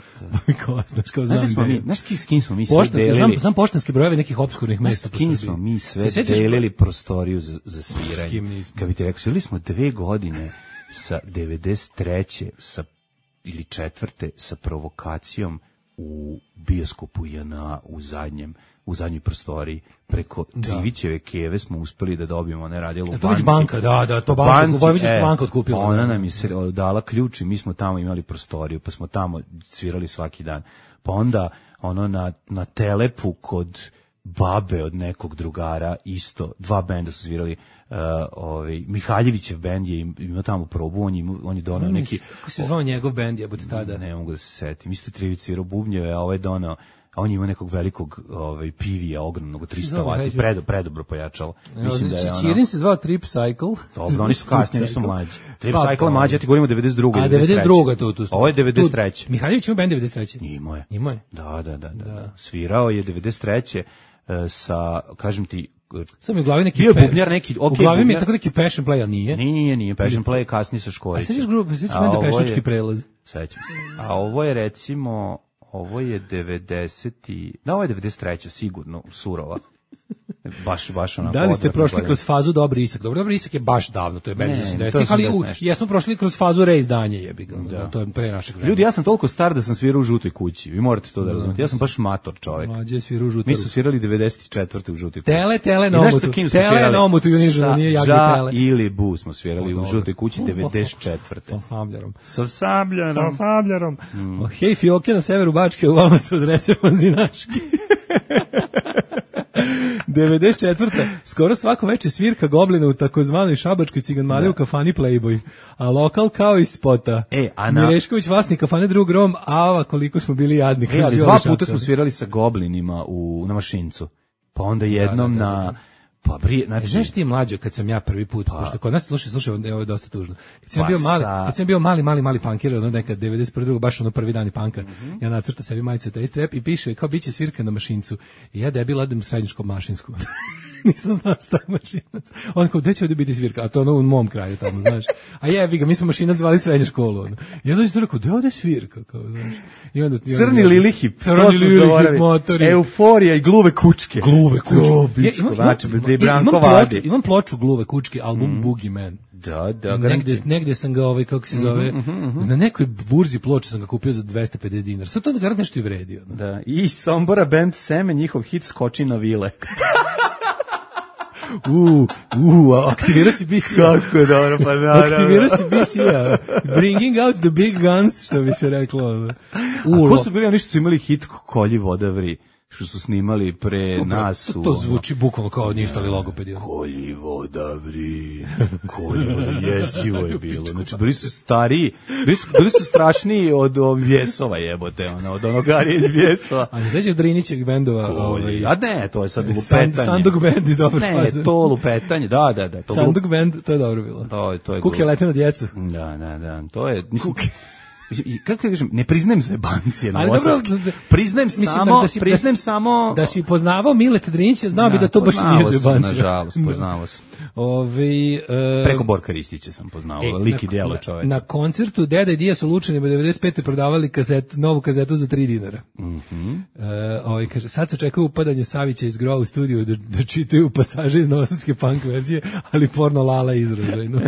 kao, znaš, kao, znam Znaš da smo gde je. mi, znaš s kim smo mi sve Poštanski, znam, delili? znam poštanske brojeve nekih opskurnih Znaš mesta s po kim Srbiji. smo mi sve Se sjećaš- delili prostoriju za, za S sviranje? kim nismo? Kad bi ti rekao, svirali smo dve godine sa devedeset treće sa, ili četvrte sa provokacijom u bioskopu J N A u zadnjem u zadnjoj prostoriji preko Trivićeve keve smo uspeli da dobijemo, ne radilo u E, to već banci. banka, da, da, to banka, Banci, Vojvođanska e, banka otkupila. Ona nam je se dala ključ i mi smo tamo imali prostoriju, pa smo tamo svirali svaki dan. Pa onda ono na, na Telepu kod babe od nekog drugara isto, dva benda su svirali, uh, ovaj, Mihaljevićev bend je im- imao tamo probu, on je, im- on je donao neki... Kako se zvao njegov bend, jebote, tada? Ne mogu da se setim. Isto Trivić svirao bubnjeve, a ovaj donao, a on ima nekog velikog ovaj, pivija, ogromnog, trista Zove, vati, hajde. predo, predobro pojačalo. Mislim da je ono... Čirin se zvao Trip Cycle. Dobro, oni su kasnije, oni su mlađi. Trip Pa, Cycle pa. je mlađi, ja ti govorim o devedeset druge. A devedeset druga tu, tu. Ovo je devedeset treće. Tu- Mihaljević ima bend devedeset treće. Imao je. Imao je. Da, da, da, da, da. Svirao je devedeset treće e, sa, kažem ti, e, Sam mi u glavi neki... Bio je pe- bubnjar neki, U okej, glavi mi je bubnjar. tako neki passion play, ali nije. nije, nije, nije, Passion Play je kasnije sa A Škorićem. sećaš grupu, sećaš A mene ovo je- pešački prelaz. Sećam se. A ovo je recimo, ovo je devedeset i da, ovo je devedeset treća sigurno, surova. Baš, baš onako. Da li ste odvratno prošli gledano. kroz fazu Dobri Isak? Dobro, Dobri Isak je baš davno, to je bend Ne, iz to je osamdesetih, ali u, osamdeset nešto. jesmo prošli kroz fazu reizdanja, jebi ga, da. To je pre našeg vremena. Ljudi, ja sam toliko star da sam svirao u Žutoj kući. Vi morate to da razumete. Ja sam baš mator čovjek. Mlađe sviru u Mi smo svirali devedeset četvrte u Žutoj kući. Tele, tele I na znaš omotu. sa kim smo Tele svirali? na omotu i uniženo, Sa nije jagni Ža tele. ili Bu smo svirali O, u dobro. Žutoj kući devedeset četvrte. Sa sabljarom. Sa sabljarom. Sa sabljarom. O, hej, fioke na severu Bačke, u vama se odrese fanzinaški. devedeset četvrta Skoro svako veče svirka Goblina u takozvanoj šabačkoj ciganmali u kafani Playboy. A lokal kao iz spota. E, a na- Mirešković, vlasnik kafane Drug Rom, ava koliko smo bili jadni. E, kaže ali Đole dva Šapca. puta smo svirali sa Goblinima u, na Mašincu. Pa onda jednom Da, da, da, na... da. Pa brije, E, znači... znaš ti mlađo kad sam ja prvi put, pošto kod nas slušaj, slušaj, ovo je dosta tužno. Kad sam Pa bio mali, sa- kad sam bio mali, mali, mali punkir, ono nekad devedeset prve baš ono prvi dan i panka. Mhm. Ja nacrtao sebi majicu taj strep i piše kao biće svirka na Mašincu. I ja debil odem u srednju školu mašinsku. nisam znao šta je mašinac. On kao, gde će ovdje biti svirka? A to ono u mom kraju tamo, znaš. A jebi ga, mi smo mašinac zvali srednju školu. Ono. I onda je rekao, gde je ovdje svirka? Kao, znaš. I onda, i onda, Crni lilihip, crni lilihip, motori. Euforija i gluve kučke. Gluve kučke. Ja, imam, znači, imam, imam, ploču, imam ploču Gluve kučke, album mm. Boogie Man. Da, da. Negde, negde sam ga, ovaj, kako se zove, mm-hmm, mm-hmm. na nekoj burzi ploče sam ga kupio za dvesta pedeset dinara. Sad to onda garant nešto i vredio. No? Da, i Sombora band Seme, njihov hit Skoči na vile. U, u, aktivirao si B C A. Kako je dobro, pa da. Aktivirao si B C A. Bringing out the big guns, što bi se reklo. U, a ko su bili oni što su imali hit Kolji voda vri? Što su snimali pre to, nas to, to zvuči bukvalno kao ništa ali logopedi. Kolji voda vri, kolji voda, jezivo je bilo. Znači, bili su stariji, bili su, bili su strašniji od Vjesova jebote, ono, od onog Arije iz Vjesova. A ne sećaš Drinićeg bendova? Ovaj, a ne, to je sad lupetanje. San, Sanduk band je dobro. Ne, fazan. To lupetanje, da, da, da. To Sanduk band, to je dobro bilo. To, to je Kuke lete na djecu. Da, da, da, to je, mislim, Kuke. I kako kažem, ne priznajem se bancije na Novosadski. Priznajem samo, da si, priznajem da si, samo da si poznavao Mileta Drinića, znao bi da to baš nije zebancija. Nažalost, poznavao sam. Ovi, uh, preko Borka Ristića sam poznavao, e, lik i djelo čovjek. Na koncertu Deda i Dija su Lučanima devedeset pete prodavali kaset, novu kazetu za tri dinara. Mhm. Uh, ovaj kaže, sad se očekuje upadanje Savića iz Grova u studiju da, da čitaju pasaže iz novosadske punk verzije, ali porno Lala izražajno.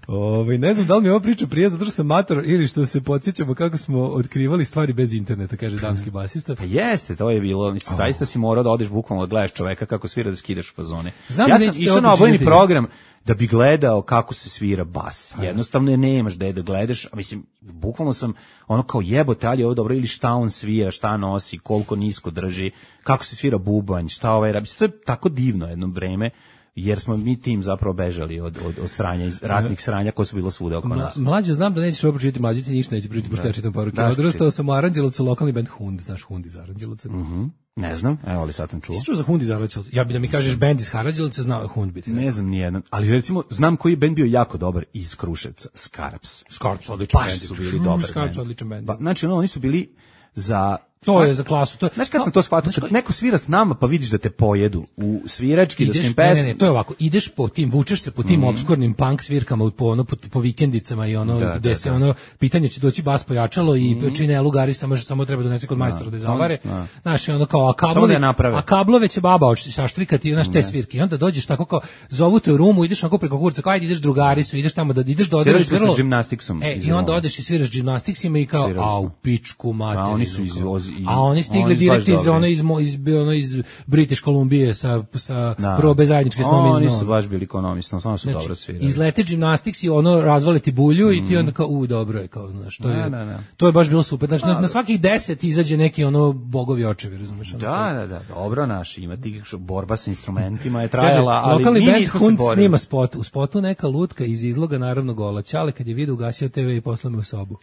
Ovaj ne znam da li mi ova priča prije zato što sam mator ili što se podsjećamo kako smo otkrivali stvari bez interneta, kaže danski basista. Pa jeste, to je bilo, mislim, oh. zaista si morao da odeš bukvalno da gledaš čoveka kako svira da skidaš fazone. Znam ja da sam išao na obojeni program da bi gledao kako se svira bas. Jednostavno je nemaš da je da gledaš, a mislim, bukvalno sam ono kao jebote, ali je ovo dobro, ili šta on svira, šta nosi, koliko nisko drži, kako se svira bubanj, šta ovaj rabi. To je tako divno jedno vreme. Jer smo mi tim zapravo bežali od, od, od sranja, iz ratnih sranja koje su bilo svuda oko nas. Mlađe, znam da nećeš ovo pročitati, mlađe ti ništa neće pročitati, pošto ja čitam poruke. Odrastao sam u Aranđelovcu, lokalni band Hund, znaš Hund iz Aranđelovca? Mhm. Ne znam, evo ali sad sam čuo. Si čuo za Hund iz Aranđelovca? Ja bi da mi kažeš band iz Aranđelovca, znao je Hund biti. Ne znam nijedan, ali recimo znam koji band bio jako dobar iz Kruševca, Skarps. Skarps, odličan band. Baš su bili dobar. Skarps, odličan band. Pa, znači, ono, oni su bili za... To je za klasu. To je, znaš kad sam to shvatio, kad neko svira s nama pa vidiš da te pojedu u svirački, ideš, da su im pesme. Ne, ne, ne, to je ovako, ideš po tim, vučeš se po tim mm. obskurnim punk svirkama, po, ono, po, po vikendicama i ono, da, gde da, se da. ono, pitanje će doći bas pojačalo i mm. čine lugari, samo, samo treba donese kod majstora da je zavare. Znaš, ono kao, a kablove, da a kablove će baba saštrikati, znaš, te svirke. I onda dođeš tako kao, zovu te u rumu, ideš onako preko kurca, kao ajde ideš drugari su, ideš tamo da ideš do odreš grlo. Gimnastiksom. E, i onda odeš i sviraš gimnastiksima i kao, a u pičku materinu. A oni su iz a oni stigli direkt iz ono iz iz ono iz British Columbia sa sa probe zajedničke snome. Oni su baš bili ekonomisno, samo su znači, dobro svirali. Izlete gimnastiks i ono razvaliti bulju mm. i ti onda kao u dobro je kao znaš, to je ne, ne, ne. To je baš bilo super. Znači na, na svakih deset izađe neki ono bogovi očevi, razumeš? Da, da, da, dobro naš, ima tih borba sa instrumentima je trajala, ali lokalni band Hund snima spot, u spotu neka lutka iz izloga naravno gola. Ćale kad je video ugasio te ve i poslao me u sobu.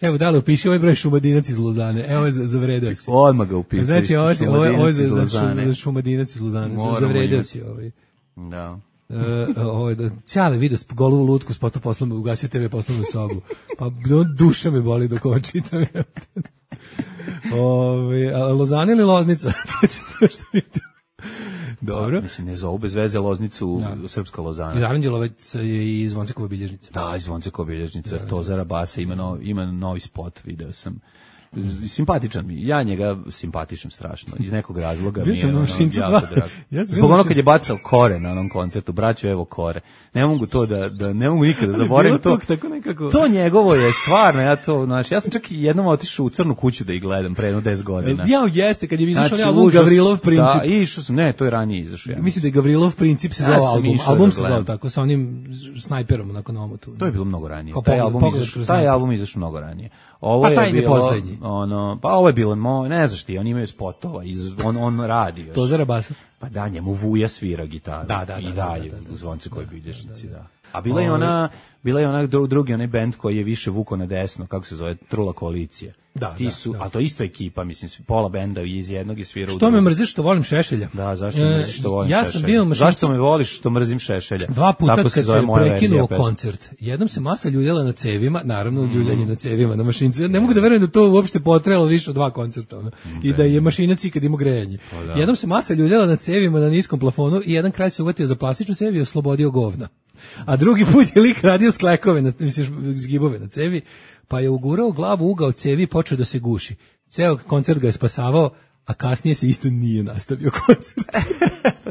Evo, da li upiši ovaj broj Šumadinac iz Lozane? Evo, zavredeo si. Odmah ga upisuje. Znači, ovo je ovo za, za Šumadinac iz Lozane. Zavredeo si ovaj. Da. Uh, ovo da Ćale vidio golu lutku, spotu poslao, ugasio te ve poslovnu sobu. Pa duša me boli dok ovo čitam. Ove, a Lozana ili Loznica? To će nešto vidjeti. Dobro. Pa, mislim, ne zovu bez veze Loznicu, da. Srpska Lozana. Iz Aranđelovac je i Zvoncekova bilježnica. Da, iz Zvoncekova bilježnica. Da, to Zara Basa ima, no, ima novi spot, video sam. Simpatičan mi, ja njega simpatišem strašno, iz nekog razloga mi je ono, jako drago. Ja zbog ono kad je bacao kore na onom koncertu, braćo evo kore, ne mogu to da, da ne mogu nikada zaboravim to, tako nekako... to njegovo je stvarno, ja to, znači, ja sam čak i jednom otišao u Crnu kuću da ih gledam pre jedno deset godina. Ja jeste, kad je izašao znači, album Gavrilov princip. Da, išao sam, ne, to je ranije izašao. Ja. Mislim da je Gavrilov princip se zvao album, album se zvao tako, sa onim snajperom nakon omotu. To je bilo mnogo ranije, taj album izašao, taj album izašao mnogo ranije. Ovo pa je bilo, ono, pa ovo je bilo, mo, ne znaš ti, oni imaju spotova, iz, on, on radi još. To Zara Basa? Pa da, njemu Vuja svira gitaru. Da, da, i da, dalje, da, da, da, u Zvonce koji da, bilježnici, da, da. da. A bila je ona, bila je ona drugi onaj bend koji je više vuko na desno, kako se zove, Trula koalicija. Da, Ti da, su, da. a to isto ekipa, mislim, pola benda iz jednog je svirao u Što me mrziš što volim Šešelja? Da, zašto me mrziš što volim ja Šešelja? Sam bio mašinci... Zašto me voliš što mrzim Šešelja? Dva puta tako kad se, se prekinuo koncert. Jednom se masa ljuljala na cevima, naravno ljuljanje na cevima na mašincu. Ja ne mogu da verujem da to uopšte potrajalo više od dva koncerta. Ono. I da je mašinac ikad imao grejanje. Jednom se masa ljuljala na cevima na niskom plafonu i jedan kraj se uvatio za plastičnu cev i oslobodio govna. A drugi put je lik radio sklekove, na, misliš, zgibove na cevi, pa je ugurao glavu u ugao cevi i počeo da se guši. Ceo koncert ga je spasavao, a kasnije se isto nije nastavio koncert.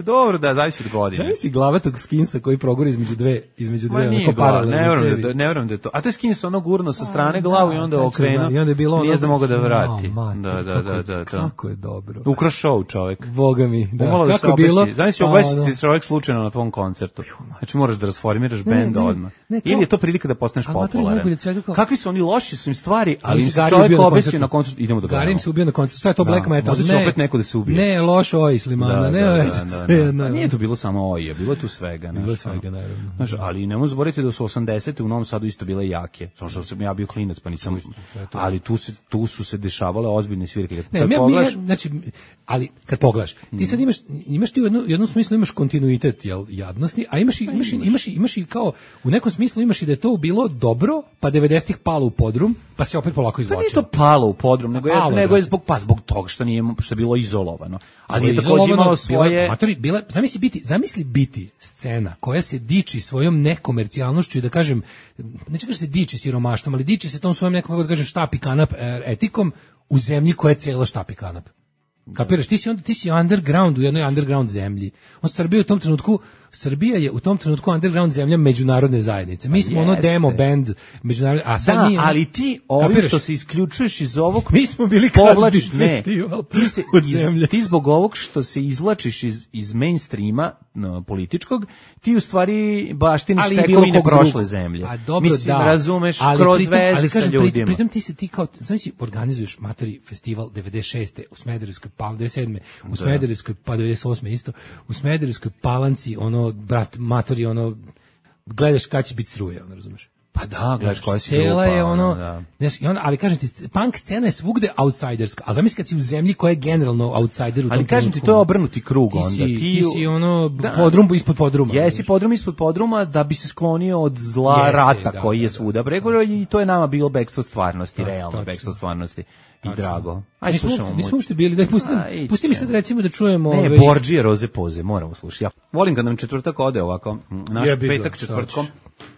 Dobro, da, zavisi od godine. Zavisi glavatog Skinsa koji progori između dve, između dve, onako glav, paralelne ne vjerujem cevi. Da, ne vjerujem da je to. A to je Skins ono gurno sa strane glavu i onda okrenuo. I onda je bilo ono... Nije da mogu da vrati. Oh, man, da, da, da, da, da. Kako je dobro. Ukrao show čovjek. Boga mi. Da. Umalo da kako se je bilo? Znaš si obesiti čovjek slučajno na tvom koncertu. Znači moraš da rasformiraš bend odmah. Ne, kao, ili je to prilika da postaneš popularan. Kao... Kakvi su oni loši su im stvari, ali im se čovjek obesio na koncertu. Idemo da gledamo. Garim se ubio na koncertu. Što je to black metal? Možda će opet neko da se ubije. Ne, loš oj Slimana, ne veze. A nije to bilo samo oj, je bilo tu svega, bilo svega naravno. Znaš, ali ne možemo zaboraviti da su osamdesete u Novom Sadu isto bile jake. Samo što sam ja bio klinac, pa nisam. Ali tu se tu su se dešavale ozbiljne svirke. Ne, mi, pogledaš... mi, znači, ali kad pogledaš, ti sad imaš imaš ti u jednom jednom smislu imaš kontinuitet jel jadnosti, a imaš i imaš imaš, imaš, imaš i kao u nekom smislu imaš i da je to bilo dobro, pa devedesetih palo u podrum, pa se opet polako izvlačilo. Pa nije to palo u podrum, nego je palo, nego je zbog pa zbog toga što nije što je bilo izolovano. Ali je takođe imalo svoje matori, bila, zamisli biti, zamisli biti scena koja se diči svojom nekomercijalnošću i da kažem, neću kažem se diči siromaštvom, ali diči se tom svojom nekom, kako da kažem, štap i kanap etikom u zemlji koja je cijela štap i kanap. Kapiraš, ti si onda ti si underground u jednoj underground zemlji. On Srbija u tom trenutku Srbija je u tom trenutku underground zemlja međunarodne zajednice. Mi smo ono demo band međunarodne, a sad da, nije. Ali ti ovim što se isključuješ iz ovog, mi smo bili povlačiš ne. Festival ti se od iz, zemlje. Ti zbog ovog što se izvlačiš iz iz mainstreama no, političkog, ti u stvari baštiniš tekovine prošle zemlje. A dobro, mislim, da. razumeš ali kroz pritom, veze ali sa kažem, ljudima. Pritom ti se ti kao, znači organizuješ matori festival devedeset šeste u Smederevskoj, pa devedeset sedme u Smederevskoj, pa devedeset osme isto u Smederevskoj Palanci, ono brat matori, ono gledaš kad će biti struje, ono razumeš. Pa da, gledaš koja si grupa. Je ono, da. Znaš, i on, ali kažem ti, punk scena je svugde outsiderska, a zamisli kad si u zemlji koja je generalno outsider u tom. Ali kažem ti, to je obrnuti krug onda. Ti si, ti, ti si ono da, podrum ispod podruma. Jesi podrum ispod podruma da bi se sklonio od zla Jeste, rata da, koji je svuda preko i to je nama bilo bekstvo stvarnosti, tačno, realno bekstvo stvarnosti. I drago. Ajde slušamo. Mi smo uopšte bili, daj pusti, pusti mi sad recimo da čujemo ne, ove... Borđije Roze Poze, moramo slušati. Ja volim kad nam četvrtak ode ovako, naš ja petak četvrtkom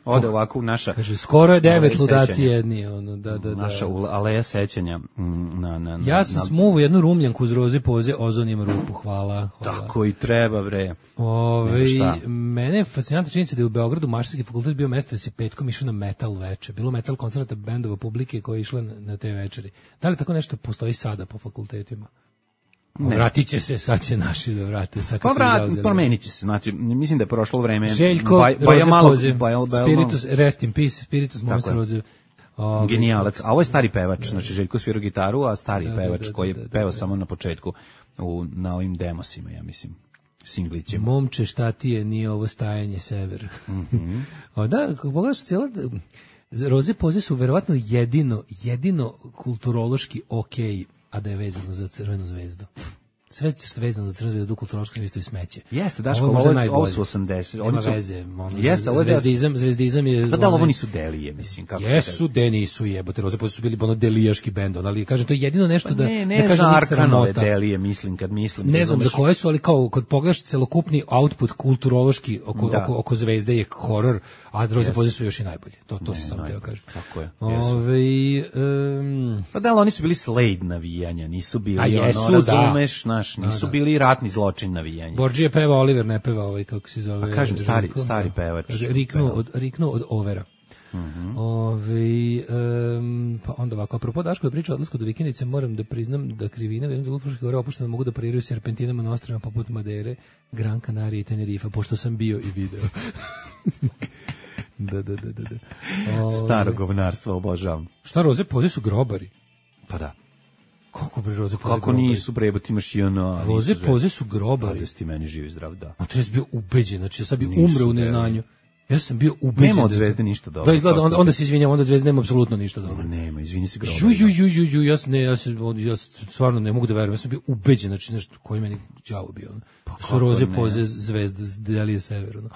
ode ovako u naša. Kaže, skoro je devet ludaci jedni, ono, da, da, da. Naša aleja sećanja na, na, na, ja sam na... smuvu jednu rumljanku uz Roze Poze, ozon ima rupu, hvala. hvala. Tako i treba, bre. Ove, mene je fascinantna činjenica da je u Beogradu Mašinski fakultet bio mesto da se petkom išao na metal veče. Bilo metal koncerta bendova publike koji je išla na, na te večeri. Da li tako nešto postoji sada po fakultetima? Ne. Vratit će se, sad će naši da vrate. Sad pa vrat, promenit će se, znači, mislim da je prošlo vreme. Željko, baj, Roze malo, Poze, baj, baj, Spiritus, rest in peace, Spiritus Monster Roze. O, genijalac, a ovo je stari pevač, znači Željko svira gitaru, a stari da, pevač da, da, koji je da, da, pevao da, da. samo na početku u, na ovim demosima, ja mislim. Singlićima. Momče, šta ti je, nije ovo stajanje sever. Mm-hmm. o, da, pogledaš cijela... Roze Poze su verovatno jedino, jedino kulturološki okej, a da je vezano za Crvenu zvezdu. Sve što je vezano za Crvenu zvezdu u kulturološkom smislu i smeće. Jeste, Daško, ovo, ovo, ovo su osamdeset. Nema oni su, veze. Ono, jeste, ovo je zvezdizam, zvezdizam je... Pa da, ovo nisu delije, mislim. Kako jesu, de nisu jebote. Roze Poze su bili ono delijaški bend, ali kažem, to je jedino nešto pa da... Ne, ne, ne za Arkanove delije, mislim, kad mislim. Ne znam za koje su, ali kao, kad pogledaš celokupni output kulturološki oko, oko, oko zvezde je horor, a Roze Poze su još i najbolji. To, to se samo teo kažem. Tako je. Ove, um, pa da, ali oni su bili Slade navijanja, nisu bili, a jesu, ono, razumeš, naš, nisu da, da. bili ratni zločin navijanja. Borđije peva, Oliver ne peva ovaj, kako se zove. A kažem, stari, Željko, stari pevač. Riknu od, riknu od Overa. Mm-hmm. Ove, um, pa onda ovako, apropo Daško je pričao o odlasku do vikendice, moram da priznam da krivina u jednom delu Fruških gora opušteno mogu da pariraju serpentinama na ostrvima poput Madere, Gran Canaria i Tenerifa, pošto sam bio i video. da, da, da, da. da. Staro govnarstvo, obožavam. Šta, Roze Poze su grobari? Pa da. Kako bre Roze Poze? Kako nisu bre, ti imaš i ono... Roze Poze su grobari. Da si ti meni živi zdrav, da. A to je bio ubeđen, znači ja sam bio umre u neznanju. Ja sam bio ubeđen. Nema od Zvezde ništa dobro. Da, izgleda, onda, onda se izvinjam, onda Zvezde nema apsolutno ništa dobro. Nema, izvini se grobar. Ju, ju, ju, ju, ju, ja, ne, ja, se, ja stvarno ne mogu da verujem, ja sam bio ubeđen, znači nešto koji meni đavo bio. su roze poze zvezda delije sever. Ono.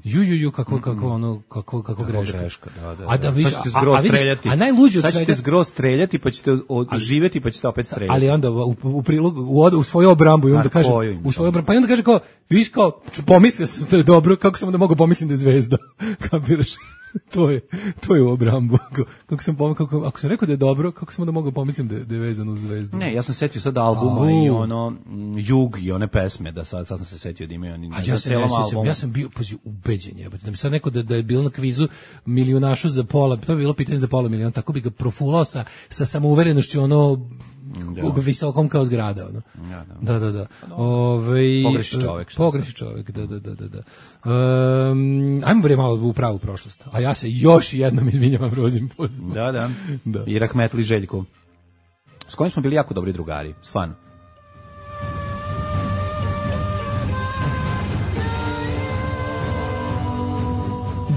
Ju ju ju kako kako ono kako kako greška. greška da, da, A da vidiš, sad ćete zgroz streljati. A najluđe od sad ćete svega zgroz streljati pa ćete živjeti pa ćete opet streljati. ali onda u, u prilog u, u svoju obrambu i onda A kaže koju im u svoju obrambu pa i onda kaže kao viš kao pomislio sam da je dobro kako sam da mogu pomisliti da je zvezda. Kapiraš? to je to je u obrambu. Kako sam pom, kako ako sam rekao da je dobro, kako sam da mogu pomislim da je, da je vezano uz zvezdu. Ne, ja sam setio sad albuma Au. i ono mm, Jug i one pesme da sad sad sam se setio da imaju oni A na ja se celom ne sjećam, albumu. ja sam bio pazi ubeđen jebote da mi sad neko da da je bilo na kvizu milionašu za pola, to bi bilo pitanje za pola miliona, tako bi ga profulao sa sa samouverenošću ono Da. visokom kao zgrada ono. Ja, da. Da, da, da. Ovaj Pogreši čovek, šta Pogreši čovek, da, da, da, da. da. Um, ajmo bre malo u pravu prošlost. A ja se još jednom izvinjavam Rozim pozom. Da, da. Da. I rahmetli Željko. S kojim smo bili jako dobri drugari, stvarno.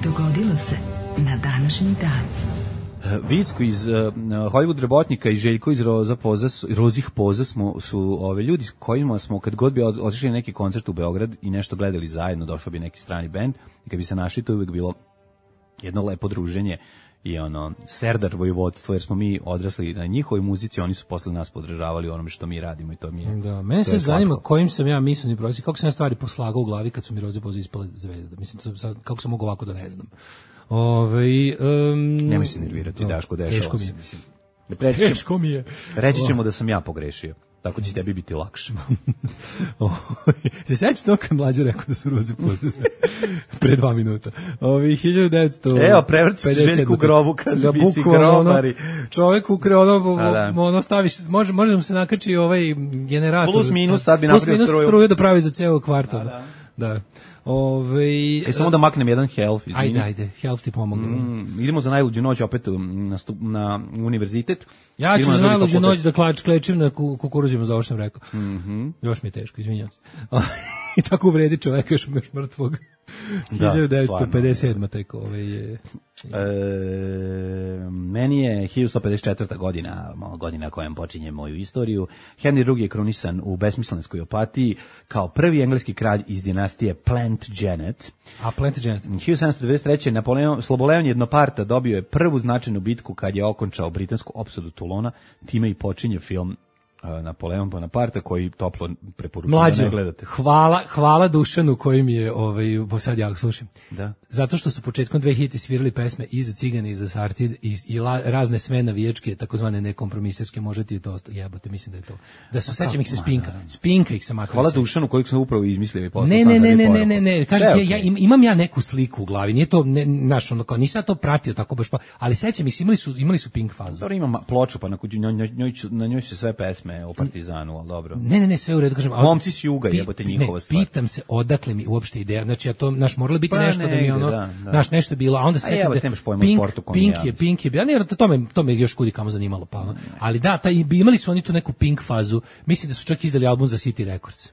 Dogodilo se na današnji dan. Vicko iz uh, Hollywood Rebotnika i Željko iz Roza Poza, su, Rozih Poza smo, su ove ljudi s kojima smo kad god bi od- otišli na neki koncert u Beograd i nešto gledali zajedno, došao bi neki strani bend i kad bi se našli to je uvijek bilo jedno lepo druženje i ono serdar vojvodstvo jer smo mi odrasli na njihovoj muzici, oni su posle nas podržavali u onome što mi radimo i to mi je. Da, mene to se je zanima slatko. kojim sam ja misleni prosjek, kako sam ja stvari poslagao u glavi kad su mi Roze Poze ispale zvezda. Mislim, to sad, kako sam mogu ovako da ne znam. Ove, um, Nemoj se nervirati, Daško, dešava teško mi se, je. mislim. Reći ćemo, Teško mi je. reći ćemo da sam ja pogrešio. Tako će tebi biti lakše. Se sećate to kad mlađe rekao da su Roze Poze pre dva minuta. Ovi hiljadu devetsto Evo, prevrći se Željku u grobu, kaže, da, mi si bukvalno, ono, grobari. čovjek ukre ono, A, da. ono staviš, može, može da mu se nakači ovaj generator. Plus, minus, sad bi Plus napravio minus struju. struju da pravi za ceo kvart. ono. Da. Ove, E, samo da maknem jedan health, izvini. Ajde, ajde, health ti pomogu. Mm, idemo za najluđu noć opet um, na, stup, na univerzitet. Ja ću Idemo za na drugi najluđu fakultet. noć da klač, klečim na ku, kukuruzima za ovo što sam rekao. Mhm. Još mi je teško, izvinjam se. I tako uvredi čoveka još, još mrtvog. Da, hiljadu devetsto stvarno. pedeset sedma tek ovaj je... E, meni je hiljadu sto pedeset četvrta godina, mo- godina kojom počinje moju istoriju. Henry drugi je krunisan u besmislenskoj opatiji kao prvi engleski kralj iz dinastije Plantagenet. A Plantagenet. hiljadu sedamsto devedeset treće. Napoleon, Sloboleon Jednoparta dobio je prvu značajnu bitku kad je okončao britansku opsadu Toulona, time i počinje film uh, Napoleon Bonaparte koji toplo preporučujem da Mlađo, ne gledate. hvala, hvala Dušanu koji mi je, ovaj, sad ja slušam. Da. Zato što su početkom dve hiljadite svirali pesme i za Cigane i za Sartid i, i la, razne sve navijačke, takozvane nekompromiserske, može ti je to osta- jebote, mislim da je to. Da su, sećam ih se Spinka. Spinka ih sam makar. Hvala sećam. Dušanu kojeg sam upravo izmislio i poslao Ne, sam ne, za ne, ne, poruku. ne, ne, ne, kažem Sve ti, okej. ja im- imam ja neku sliku u glavi, nije to, ne, naš, ono, kao, nisam ja to pratio tako baš, pa, ali sećam ih, se, imali su, imali su Pink fazu. Dobro, imam ploču, pa na, kuđu- njoj, njoj, njoj, ću- na njoj su sve pesme o Partizanu, ali dobro. Ne, ne, ne, sve u redu, kažem. ali- Momci s juga, pi- jebote, pi- njihova ne, stvar. Pitam se odakle mi uopšte ideja, znači ja to, naš, moralo biti Pa nešto da mi negde, ono, da, da. naš, nešto je bilo, a onda se A setim evo, da nemaš pojma o Pink, sportu ko Pink ja, je, mislim. Pink je, ja ne, to me, to me još kudi kamo zanimalo, pa ono. Ali da, taj, imali su oni tu neku Pink fazu, mislim da su čak izdali album za City Records.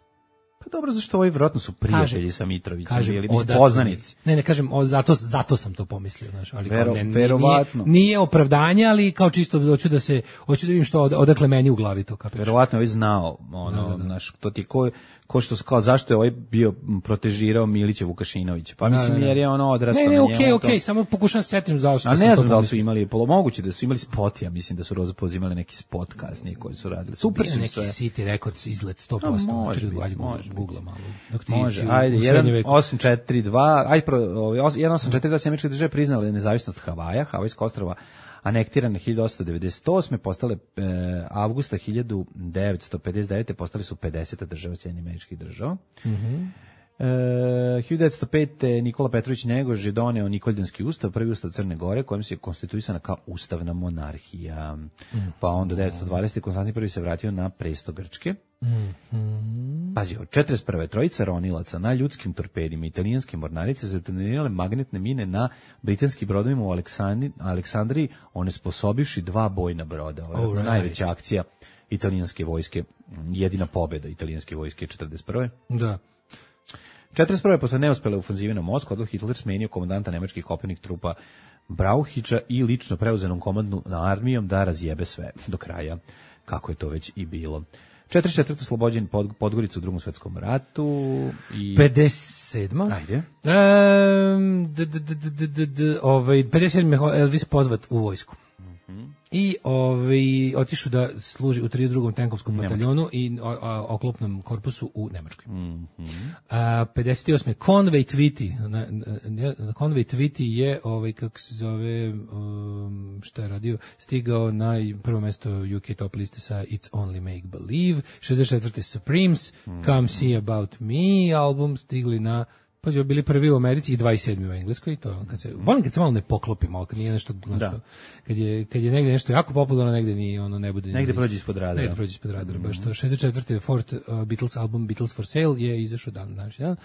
Pa dobro, zašto ovi vjerojatno su prijatelji sa Mitrovićem, kažem, ili mislim odakle poznanici. mi- Ne, ne, kažem, o, zato, zato sam to pomislio, znaš, ali kao Vero- ne, nije, verovatno. nije, nije opravdanje, ali kao čisto hoću da se, hoću da vidim što, od- odakle meni u glavi to, kapiraš. Verovatno je ovaj znao, ono, znaš, to ti je ko, ko što, kao zašto je ovaj bio m, protežirao Milića Vukašinovića. Pa mislim, da, da. jer je ono odrastao Ne, ne, na okej, njemu, okej, to- samo pokušam se setim zašto A sam ne to znam da li su pomislio. imali, polo moguće da su imali spot, ja mislim da su Roza Poz imali neki spot kasnije koji su radili. Super Bio su im neki sve. City Records izlet sto posto. A, može Čekaj, biti, ajde, može Google, biti. Google malo. Dok ti Može, si u- ajde, u srednjem jedan veku. osam četiri dva, aj pro, ovaj os- jedan osam četiri dva Sjemeničke države priznale nezavisnost Havaja, Havajska ostrva anektirane hiljadu osamsto devedeset osme postale e, avgusta hiljadu devetsto pedeset devete postali su pedeseta država Sjedinjenih Američkih Država. Mhm. E, hiljadu devetsto pete Nikola Petrović Njegoš je doneo Nikoljanski ustav, prvi ustav Crne Gore, kojim se je konstituisana kao ustavna monarhija. Mhm. Pa onda devetsto dvadesete Konstantin prvi se vratio na presto Grčke. Mhm. Pazi, od četrdeset prve trojica ronilaca na ljudskim torpedima italijanske mornarice su detonirale magnetne mine na britanskim brodovima u Aleksandri, Aleksandriji, onesposobivši dva bojna broda. Ovo je Alright. najveća akcija italijanske vojske, jedina pobjeda italijanske vojske četrdeset prve Da. četrdeset prve posle neuspele ofanzive na Moskvu, Adolf Hitler smenio komandanta nemačkih kopnenih trupa Brauhića i lično preuzenom komandnu na armijom da razjebe sve do kraja, kako je to već i bilo. četrdeset četvrte oslobođen pod, Podgorica u Drugom svetskom ratu. I... pedeset sedma Ajde. Um, d, d, d, d, d, d, ovaj, pedeset sedme Elvis pozvat u vojsku. I ovaj otišao da služi u trideset drugom tenkovskom bataljonu i o, o, oklopnom korpusu u Nemačkoj. Mm -hmm. A pedeset osme Conway Twitty, na, na, na Conway Twitty je ovaj kako se zove um, šta je radio, stigao na prvo mesto U K top liste sa It's Only Make Believe. šezdeset četvrte Supremes, mm -hmm. Come See About Me album stigli na pa su bili prvi u Americi i dvadeset sedmi u Engleskoj, to kad se volim kad se malo ne poklopi, malo kad nije nešto, nešto kad je kad je negde nešto jako popularno, negde ni ono ne bude negde prođe ispod radara. Negde prođe ispod radara, baš to. šezdeset četvrte Fort uh, Beatles album Beatles for Sale je izašao dan znači, dan.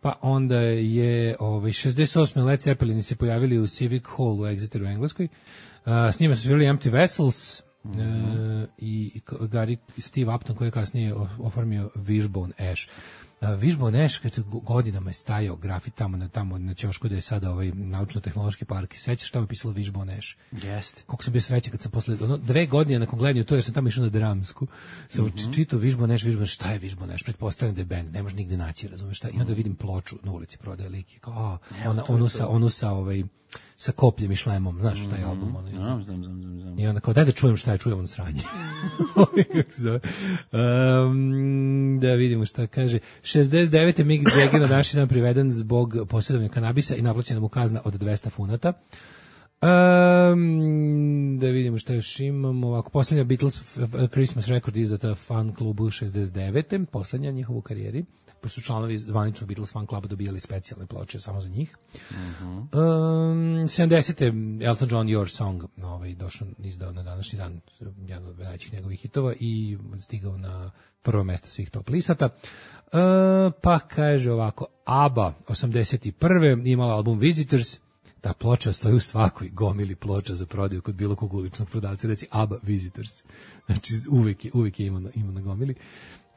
Pa onda je ovaj šezdeset osme Led Zeppelin se pojavili u Civic Hall u Exeteru u Engleskoj. Uh, s njima su svirali Empty Vessels. Mm -hmm. uh, i Gary Steve Upton koji je kasnije oformio Wishbone Ash. Uh, Wishbone Ash kad godinama je stajao grafit tamo na tamo na ćošku da je sada ovaj naučno-tehnološki park. Sećaš šta mi je pisalo Wishbone Ash? Jeste. Koliko sam bio srećan kad sam posle ono, dve godine nakon gledanja to jer sam tamo išao na dramsku. Sam mm -hmm. čitao Wishbone Ash, Wishbone, šta je Wishbone Ash? Pretpostavljam da je bend, ne može nigde naći, razumeš šta? I onda vidim ploču na ulici prodaje lik. Kao, a, ona onu sa onu sa ovaj sa kopljem i šlemom, znaš šta je album ono. Znam, znam, znam, znam. I onda kao daj da čujem šta je, čujem ono sranje. um, da vidimo šta kaže. šezdeset devete Mick Jagger na današnji dan priveden zbog posjedovanja kanabisa i naplaćena mu kazna od dvesta funata. Um, da vidimo šta još imamo. Ovako, posljednja Beatles Christmas record izdata fan klubu šezdeset devete Posljednja njihova u karijeri. Pa su članovi zvaničnog Beatles fan kluba dobijali specijalne ploče samo za njih. Mm-hmm. um, sedamdesete Elton John Your Song ovaj, došao, izdao na današnji dan jedan od najvećih njegovih hitova i stigao na prvo mesto svih top listata. Uh, pa kaže ovako, ABBA osamdeset prve imala album Visitors. Ta ploča stoji u svakoj gomili ploča za prodaju kod bilo kog uličnog prodavca, reci ABBA Visitors. Znači uvek je, uvek je ima, na, ima na gomili.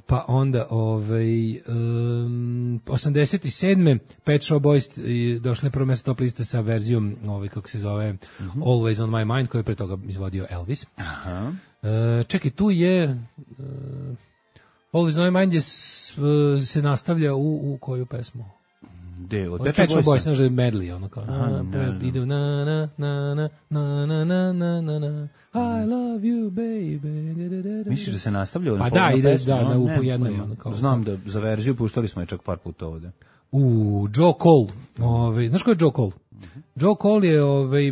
Pa onda ovaj um, osamdeset sedme Pet Shop Boys došli na prvo mesto top liste sa verzijom ovaj kako se zove mm-hmm. Always on My Mind koju je pre toga izvodio Elvis. Aha. Uh, čekaj, tu je uh, Always on My Mind je s, uh, se nastavlja u, u koju pesmu? De, od Pet Shop Boys, znaš da je medley, ono kao, aha, na, na, ide na, na, na, na, na, na, na, na, na, I love you, baby. Misliš da se nastavlja? Pa da, ide, da, na upu jednoj, ono kao. Znam da za verziju puštali smo je čak par puta ovde. U, Joe Cole, ovaj, znaš ko je Joe Cole? Uh-huh. Joe Cole je ovaj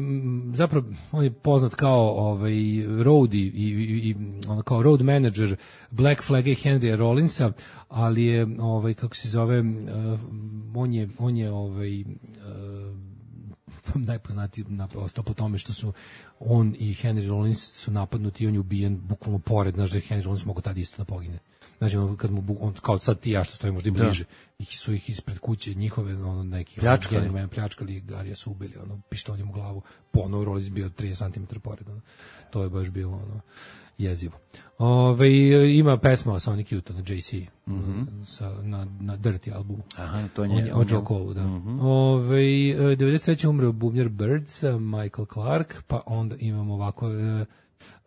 zapravo on je poznat kao ovaj roadie i, i, i on kao road manager Black Flag i Henrya Rollinsa, ali je ovaj kako se zove uh, on je on je ovaj uh, najpoznatiji na ostao po tome što su on i Henry Rollins su napadnuti i on je ubijen bukvalno pored, znaš da je Henry Rollins mogo tada isto da pogine. Znači, on, kad mu, on, kao sad ti ja što stojimo možda i bliže, ih su ih ispred kuće njihove, ono, nekih pljačkali, pljačkali, Garija su ubili, ono, pištoljem u glavu, ponovo Rollins bio trideset centimetara pored, ono, to je baš bilo, ono, jezivo. Ove, ima pesma o Sonic Youth na J C, mm-hmm. sa, na, na Dirty albumu. Aha, to nje. On je od Joe Cole, da. Mm-hmm. Ove, devedeset treće umreo bubnjar Birds, Michael Clark, pa onda imamo ovako...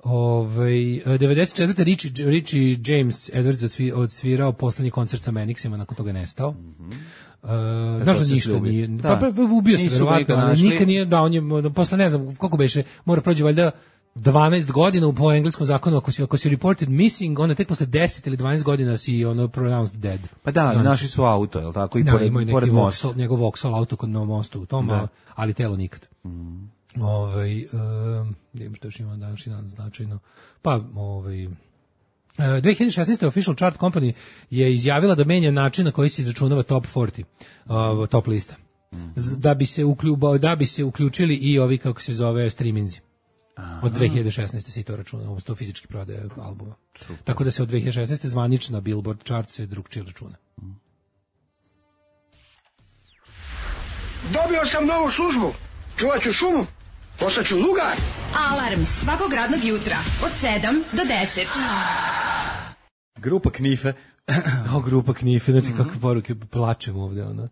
Ovaj devedeset četvrte Richie, Richie James Edwards odsvirao poslednji koncert sa Menixima, nakon toga je nestao. Mhm. Uh, znaš da ništa nije. Da. Pa, pa ubio se verovatno, ali nikad nije, da, on je, posle ne znam, koliko beše, mora prođe valjda dvanaest godina po engleskom zakonu, ako si, ako si reported missing, onda tek posle deset ili dvanaest godina si ono pronounced dead. Pa da, znači, našli su auto, je li tako, i da, pored, pored mosta. Njegov Vauxhall auto kod na mostu u tom, ali, ali telo nikad. Mhm. Ovaj um, idemo što još ima današnji dan značajno. Pa ovaj dve hiljade šesnaeste Official Chart Company je izjavila da menja način na koji se izračunava top četrdeset, uh, top lista. Z, da bi se uključili, da bi se uključili i ovi kako se zove streaminzi. Od dve hiljade šesnaeste se to računa, odnosno fizički prodaje albuma. Super. Tako da se od dve hiljade šesnaeste zvanična Billboard chart se drugčije računa. Dobio sam novu službu. Čuvat ću šumu. Postaću lugar. Alarm svakog radnog jutra od sedam do deset. Grupa Knife O, grupa Knife, znači mm-hmm. kakve poruke, plačem ovde, ono.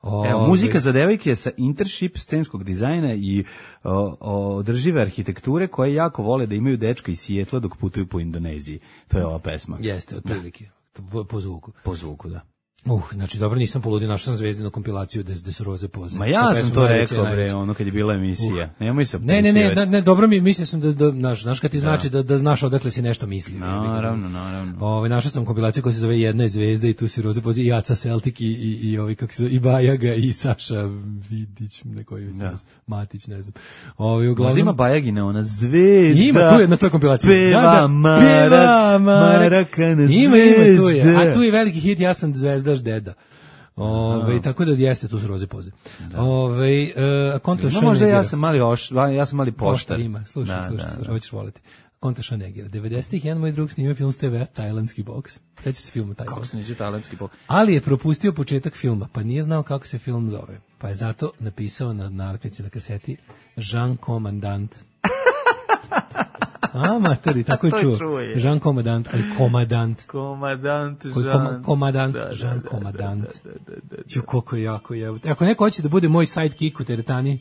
O, Evo, muzika za devojke sa internship scenskog dizajna i o, o, održive arhitekture koje jako vole da imaju dečka iz Sijetla dok putuju po Indoneziji. To je ova pesma. Jeste, otprilike. Po, po zvuku. Po zvuku, da. Uh, znači dobro, nisam poludio, našao sam Zvezdinu kompilaciju gde, gde su roze poze. Ma ja sam to rekao, bre, ono kad je bila emisija. Uh. Nemoj se Ne, ne, ne, ne, dobro mi, mislio sam da, da znaš, znaš kad ti znači da, da znaš odakle si nešto mislio. Naravno, naravno. Ove, našao sam kompilaciju koja se zove Jedna je zvezda i tu su roze poze i Aca Celtic i, i, i ovi, kako se zove, i Bajaga i Saša Vidić, neko je da. Matić, ne znam. Ovi, uglavnom... Možda ima Bajagina, ona zvezda. Ima, tu je na toj kompilaciji. Peva, da, da, marak, peva, maraka na zvezda. Ima, ima, tu je. A tu je veliki hit, ja sam zvezdaš deda. Ove, tako da jeste, tu su roze poze. Ove, uh, konto no, možda ja sam mali oš, ja sam mali poštar. Poštar ima, slušaj, da, slušaj, da, slušaj, da. hoćeš voliti. Konto Šanegira. devedesetih jedan moj drug snima film s te ve, tajlandski boks. Seća se filmu taj Kako boks. se neće tajlandski boks? Ali je propustio početak filma, pa nije znao kako se film zove. Pa je zato napisao na nalepnici na kaseti Jean Commandant. A, matori, tako je čuo. Jean Commandant, ali Komadant. Komadant, Jean. Koma, komadant, da, Jean da, Komadant. Da, da, da, da, da. Ju, koliko je jako je. Ako neko hoće da bude moj sidekick u teretani,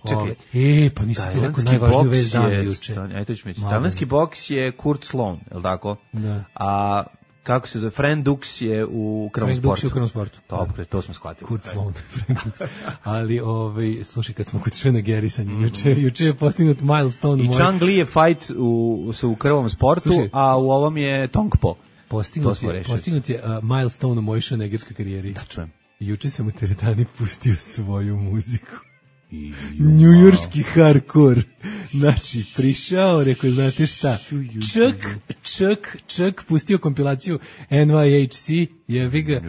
čekaj, ove, e, pa nisam ti rekao najvažniju vez dana juče. Tajlandski boks je Kurt Sloan, je li tako? Da. A kako se zove, Fran Dux je u krvnom sportu. Fran Dux je u krvnom sportu. Dobro, to smo shvatili. Kurt Sloan, Fran Dux. Ali, ovaj, slušaj, kad smo kod Šena Gerisanja, juče, juče je postignut milestone. I Chang Li je fight u, u krvnom sportu, slušaj, a u ovom je Tongpo. Postignut je, postignut je uh, milestone u mojoj šenegerskoj karijeri. Da, čujem. Juče sam u teretani pustio svoju muziku. Njujorski hardcore. Znači, prišao, rekao, znate šta, čak, čak, čak, pustio kompilaciju N Y H C, jevi ga,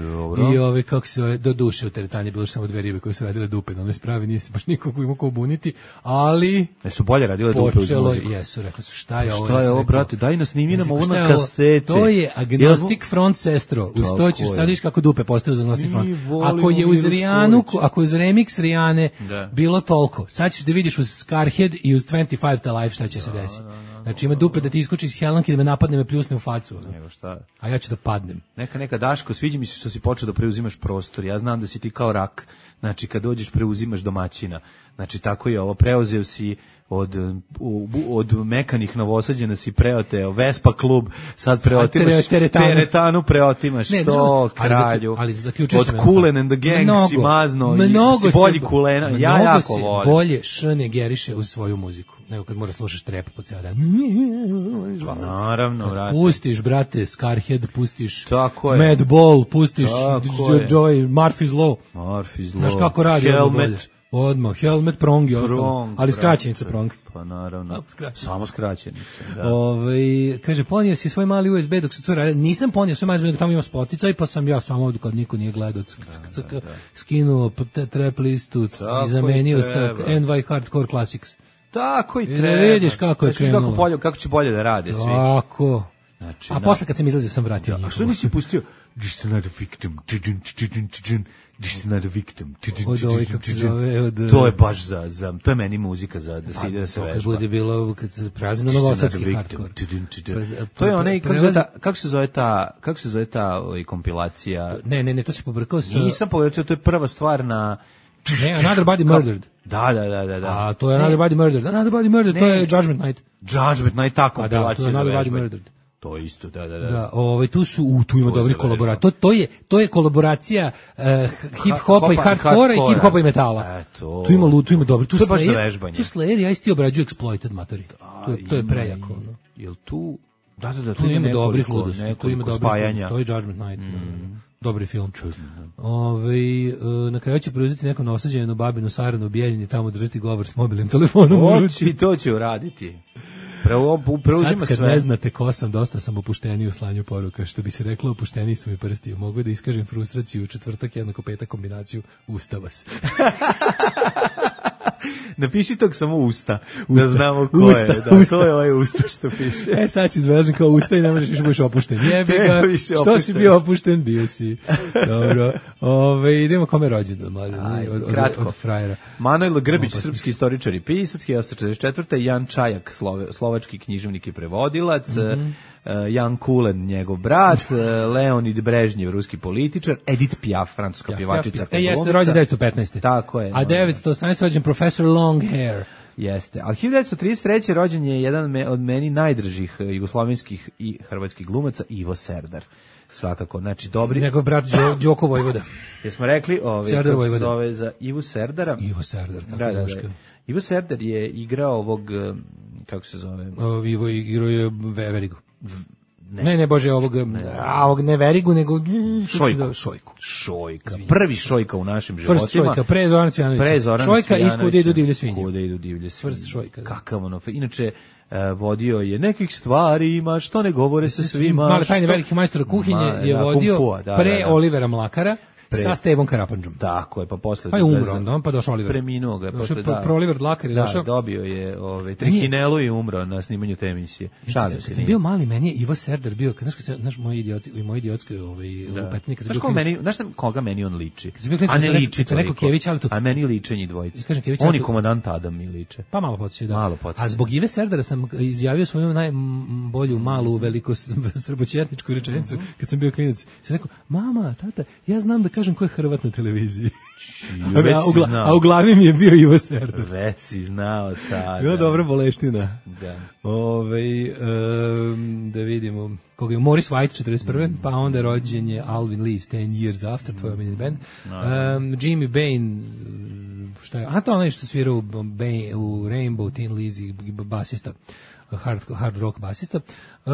i ove, kako se ove, do duše u teretanje, bilo samo dve ribe koje su radile dupe, na one spravi, nije se baš nikoga imao ko buniti, ali... E su bolje radile dupe uz muziku. Jesu, rekli su, šta je ovo? Šta je ovo, brate, daj nas snimi nam ovo na kasete. To je Agnostic Front Sestro, uz to ćeš sad viš kako dupe postaju za Agnostic Front. Ako je uz Rijanu, ako je uz remix Rijane, bilo toliko. Sad ćeš da vidiš uz Scarhead i uz dvadeset pet to Life šta će se desiti. Znači ima dupe da ti iskoči iz helanke, da me napadne, me pljusne u facu. Evo šta. A ja ću da padnem. Neka, neka Daško, sviđa mi se što si počeo da preuzimaš prostor. Ja znam da si ti kao rak. Znači kad dođeš preuzimaš domaćina. Znači tako je ovo, preuzeo si od, od mekanih Novosađena si preoteo Vespa klub, sad preotimaš teretanu, teretanu preotimaš ne, to kralju, ali, ali od Kulen and the Gang si mazno, mnogo si bolji Kulena, ja jako volim. Bolje šne geriše uz svoju muziku, nego kad moraš slušaš trep po ceo dan. Naravno, brate. Pustiš, brate, Scarhead, pustiš Madball, pustiš Joey, Murphy's Law. Murphy's Law. Znaš kako radi ovo bolje. Odmah, Helmet, Prong i ostalo. Ali skraćenica Prong. Pa naravno, samo skraćenica. Da. Ove, kaže, ponio si svoj mali U S B dok se cura radi. Nisam ponio svoj mali U S B dok tamo ima spoticaj, pa sam ja samo ovdje kad niko nije gledao skinuo trap listu i zamenio sa N Y Hardcore Classics. Tako i treba. Ne vidiš kako je krenulo. Kako, bolje, kako će bolje da rade svi. Tako. Znači, a posle kad sam izlazio sam vratio. A što nisi pustio? This is not a victim. This is not a victim. Od ovaj, kako se zove, od... To je baš za, za, to je meni muzika za da se ide da se vežba. Kad bude bilo, kad se prazni novosadski hardcore. To je onaj, kako se zove ta, kako se zove ta, kako se zove ta kompilacija? Ne, ne, ne, to se pobrkao sa... Nisam pobrkao, to je prva stvar na... Ne, Another Body Murdered. Da, da, da, da, da. A to je Another Body Murdered. Another Body Murdered, to je Judgment Night. Judgment Night, ta kompilacija za vežba. Another Body Murdered. To isto, da, da, da. Da, ovaj tu su u tu ima dobri kolaboracija. To to je to je kolaboracija uh, hip hopa i hardkora i hip hopa i metala. Eto. Tu ima tu ima dobri. Tu je baš za vežbanje. Tu Slayer ja isti obrađuju Exploited matori. To je to je prejako, no. Jel tu da, da, da, tu ima dobrih ludosti, tu ima dobrih. To je Judgment Night. Dobri film. Ove, na kraju će preuzeti neko novosađenu babinu Saranu u Bijeljini, tamo držati govor s mobilnim telefonom. Oči, to će uraditi. Preuzima sad kad sve. Ne znate ko sam, dosta sam opušteniji u slanju poruka, što bi se reklo, opušteniji su mi prsti. Mogu da iskažem frustraciju u četvrtak jednako petak kombinaciju ustava se. Napiši tog samo usta, usta, da znamo ko usta, je. Da, usta. To je ovaj usta što piše. E, sad si izvelažen kao usta i ne možeš više budeš opušten. Jebi ga, što si bio opušten, bio si. Dobro. Ove, idemo kome rođendan, mlade, Aj, od, od, kratko. od frajera. Manojlo Grbić, Opasno. srpski istoričar i pisac, hiljadu četrdeset četvrte. Jan Čajak, slove, slovački književnik i prevodilac, mm-hmm. Jan Kulen, njegov brat, Leonid Brežnjev, ruski političar, Edith Piaf, francuska Ja, pjevačica. ja, e, jeste, rođen devetsto petnaeste. Tako je. A devetsto osamnaeste rođen profesor Longhair. Jeste. Ali hiljadu devetsto trideset treće rođen je jedan od meni najdržih jugoslovenskih i hrvatskih glumaca, Ivo Serdar. Svakako, znači dobri. Njegov brat Đo, Đoko Vojvoda. Jesmo rekli, ovaj Serdar kako se Vojvoda. zove za Ivu Serdara. Ivo Serdar, kako Da, da, Joška. da. Ivo Serdar je igrao ovog, kako se zove? O, Ivo igrao je Verigu. Ne. ne, ne, bože, ovog, a, ovog ne Verigu, nego Šojku. Šojku. Šojka. Prvi Šojka u našim First životima. Šojka, pre Zorana Cvijanovića. Pre Zorana Šojka iz Kude idu divlje svinje. Kude idu divlje svinje. First Šojka. Da. Kakav ono. Inače, uh, vodio je nekih stvari ima što ne govore sa svima. Male tajne veliki majstor kuhinje Ma, je da, vodio Kung Fu, da, pre da, da. Olivera Mlakara. Pre. Sa Stevom Karapandžom. Tako je, pa posle... Pa je umro onda, pa došao Oliver. Preminuo ga je posle, da. Pro Oliver Dlakar je da, došao. dobio je ove, trihinelu i umro na snimanju te emisije. Šalim se. Kad sam bio mali, meni je Ivo Serdar bio, znaš, kad znaš, moj idiot, i moj idiotski ovaj, lupetnik. Znaš koga meni, znaš koga meni on liči? Klinic, a ne liči kad sam rekao Kević, ali to... A meni liče njih dvojica. Kažem, Kević, on i to... komandant Adam mi liče. Pa malo podsjeća, da. Malo podsjeća. A zbog Ive Serdara sam izjavio svoju najbolju, malu, veliko srbočetničku rečenicu, kad sam bio klinac. Sam rekao, mama, tata, ja znam da kažem ko je Hrvat na televiziji. A, Već u gla, znao. a u glavi mi je bio Ivo Serdar. Već si znao tada. Bila dobra boleština. Da. Ove, um, da vidimo. Koga je Morris White četrdeset prve. Mm. Pa onda rođen je Alvin Lee ten years after, tvoj omiljeni band. Um, Jimmy Bain, šta je? A to onaj što svira u, Bain, u Rainbow, Tin Lizzy, basista. Hard, hard rock basista. Uh,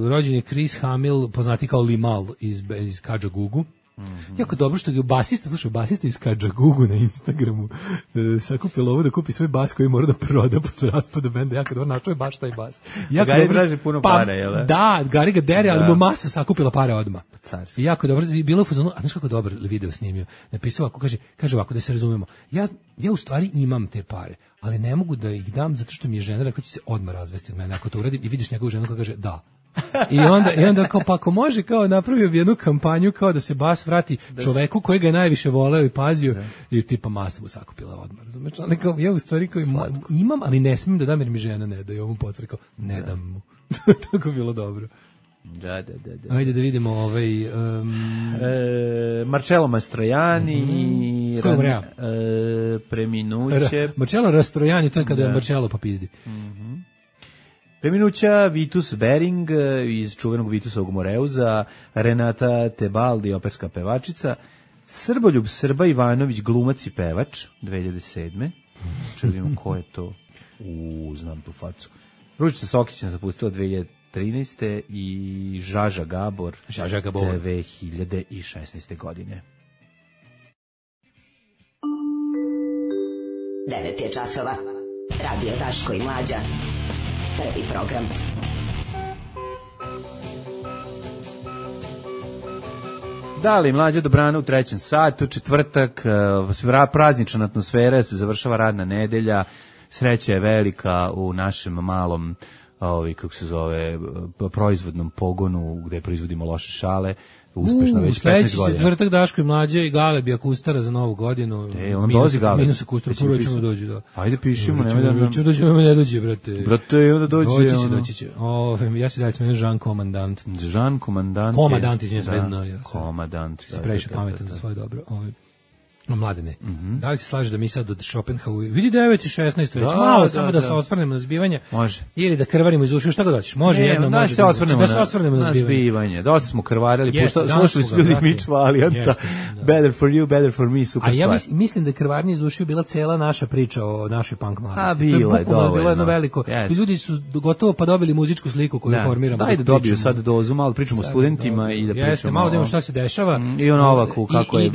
rođen je Chris Hamill, poznati kao Limal iz, iz Kajagugu. Mm-hmm. Jako dobro što je basista, slušaj, basista iz Kajagugu na Instagramu e, sakupila ovo da kupi svoj bas koji mora da proda posle raspada benda. Jako dobro, našao je baš taj bas. Jako Gari dobro, traži puno pa, para, jel da? Da, Gari ga dere, Da. ali mu masa sakupila pare odmah. Carski. I jako dobro, bilo u fazonu, a znaš kako dobro video snimio? Napisao ovako, kaže, kaže ovako, da se razumemo. Ja, ja u stvari imam te pare, ali ne mogu da ih dam zato što mi je žena rekla će se odmah razvesti od mene. Ako to uradim i vidiš njegovu ženu koja kaže da. I onda, i onda kao, pa ako može, kao napravio bi jednu kampanju kao da se bas vrati da čoveku koji ga je najviše voleo i pazio, da. I tipa masa mu sakupila odmah. Razumeš? Ali kao, ja u stvari kao imam, ali ne smijem da dam jer mi žena ne da, i ovom potvrdi kao, ne da. dam mu. Tako je bilo dobro. Da, da, da, da. Ajde da vidimo ovaj... Um... E, Marcello Mastrojani, mm-hmm. Ran, e, preminuće. Ra, Marcello Rastrojani, to je kada da. je Marcello pa pizdi. Mm-hmm. Preminuća Vitus Bering iz čuvenog Vitusovog Moreuza, Renata Tebaldi, operska pevačica, Srboljub Srba Ivanović, glumac i pevač, dve hiljade sedme. Čujem ko je to. U, znam tu facu. Ružica Sokić nas zapustila dve hiljade trinaeste i Žaža Gabor, Žaža Gabor dve hiljade šesnaeste godine. devet je časova. Radio Daško i Mlađa. Prvi program. Da li Mlađa dobrana u trećem satu, četvrtak, praznična atmosfera, se završava radna nedelja, sreća je velika u našem malom, ovi, kako se zove, proizvodnom pogonu gde proizvodimo loše šale, uspešno uh, već petnaest godina. Četvrtak Daško i Mlađe i Galeb Akustara za novu godinu. E, on dođe Galeb. Minus Akustara, prvo ćemo dođi, da. Ajde pišimo, nemoj da nam... Ćemo dođi, nemoj ne dođi, brate. Brate, onda dođe. Doći će, ono... doći će. O, ja se dalje smenim Jean Komandant. Jean Komandant. Komandant, izvijem se, bez dna. Komandant. Se previše pametan za svoje dobro. Ovo. Mladene, mm-hmm. da li se slažeš da mi sad od Schopenhauer vidi devet i šesnaest već, da, malo da, samo da, da se osvrnemo na zbivanje, može. Ili da krvarimo iz ušiju, šta god hoćeš, može ne, jedno, da može se osvrnemo da, na, da se osvrnemo na, na zbivanje. zbivanje. Dosta smo krvarili, Jeste, pušta, slušali su ljudi Mitch Valijanta, better for you, better for me, super A stvar. ja mis, mislim da je krvarnje iz ušiju bila cela naša priča o našoj punk mladosti. A, bila je, dovoljno. Bilo jedno veliko. Yes. Ljudi su gotovo pa dobili muzičku sliku koju da. formiramo. Daj da dobiju sad dozu, malo pričamo o studentima i da pričamo. Jeste, malo da imamo šta se dešava. I on Novaku, kako je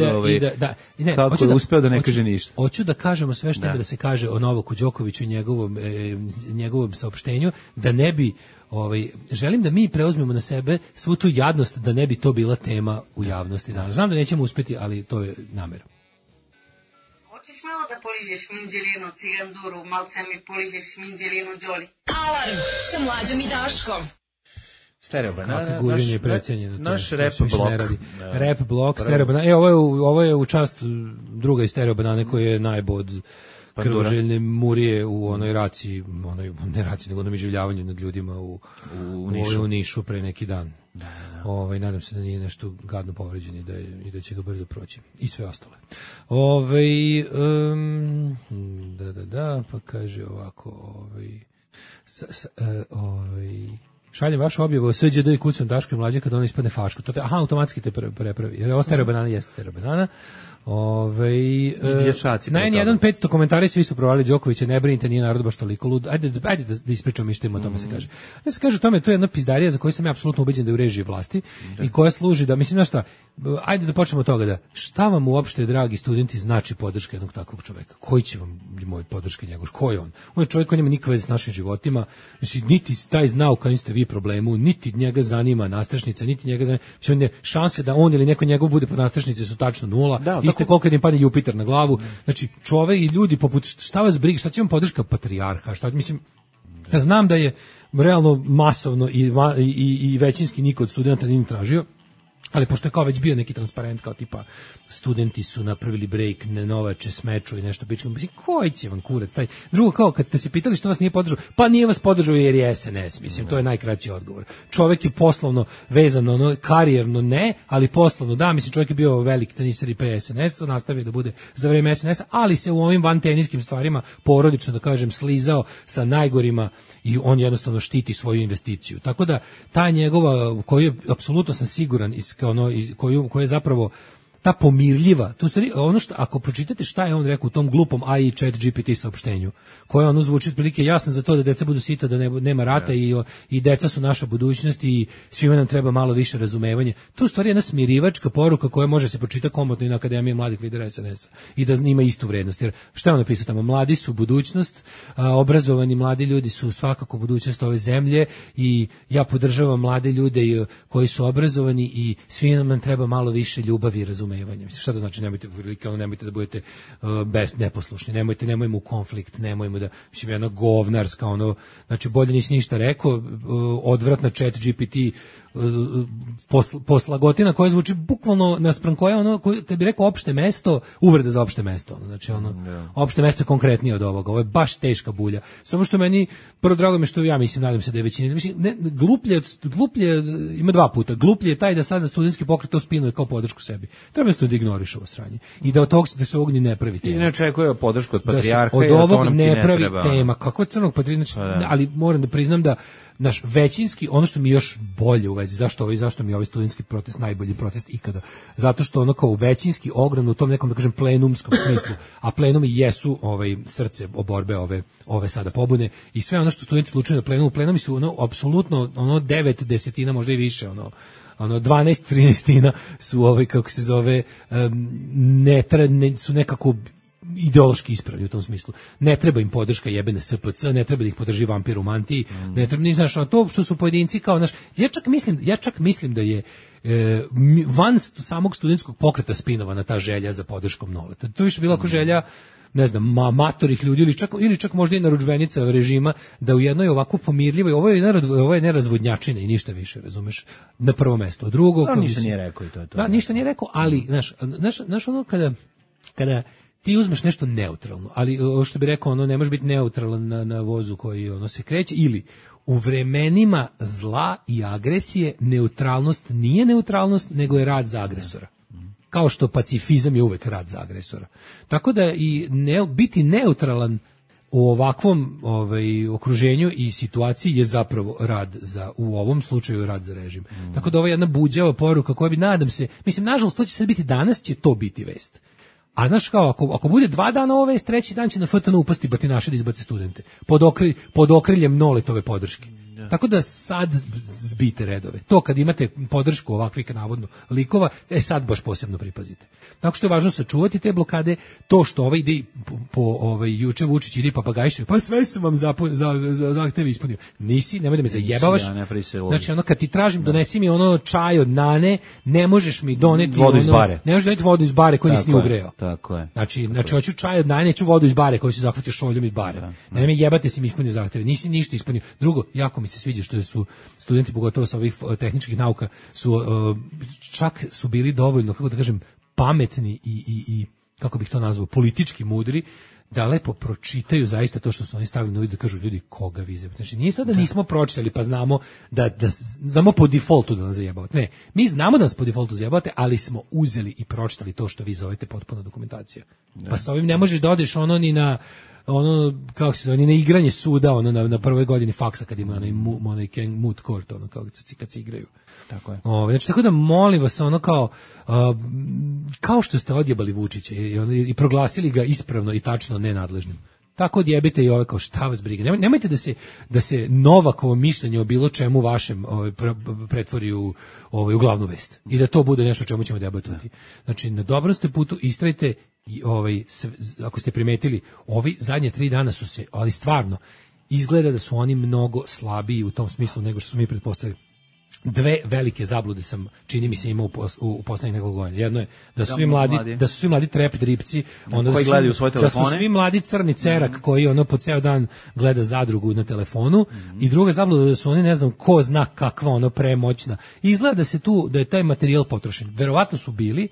kako je uspeo da ne kaže ništa. Hoću da kažemo sve što treba da se kaže o Novaku Đokoviću i njegovom, e, njegovom saopštenju, da ne bi, ovaj, želim da mi preuzmemo na sebe svu tu jadnost, da ne bi to bila tema u javnosti danas. Znam da nećemo uspeti, ali to je namera. Hoćeš malo da poližeš minđelinu, ciganduru, malce mi poližeš minđelinu, Đoli. Alarm sa Mlađom i Daškom. Stereo banana. Kako guženje je precenjeno. Naš to, rap to blok. Da. Rap blok, stereo banana. E, ovo je, u, ovo je u čast druga iz stereo banane koji je najbod krvoželjne murije u onoj raciji, onoj, ne raciji, nego onom iživljavanju nad ljudima u, u, u, Nišu. u Nišu pre neki dan. Da, da. Ovaj, nadam se da nije nešto gadno povređen i da, je, i da će ga brzo proći. I sve ostale. Ovaj, um, da, da, da, pa kaže ovako, ovaj, s, s, uh, ovaj, šaljem vašu objavu o S Đ D i kucam Daško i Mlađe kad ono ispadne faško. To te, aha, automatski te prepravi. Jer ovo stereo banana jeste stereo banana. Ove, e, na en jedan petsto komentari svi su provali Đokovića, ne brinite, nije narod baš toliko lud. Ajde, ajde da, da ispričamo što ima o tome se kaže. Ja se kaže o tome, to je jedna pizdarija za koju sam ja apsolutno ubeđen da je u režiji vlasti da. I koja služi da, mislim, znaš šta, ajde da počnemo od toga da, šta vam uopšte, dragi studenti, znači podrška jednog takvog čoveka? Koji će vam moj podrška njegov? Ko je on? On je čovjek koji nema nikakve veze s našim životima, znači, niti taj znao kao ste vi problemu, niti njega zanima nastrešnica, niti njega zanima, šanse da on ili neko njegov bude pod nastrešnici su tačno nula. Da, iste koliko im padne Jupiter na glavu. Znači, čovek i ljudi poput, šta vas briga, šta će vam podrška patrijarha, šta, mislim, ja znam da je realno masovno i, i, i većinski niko od studenta nije tražio, ali pošto je kao već bio neki transparent, kao tipa studenti su napravili break, ne novače, smeču i nešto pičkom, mislim, koji će vam kurac taj? Drugo, kao kad ste se pitali što vas nije podržao, pa nije vas podržao jer je S N S, mislim, to je najkraći odgovor. Čovjek je poslovno vezano, ono, karijerno ne, ali poslovno da, mislim, čovjek je bio velik teniser i pre S N S-a, nastavio da bude za vreme S N S-a, ali se u ovim vanteniskim stvarima porodično, da kažem, slizao sa najgorima i on jednostavno štiti svoju investiciju. Tako da, ta njegova, koju je, apsolutno sam siguran, kao ono, koju, koju je zapravo ta pomirljiva, to stvari, ono što, ako pročitate šta je on rekao u tom glupom A I chat G P T saopštenju, koje ono zvuči otprilike, ja sam za to da deca budu sita, da ne, nema rata i, i deca su naša budućnost i svima nam treba malo više razumevanja. To u stvari je jedna smirivačka poruka koja može se pročitati komotno i na Akademiji mladih lidera S N S-a i da ima istu vrednost. Jer šta je on napisao tamo? Mladi su budućnost, a, obrazovani mladi ljudi su svakako budućnost ove zemlje i ja podržavam mlade ljude i, koji su obrazovani i svima nam treba malo više ljubavi i razumevanja. Mislim, šta to znači, nemojte, ono, nemojte da budete uh, bez, neposlušni, nemojte, nemojmo u konflikt, nemojmo da, mislim, jedna govnarska, ono, znači, bolje nisi ništa rekao, uh, odvratna chat G P T, uh, posl, poslagotina koja zvuči bukvalno naspram koja, ono, koji, kad bi rekao opšte mesto, uvreda za opšte mesto, ono, znači, ono, yeah. opšte mesto je konkretnije od ovoga, ovo je baš teška bulja, samo što meni, prvo drago me što ja mislim, nadam se da je većina, mislim, ne, gluplje, gluplje, ima dva puta, gluplje je taj da sada studentski pokret to spinuje kao podršku sebi. Treba se to da ignoriš ovo sranje. I da od tog da se ovog ni ne pravi tema. I ne očekuje podršku od patrijarha. Da od ovog ne, ne pravi treba, tema. Kako je crnog patrijarha? Znači, ali moram da priznam da naš većinski, ono što mi još bolje u vezi, zašto ovaj, zašto mi je ovaj studentski protest najbolji protest ikada? Zato što ono kao većinski ogran u tom nekom, da kažem, plenumskom smislu, a plenumi jesu ovaj, srce oborbe ove, ove sada pobune i sve ono što studenti odlučuju na plenumu, plenumi su ono, apsolutno, ono, devet desetina, možda i više, ono, ono dvanaest trinaestina su ovaj, kako se zove, um, ne, ne, su nekako ideološki ispravni u tom smislu. Ne treba im podrška jebene S P C, ne treba da ih podrži vampir u mantiji, mm. ne treba, ni znaš, to što su pojedinci kao naš, ja čak mislim, ja čak mislim da je e, van samog studentskog pokreta spinovana ta želja za podrškom Noleta. To više bila ako želja, ne znam, ma, matorih ljudi ili čak, ili čak možda i narudžbenica režima da u jednoj ovako pomirljivoj, ovo je, ovo je nerazvodnjačina i ništa više, razumeš, na prvo mesto. A drugo, no, ništa nije rekao i to je to. Da, ništa nije rekao, ali, znaš, znaš, znaš ono kada, kada ti uzmeš nešto neutralno, ali što bi rekao, ono ne može biti neutralan na, na vozu koji ono se kreće, ili u vremenima zla i agresije neutralnost nije neutralnost, nego je rad za agresora. Kao što pacifizam je uvek rad za agresora. Tako da i ne, biti neutralan u ovakvom ovaj, okruženju i situaciji je zapravo rad za, u ovom slučaju rad za režim. Mm. Tako da ovo je jedna buđava poruka koja bi, nadam se, mislim, nažalost, to će sad biti danas, će to biti vest. A znaš kao, ako, ako bude dva dana ove vest, treći dan će na F T N upasti batinaši da izbace studente. Pod, okri, pod okriljem Noletove podrške. Ja. Tako da sad zbite redove. To kad imate podršku ovakvih navodno likova, e sad baš posebno pripazite. Tako što je važno sačuvati te blokade, to što ovaj ide po, po ovaj juče Vučić ide papagajše, pa sve sam vam za za za zahtev ispunio. Nisi, nemoj da me zajebavaš. Ja znači ono kad ti tražim donesi mi ono čaj od nane, ne možeš mi doneti vodu iz bare. Ne možeš doneti vodu iz bare koju nisi ni ugreo. Tako je. Znači, tako znači hoću čaj od nane, neću vodu iz bare koju si zahvatio šoljom iz bare. Da, ne me jebate si mi ispunio zahteve. Nisi ništa ispunio. Drugo, jako mi se se sviđa što su studenti, pogotovo sa ovih tehničkih nauka, su uh, čak su bili dovoljno, kako da kažem, pametni i, i, i kako bih to nazvao, politički mudri, da lepo pročitaju zaista to što su oni stavili na uvid, da kažu ljudi koga vi zajebate. Znači nije sad da nismo pročitali pa znamo da, da znamo po defaultu da nas zajebavate. Ne, mi znamo da nas po defaultu zajebavate, ali smo uzeli i pročitali to što vi zovete potpuna dokumentacija. Ne. Pa sa ovim ne možeš da odeš ono ni na ono, kako se zove, ni na igranje suda, ono na, na prvoj godini faksa kad ima onaj, onaj moot court, ono kao kad se igraju. Tako je. O, znači, tako da molim vas, ono kao, uh, kao što ste odjebali Vučića i, i, i proglasili ga ispravno i tačno nenadležnim. Tako odjebite i ove kao šta vas briga. Nemoj, nemojte da se da se Novakovo mišljenje o bilo čemu vašem ovaj, pretvori u, ovaj, u glavnu vest. I da to bude nešto o čemu ćemo debatovati. Znači, na dobrom ste putu, istrajte i ovaj, sve, ako ste primetili, ovi zadnje tri dana su se, ali stvarno, izgleda da su oni mnogo slabiji u tom smislu nego što su mi pretpostavili. Dve velike zablude sam, čini mi se, imao u, pos, u, u poslednjih nekoliko godina. Jedno je da su svi mladi, mladi. da su svi mladi trep dripci, onda koji su, gledaju svoje telefone. Da su svi mladi crni cerak mm-hmm. koji ono po ceo dan gleda zadrugu na telefonu. Mm-hmm. I druga zabluda da su oni, ne znam, ko zna kakva ono premoćna. I izgleda da se tu, da je taj materijal potrošen. Verovatno su bili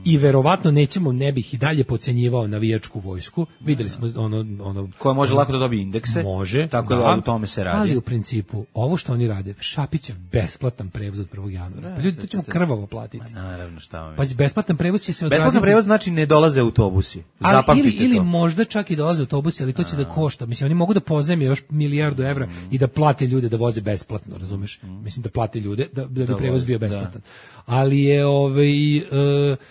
i verovatno nećemo, ne bih i dalje podcenjivao navijačku vojsku. Videli smo ono ono koja može ono, lako da dobije indekse. Može. Tako da, da u tome se radi. Ali u principu ovo što oni rade, Šapićev besplatan prevoz od prvog januara. Pa ljudi to ćemo krvavo platiti. Ma naravno, šta vam. Pa besplatan prevoz će se odraziti. Besplatan prevoz znači ne dolaze autobusi. Zapamtite ili, ili to. možda čak i dolaze autobusi, ali to će da košta. Mislim, oni mogu da pozajme još milijardu evra mm. i da plate ljude da voze besplatno, razumeš? Mm. Mislim da plate ljude da, da bi prevoz bio besplatan. Da. Ali je ovaj uh,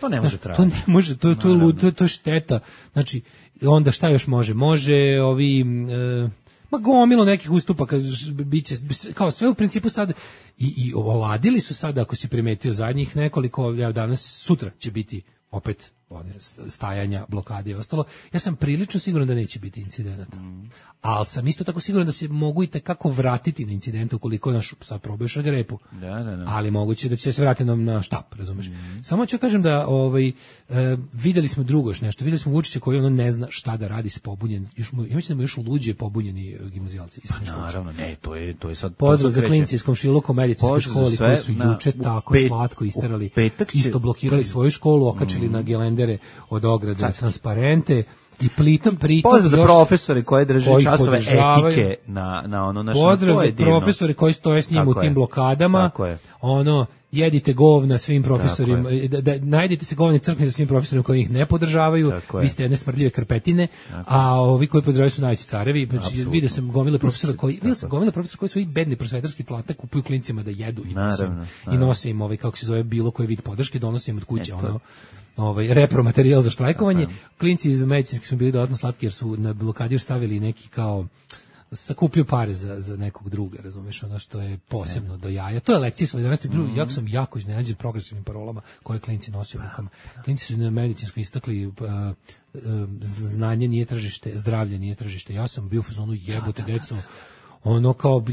to ne može trajati. To ne može, to to to, to, to šteta. Znači onda šta još može? Može ovi uh, ma gomilo nekih ustupaka biće kao sve u principu sad i i oladili su sad, ako si primetio zadnjih nekoliko, ja danas sutra će biti opet one stajanja, blokade i ostalo. Ja sam prilično siguran da neće biti incidenata. Mm. Ali sam isto tako siguran da se mogu i tekako vratiti na incidente ukoliko naš sad probuješ na grepu. Da, da, da. Ali moguće da će se vratiti na, na štap, razumeš? Mm. Samo ću kažem da ovaj, e, videli smo drugo još nešto. Videli smo Vučića koji ono ne zna šta da radi s pobunjen. Još mu, ja mislim da mu još luđe pobunjeni gimnazijalci. Pa naravno, ne, to je, to je sad... Pozdrav za klinci iz komšiluka u medicinskoj školi koji su juče tako pet, slatko isterali, isto blokirali svoju školu, okačili mm. na gelendere od ograde transparente. I plitom pritom pozdrav za profesore koji drže koji časove etike na na ono naše pozdrav za profesore koji stoje s njim u tim je. blokadama. Ono jedite govna svim profesorima, da, da najdete se govni crkni za svim profesorima koji ih ne podržavaju. Vi ste jedne smrdljive krpetine, tako a ovi koji podržavaju su najveći carevi. Znači vidio sam gomile profesora koji vidio sam gomile profesora koji svoj bedni prosvetarski plate kupuju klincima da jedu i naravno, i nose im ovaj kako se zove bilo koji vid podrške, donose im od kuće ono ovaj repromaterijal za štrajkovanje. Klinci iz medicinskih su bili dodatno slatki jer su na blokadi stavili neki kao sakupio pare za, za nekog druga, razumeš, ono što je posebno do jaja. To je lekcija solidarnosti. Mm-hmm. Jako sam jako iznenađen progresivnim parolama koje klinci nose u rukama. Klinci su na medicinsko istakli uh, uh, znanje nije tržište, zdravlje nije tržište. Ja sam bio u fazonu jebote deco. Ono kao,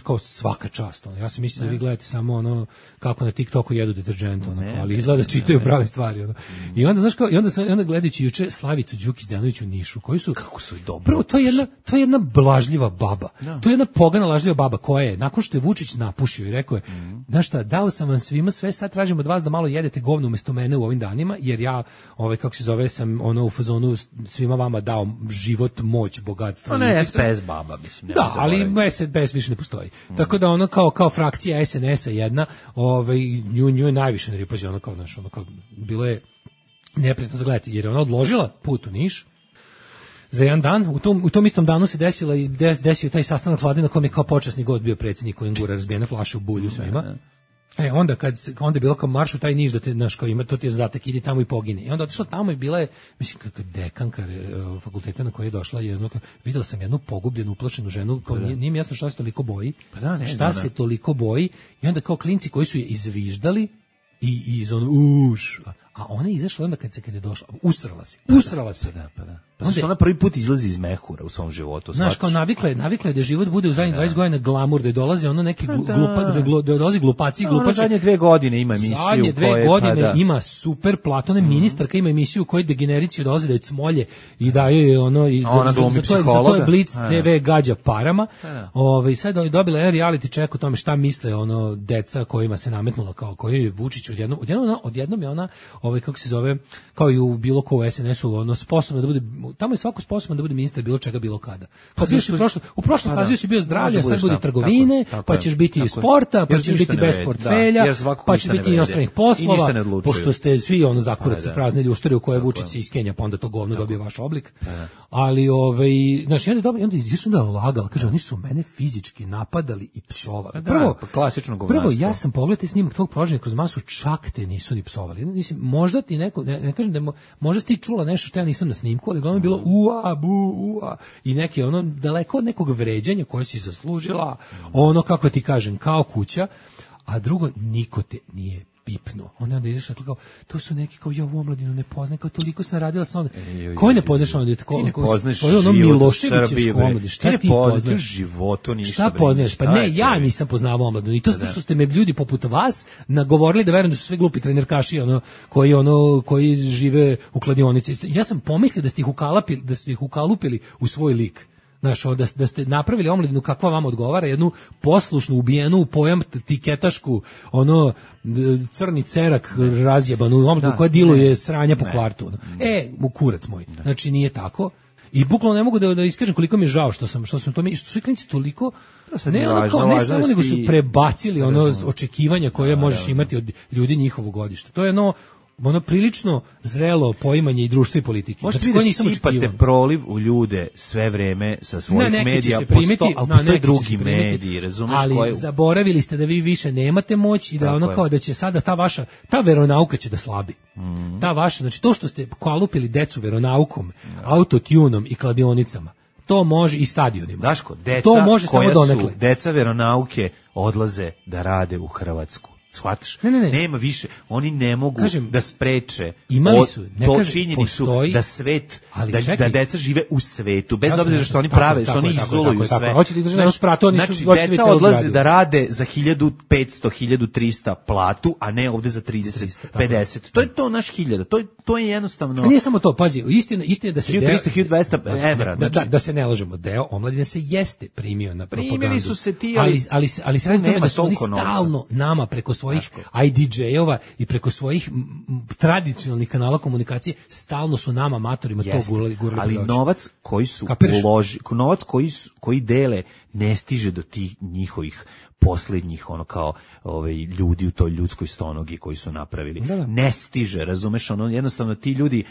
kao svaka čast. Ono. Ja sam mislio da vi gledate samo ono kako na TikToku jedu deterđent, ono, ali izgleda da čitaju prave stvari. Ono. I onda, znaš kao, i onda, sam, onda gledajući juče Slavicu Đukić-Đanović u Nišu, koji su, kako su dobro. Prvo, to je jedna, to je jedna blažljiva baba. No. To je jedna pogana lažljiva baba koja je, nakon što je Vučić napušio i rekao je, mm. znaš šta, dao sam vam svima sve, sad tražim od vas da malo jedete govno umesto mene u ovim danima, jer ja, ovaj, kako se zove, sam ono u fazonu svima vama dao život, moć, bogatstvo. To ne, S P S baba, mislim. Da, ali S P S više ne postoji. Mm. Tako da ono kao kao frakcija S N S-a jedna, ovaj nju nju je najviše ne ripazi, ono kao znaš, ono kao bilo je neprijatno zagledati jer je ona odložila put u Niš za jedan dan. U tom u tom istom danu se desila i des, desio taj sastanak vlade na kojem je kao počasni gost bio predsjednik koji gura razbijene flaše u bulju svima. Mm. E, onda kad se, onda je bilo kao marš u taj Niš da te, znaš, kao ima, to ti je zadatak, idi tamo i pogine. I onda otišla tamo i bila je, mislim, kako dekanka uh, fakulteta na koje je došla, jedno, videla sam jednu pogubljenu, uplašenu ženu, kao nije, nije mi jasno šta se toliko boji, pa da, ne, šta zna, se toliko boji, i onda kao klinci koji su je izviždali, i, i iz ono, uš, a ona je izašla onda kad se, kad je došla, usrala se, usrala se, pa da, pa da. Pa zašto ona prvi put izlazi iz mehura u svom životu? Znaš, kao navikla je, navikla je da život bude u zadnjih dvadeset godina glamur, da dolaze ono neki glu, glupa, da, glu, da dolazi glupaci i glupaci. Zadnje dve godine ima emisiju Zadnje dve koje, godine pa da. ima super platone, mm. ministarka ima emisiju u kojoj degenericiju dolaze da je cmolje i daju je ono, i za, za, za, to je, za to je Blitz te ve gađa parama. Ove, sad je dobila jedan reality check o tome šta misle ono deca kojima se nametnulo, kao koji je Vučić odjednom, odjednom, odjednom je ona, ovaj, kako se zove, kao i u bilo ko u es en esu, ono, sposobno da bude, tamo je svako sposoban da bude ministar bilo čega, bilo kada. Kao bio si u prošlom, u prošlom sazivu si bio zdravlja, sad bude trgovine, tako, tako pa ćeš biti tako, sporta, pa ćeš biti bez portfelja, da, pa ćeš biti inostranih poslova, pošto ste svi ono zakurac se prazni ljuštari u koje Vučić se iskenja, pa onda to govno dobije vaš oblik. Ali ovaj, znači onda dobije, onda izašao da lagal, kaže oni su mene fizički napadali i psovali. Prvo, klasično govnarstvo. Prvo ja sam pogledao snimak tvog prožanja kroz masu, čak te nisu ni psovali. Mislim, možda ti neko, ne, ne kažem da mo, možda si ti čula nešto što ja nisam na snimku, ali glavno je bilo ua, bu, ua, i neki ono daleko od nekog vređanja koje si zaslužila, ono kako ti kažem, kao kuća, a drugo, niko te nije pipno. Onda onda ideš kao, to su neki kao ja u omladinu ne poznajem, kao toliko sam radila sa onda. Koji ne poznaš onda? Ti ne poznaš ono Miloševićevsku omladinu. Šta ti poznaš? Životu ništa. Šta poznaš? Pa ne, ja nisam poznavao omladinu. I to zato što ste me ljudi poput vas nagovorili da verujem da su sve glupi trenerkaši, ono koji ono koji žive u kladionici. Ja sam pomislio da ste ih ukalapili, da ste ih ukalupili u svoj lik. Znaš, da, da ste napravili omladinu kakva vam odgovara, jednu poslušnu, ubijenu u pojam tiketašku, ono, crni cerak razjebanu omladinu koja diluje sranja po kvartu. E, u kurac moj. Znači, nije tako. I bukvalno ne mogu da, da iskažem koliko mi je žao što sam, što sam to mi, što su klinici toliko, ne, ono kao, ne samo nego su prebacili ono očekivanja koje možeš imati od ljudi njihovog godišta. To je ono, ono prilično zrelo poimanje i društva i politike. Možete znači, vi da sipate proliv u ljude sve vreme sa svojih na, medija, primiti, posto, ali postoje drugi mediji, razumeš? Ali koje... zaboravili ste da vi više nemate moć i da ono kao da će sada ta vaša, ta veronauka će da slabi. Mm. Ta vaša, znači to što ste kalupili decu veronaukom, mm. autotunom i kladionicama, to može i stadionima. Daško, deca to može koja samo su, deca veronauke odlaze da rade u Hrvatsku. Shvataš? Ne, ne, ne. Nema više. Oni ne mogu kažem, da spreče. Imali su, ne to kažem, činjenicu postoji, da svet, da, čekaj, da deca žive u svetu, bez obzira što oni prave, što oni izoluju sve. Hoće da drže nas prato, oni su znači, deca odlaze da rade za hiljadu petsto, hiljadu trista platu, a ne ovde za trideset, pedeset. To je to naš hiljada. To je to je jednostavno. A nije samo to, pazi, istina, istina da se hiljadu trista, hiljadu dvesta evra, da, da, da se ne lažemo, deo omladine se jeste primio na propagandu. Primili su se ti, ali ali ali se radi tome da su oni stalno nama preko svojih I D J-ova i preko svojih tradicionalnih kanala komunikacije stalno su nama matorima to gurali, gurali. Ali novac koji su uloži, novac koji su, koji dele ne stiže do tih njihovih posljednjih ono kao ovaj ljudi u toj ljudskoj stonogi koji su napravili. Da, da. Ne stiže, razumeš, ono jednostavno ti ljudi,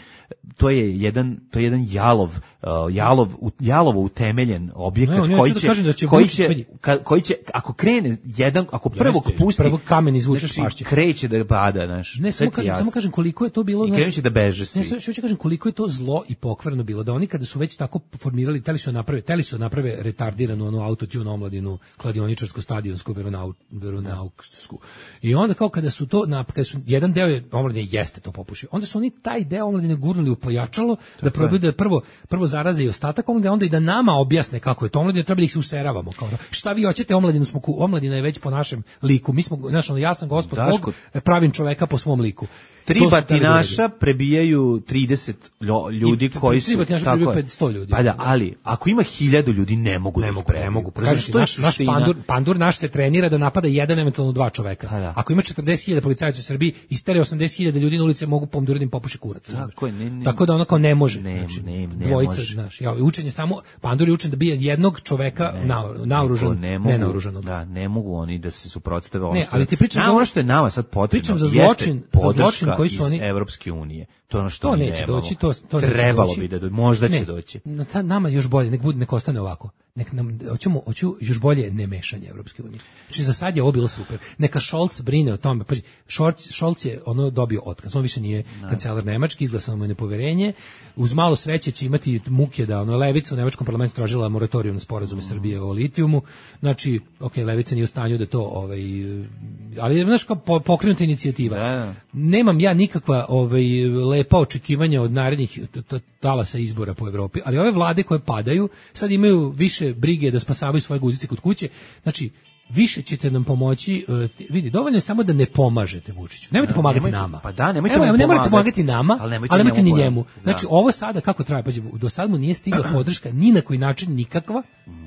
to je jedan to je jedan jalov uh, jalov jalovo utemeljen objekat no, koji će, da će koji će ka, koji će ako krene jedan ako prvog Jeste, pusti prvog kamen izvučeš znači, pašće. Kreće da pada, znaš. Ne samo kažem, samo kažem koliko je to bilo, znaš. Kreće da beže svi. Ne, hoću kažem koliko je to zlo i pokvarno bilo da oni kada su već tako formirali, teli su naprave, teli su naprave retardiranu onu autotune omladinu, kladioničarsku, stadionsku, veronau, veronauksku. I onda kao kada su to, na, kada su jedan deo omladine jeste to popušio, onda su oni taj deo omladine gurnuli u pojačalo da probaju da prvo prvo zaraze i ostatak omladine, onda i da nama objasne kako je to omladina, treba da ih se useravamo kao šta vi hoćete, omladinu smo ku, omladina je već po našem liku, mi smo znaš, ja sam gospod Bog, pravim čoveka po svom liku. Tri batinaša prebijaju trideset ljudi I, koji su tri batinaša prebijaju petsto ljudi. Pa da, ali ako ima hiljadu ljudi ne mogu ne da mogu, ne mogu. Kažeš, naš, naš pandur, pandur naš se trenira da napada jedan, eventualno dva čoveka. Da. Ako ima četrdeset hiljada policajaca u Srbiji, istere osamdeset hiljada ljudi na ulici mogu pomduriti im popuši kurac. Tako, ne, ne, Tako da ono kao ne može. Ne, znači, ne, ne dvojica, može. Znaš, ja, učenje samo, pandur je učen da bije jednog čoveka ne, na, naoružan, ne, ne naoružanog. Da, ne mogu oni da se suprotstave ono. Ne, ali ti pričam za ono što je nama sad potrebno. Pričam za zločin, za zločin koji su oni Evropske unije. To je ono što to neće nemamo. doći, to, to trebalo neće bi da do, možda ne, će doći. Na ta, nama još bolje, nek bude nek ostane ovako. Nek nam hoćemo hoću još bolje ne mešanje Evropske unije. Znači za sad je ovo bilo super. Neka Scholz brine o tome. Pa Scholz, Scholz je ono dobio otkaz. On više nije no. kancelar Nemački, izglasano mu je nepoverenje. Uz malo sreće će imati muke da ono levica u nemačkom parlamentu tražila moratorijum na sporazume mm. Srbije o litijumu. Znači, okej, okay, levica nije u stanju da to ovaj ali znaš kao pokrenuta inicijativa. Da. Nemam ja nikakva ovaj lepa očekivanja od narednih talasa izbora po Evropi, ali ove vlade koje padaju sad imaju više brige da spasavaju svoje guzice kod kuće. Znači, više ćete nam pomoći, uh, vidi, dovoljno je samo da ne pomažete Vučiću. Nemojte pomagati nemojte, nama. Pa da, nemojte, Evo, mu ne morate pomagati. pomagati nama, ali nemojte, ali nemojte ni njemu njemu. Znači, da. ovo sada kako traje, pađe, do sad mu nije stigla podrška ni na koji način nikakva.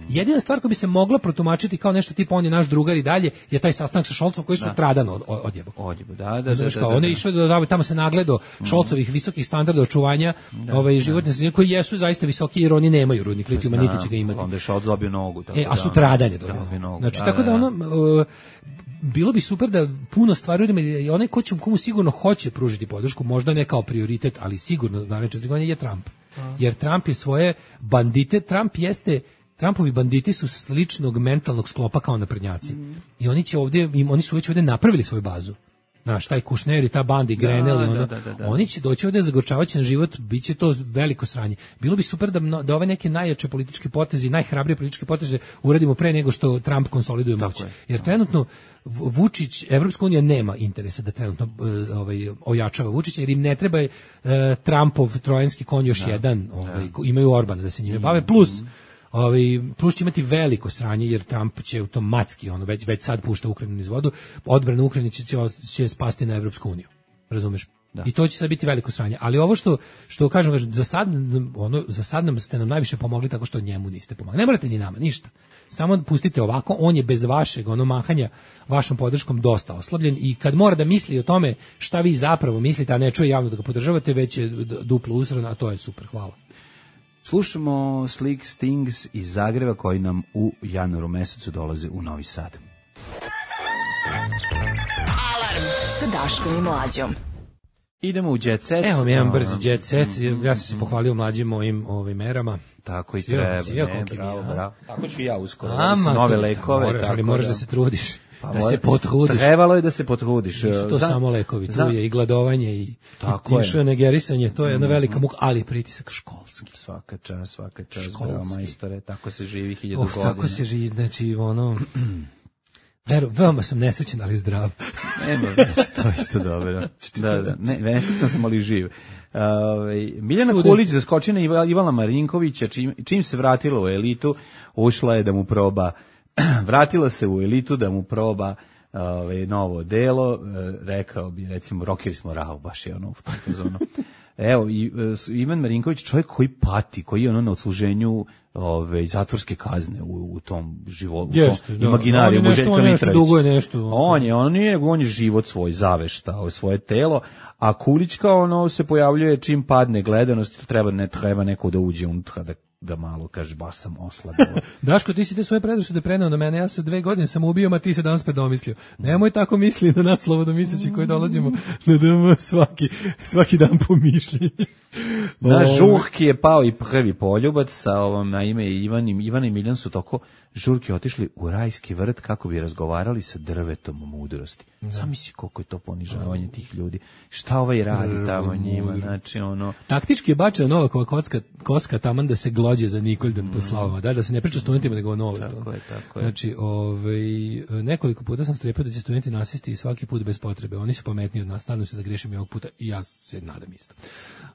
Jedina stvar koja bi se mogla protumačiti kao nešto tipa on je naš drugar i dalje je taj sastanak sa Šolcom koji su Da. tradan od, od, odjebo. Odjebo, da, da, Znaš da, kao, da, on je da. išao da, da tamo se nagledao Šolcovih visokih standarda očuvanja ovaj, životne sredine koji jesu zaista visoki jer oni nemaju rudnik litijuma, Zna, niti će ga imati. Onda je Šolc dobio nogu. Tako E, a da, sutradan je dobio dobio. nogu. Znači, tako da ono, uh, bilo bi super da puno stvari uradimo i onaj ko će, komu sigurno hoće pružiti podršku, možda ne kao prioritet, ali sigurno naredne četiri godine je Trump. Jer Trump je svoje bandite, Trump jeste Trumpovi banditi su sličnog mentalnog sklopa kao naprednjaci. I oni će ovdje, im, oni su već ovdje napravili svoju bazu. Znaš, taj Kušner i ta banda i Grenell, Da, ono, da, da, da. oni će doći ovdje zagočavati na život, bit će to veliko sranje. Bilo bi super da, mno- da ove neke najjače političke poteze, najhrabrije političke poteze uradimo pre nego što Trump konsoliduje moć. je. Jer trenutno V- Vučić, Evropska unija nema interesa da trenutno e, ovaj, ojačava Vučića, jer im ne treba e, Trumpov trojanski konj još jedan, ovaj, ko- imaju Orbana da se njime bave, plus Ovaj plus će imati veliko sranje jer Trump će automatski ono već već sad pušta Ukrajinu niz vodu, odbrana Ukrajine će, će, će spasti na Evropsku uniju. Razumeš? Da. I to će sad biti veliko sranje. Ali ovo što što kažem, kažem za sad ono za sad nam ste nam najviše pomogli tako što njemu niste pomogli. Ne morate ni nama ništa. Samo pustite ovako, on je bez vašeg ono mahanja vašom podrškom dosta oslabljen i kad mora da misli o tome šta vi zapravo mislite, a ne čuje javno da ga podržavate, već je d- duplo usran, a to je super. Hvala. Slušamo Slick Stings iz Zagreba koji nam u januaru mesecu dolaze u Novi Sad. Alarm sa Daškom i Mlađom. Idemo u Jet Set. Evo mi jedan No, brzi jet set, ja sam se pohvalio mlađim mojim ovim merama. Tako i Svio- treba. svio Ne, koliki mi je, bravo, a? bravo. Tako ću i ja uskoro. Ama, Ama, nove to- lekove. moraš, ali tako moraš da se trudiš. Pa da mora- se potrudiš. Trebalo je da se potrudiš. Nisu to Za- samo lekovi, tu za- je i gladovanje i, Tako i je. i negerisanje, to je jedna velika muka, ali pritisak školski. Svaka čast, svaka čast, Školski. bravo majstore, tako se živi hiljadu Oh, godina. tako se živi, znači ono... Veru, veoma sam nesrećen, ali zdrav. Nema, to je isto dobro. Da, da, ne, nesrećan sam, ali živ. Ove, Miljana Student. Kulić zaskoči na Iva- Ivana Marinkovića, čim, čim se vratila u elitu, ušla je da mu proba, vratila se u elitu da mu proba ove, novo delo, e, rekao bi, recimo, Rockeri smo rao, baš je ono u tom fazonu. Evo, i, e, s- Ivan Marinković, čovjek koji pati, koji je ono na odsluženju ove, zatvorske kazne u, u tom životu, Jeste, u da. tom imaginariju On je nešto- Željka on je nešto Mitrovića. duguje nešto. On je, on nije, on je život svoj zaveštao, svoje telo, a Kulićka ono se pojavljuje čim padne gledanost, treba ne treba neko da uđe unutra da da malo kaže baš sam oslabio. Daško, ti si te svoje predrasude preneo na mene, ja se dve godine sam ubio, a ti se danas predomislio. Nemoj tako misli na nas slobodomisleći koji dolazimo na D M svaki, svaki dan po mišljenju. Na Ovo- Žurki je pao i prvi poljubac sa ovom na ime Ivan i Ivan i Miljan su toko Žurki otišli u rajski vrt kako bi razgovarali sa drvetom mudrosti. Sam misli koliko je to ponižavanje tih ljudi. Šta ovaj radi tamo njima, znači ono... Taktički je bačena Novakova kocka, koska taman da se glođe za Nikoldan po slavama, da, da se ne priča studentima nego o Nole. Tako je, tako je. Znači, ovaj, nekoliko puta sam strepio da će studenti nasisti i svaki put bez potrebe. Oni su pametniji od nas, nadam se da grešim i ovog puta i ja se nadam isto.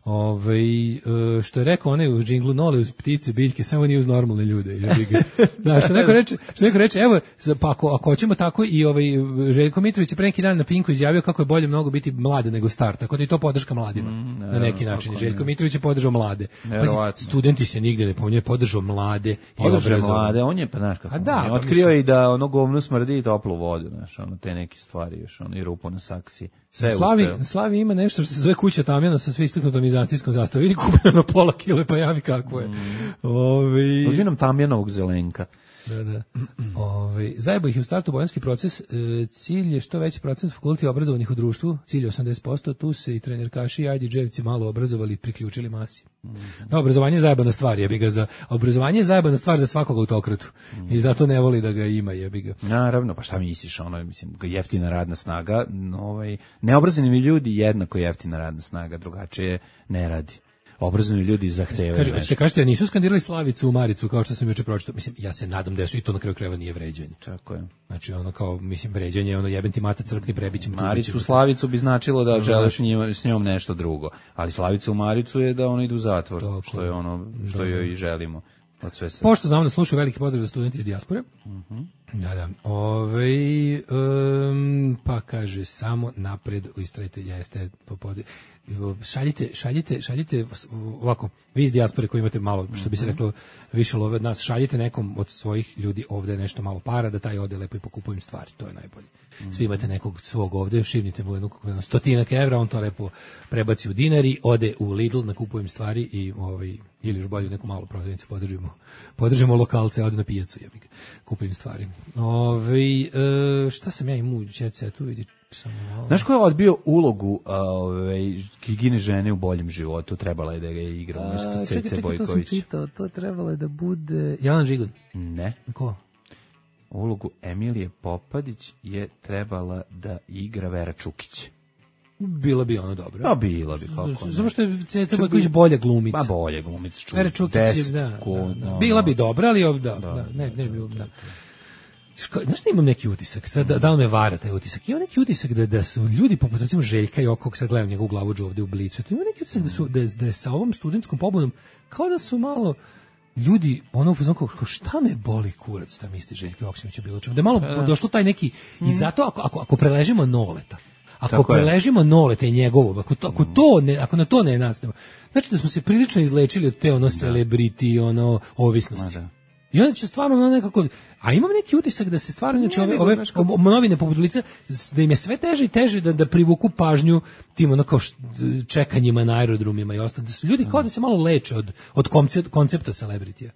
Ovaj, e, što je rekao onaj u džinglu Nole uz ptice, biljke, samo nije uz normalne ljude. jebi ga. Da, što neko reče, što neko reče, evo, za- pa ako, ako hoćemo tako i ovaj Željko Mitrović je pre neki dan na Pinku izjavio kako je bolje mnogo biti mlad nego star, tako da i to podrška mladima. na neki način. kako Željko ne. Mitrović je podržao mlade. Pazi, Verovatno. studenti se nigde ne pominje, podržao mlade i Održao obrazovane. mlade, on je, pa znaš kako, A da, on je pa otkrio mislim- i da ono govno smrdi i toplu vodu, znaš, ono, te neke stvari još, ono, i rupu na saksiji. Sve je Slavi, uspeo. Slavi ima nešto što se zove kuća Tamjana sa sve istaknutom izacijskom zastavom. Vidi kupljeno na pola kile, pa javi kako je. Ovi... Uzmi nam Tamjanovog zelenka. Da, da. Ove, zajebo ih je u startu bojanski proces. E, cilj je što veći procent fakulteti obrazovanih u društvu, cilj je osamdeset posto, tu se i trenerkaši i ajdi dževci malo obrazovali i priključili masi. Da, obrazovanje je zajebana stvar, jebi ga za obrazovanje je zajebana stvar za svakog autokratu. I zato ne voli da ga ima, jebi ga. Naravno, pa šta misliš, ono, mislim, jeftina radna snaga, ovaj, neobrazovani ljudi jednako jeftina radna snaga, drugačije ne radi. obrazovani ljudi zahtevaju Kaže, nešto. ste kažete, nisu skandirali Slavicu u Maricu, kao što sam juče pročitao. Mislim, ja se nadam da su i to na kraju krajeva nije vređanje. Tako je. Znači, ono kao, mislim, vređanje, ono jebem ti mata crkni, prebićem. Maricu, Slavicu bi značilo da želiš njima, s njom nešto drugo. Ali Slavicu u Maricu je da ona ide u zatvor, Tako. što je ono što Da, joj da. i želimo. Od sve sve. Pošto znamo da slušaju, veliki pozdrav za studenti iz dijaspore. Mhm. Da, da. Ove, um, pa kaže, samo napred, istrajte, jeste, popodi. Šaljite, šaljite, šaljite, ovako, vi iz dijaspore koji imate malo, što bi se reklo, više love od nas, šaljite nekom od svojih ljudi ovde nešto malo para, da taj ode lepo i pokupujem stvari, to je najbolje. Svi imate nekog svog ovde, šivnite mu jednu jedno stotinak evra, on to lepo prebaci u dinari, ode u Lidl, nakupujem stvari i ovaj, ili još bolje neku malu prodavnicu podržimo, podržimo lokalce, ode na pijacu, jebi ga, kupujem stvari. Ove, e, šta sam ja imao u Jet Setu, vidi, samo malo. Znaš ko je odbio ulogu ovaj Gigine žene u boljem životu? Trebala je da ga igra umjesto Cece Bojković. Čitao, to trebalo je da bude Jelena Žigon. Ne. Ko? Ulogu Emilije Popadić je trebala da igra Vera Čukić. Bilo bi ono dobro. Pa bilo bi, kako ne. Samo što je Ceca Bojković bolja glumica. Pa bolje glumica, čuj. Vera Čukić, je, da, da, da. Bila bi dobra, ali ob- da, da, ne, ne bi, da. Ško- Znaš da imam neki utisak, sad da, da li me vara taj utisak, imam neki utisak da, da su ljudi poput recimo Željka i okog, sad gledam njegovu glavu ovde u Blicu, to imam neki utisak da su, da, je- da je sa ovom studentskom pobudom, kao da su malo ljudi, ono u fazonu kao, kao, šta me boli kurac, da misli Željko Joksimović o bilo čemu, da je malo došlo taj neki, i zato ako, ako, ako preležimo Noleta, ako Tako je. preležimo Noleta i njegovo, ako to, ako to ne, ako na to ne nastavimo, znači da smo se prilično izlečili od te ono celebrity, ono ovisnosti. Ma da. I onda će stvarno ono nekako, a imam neki utisak da se stvarno znači ove, ove o- novine poput Blica, da im je sve teže i teže da da privuku pažnju tim ono kao št- čekanjima na aerodromima i ostalo, da su ljudi kao da se malo leče od od koncepta, koncepta celebritija.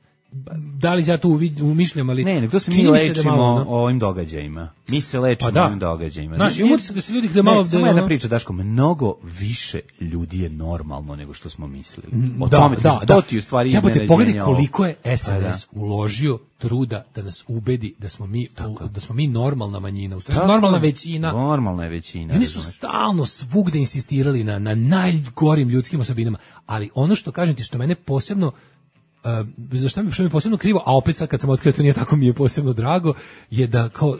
Da li ja to uvid- umišljam, ali Ne, ne, to se mi čini se da lečimo malo, ono- ovim događajima. Mi se lečimo Pa da. ovim događajima. Znaš, Ne, imam utisak da se ljudi da malo ne, da samo je jedna ono- priča, Daško, mnogo više ljudi je normalno nego što smo mislili. O Da, tome ti- da, to da. ti u stvari Jebote, iznenađenje pogledaj ovo. koliko je S Pa N da. S uložio truda da nas ubedi da smo mi da smo mi normalna manjina, u stvari Tako normalna je. većina. Normalna je većina. I oni su razumeš. stalno svugde insistirali na, na najgorim ljudskim osobinama, ali ono što kažem ti, što mene posebno Uh, za šta mi, što mi je posebno krivo, a opet sad kad sam otkrio to nije tako, mi je posebno drago, je da kao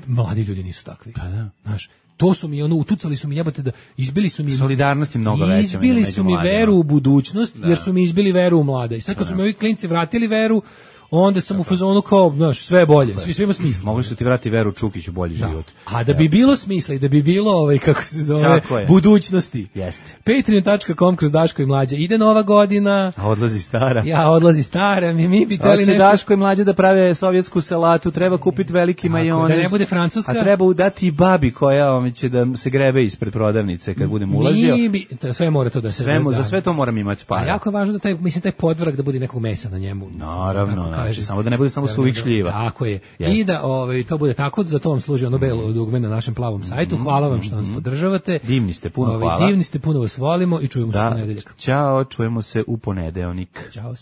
mladi ljudi nisu takvi. Pa da. Znaš, to su mi ono, utucali su mi jebote da izbili su mi Solidarnost je mnogo veća izbili među su mi mladima. veru u budućnost, jer su mi izbili veru u mlade. I sad kad su mi ovi klinci vratili veru, onda sam u fazonu kao, znaš, sve je bolje, svi sve ima smisla. Mogli su ti vrati Veru Čukić u bolji Da. život. A da bi bilo smisla i da bi bilo ovaj kako se zove Tako je. budućnosti. Jeste. patreon tačka com kroz Daško i Mlađa. Ide nova godina. A odlazi stara. Ja odlazi stara, mi mi bi hteli Hoće nešto. Daško i Mlađe da prave sovjetsku salatu, treba kupiti veliki Tako, majonez. da ne bude francuska. A treba udati i babi koja vam će da se grebe ispred prodavnice kad budem ulazio. Mi bi, to sve mora to da se Sve, mu- da. za sve to moram imati A para. jako je važno da taj, mislim, taj podvrag da bude nekog mesa na njemu. Naravno, Tako znači, kažem. samo da ne bude samo Da, suvih da, da. šljiva. Tako je. Jeste. I da ovaj, to bude tako, za to vam služi ono belo dugme na našem plavom sajtu. Hvala vam što nas podržavate. Divni ste, puno Ovaj, hvala. Divni ste, puno vas volimo i čujemo se u Da, ponedeljak. ćao, čujemo se u ponedeljak. Ćao.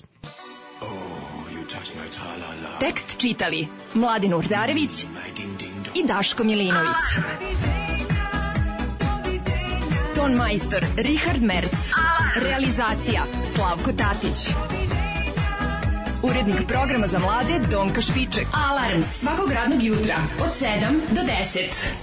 Tekst čitali Mladin Urdarević i Daško Milinović. Ton majstor Richard Merc. Realizacija Slavko Tatić. Urednik programa za mlade Donka Špiček. Alarms svakog radnog jutra od sedam do deset.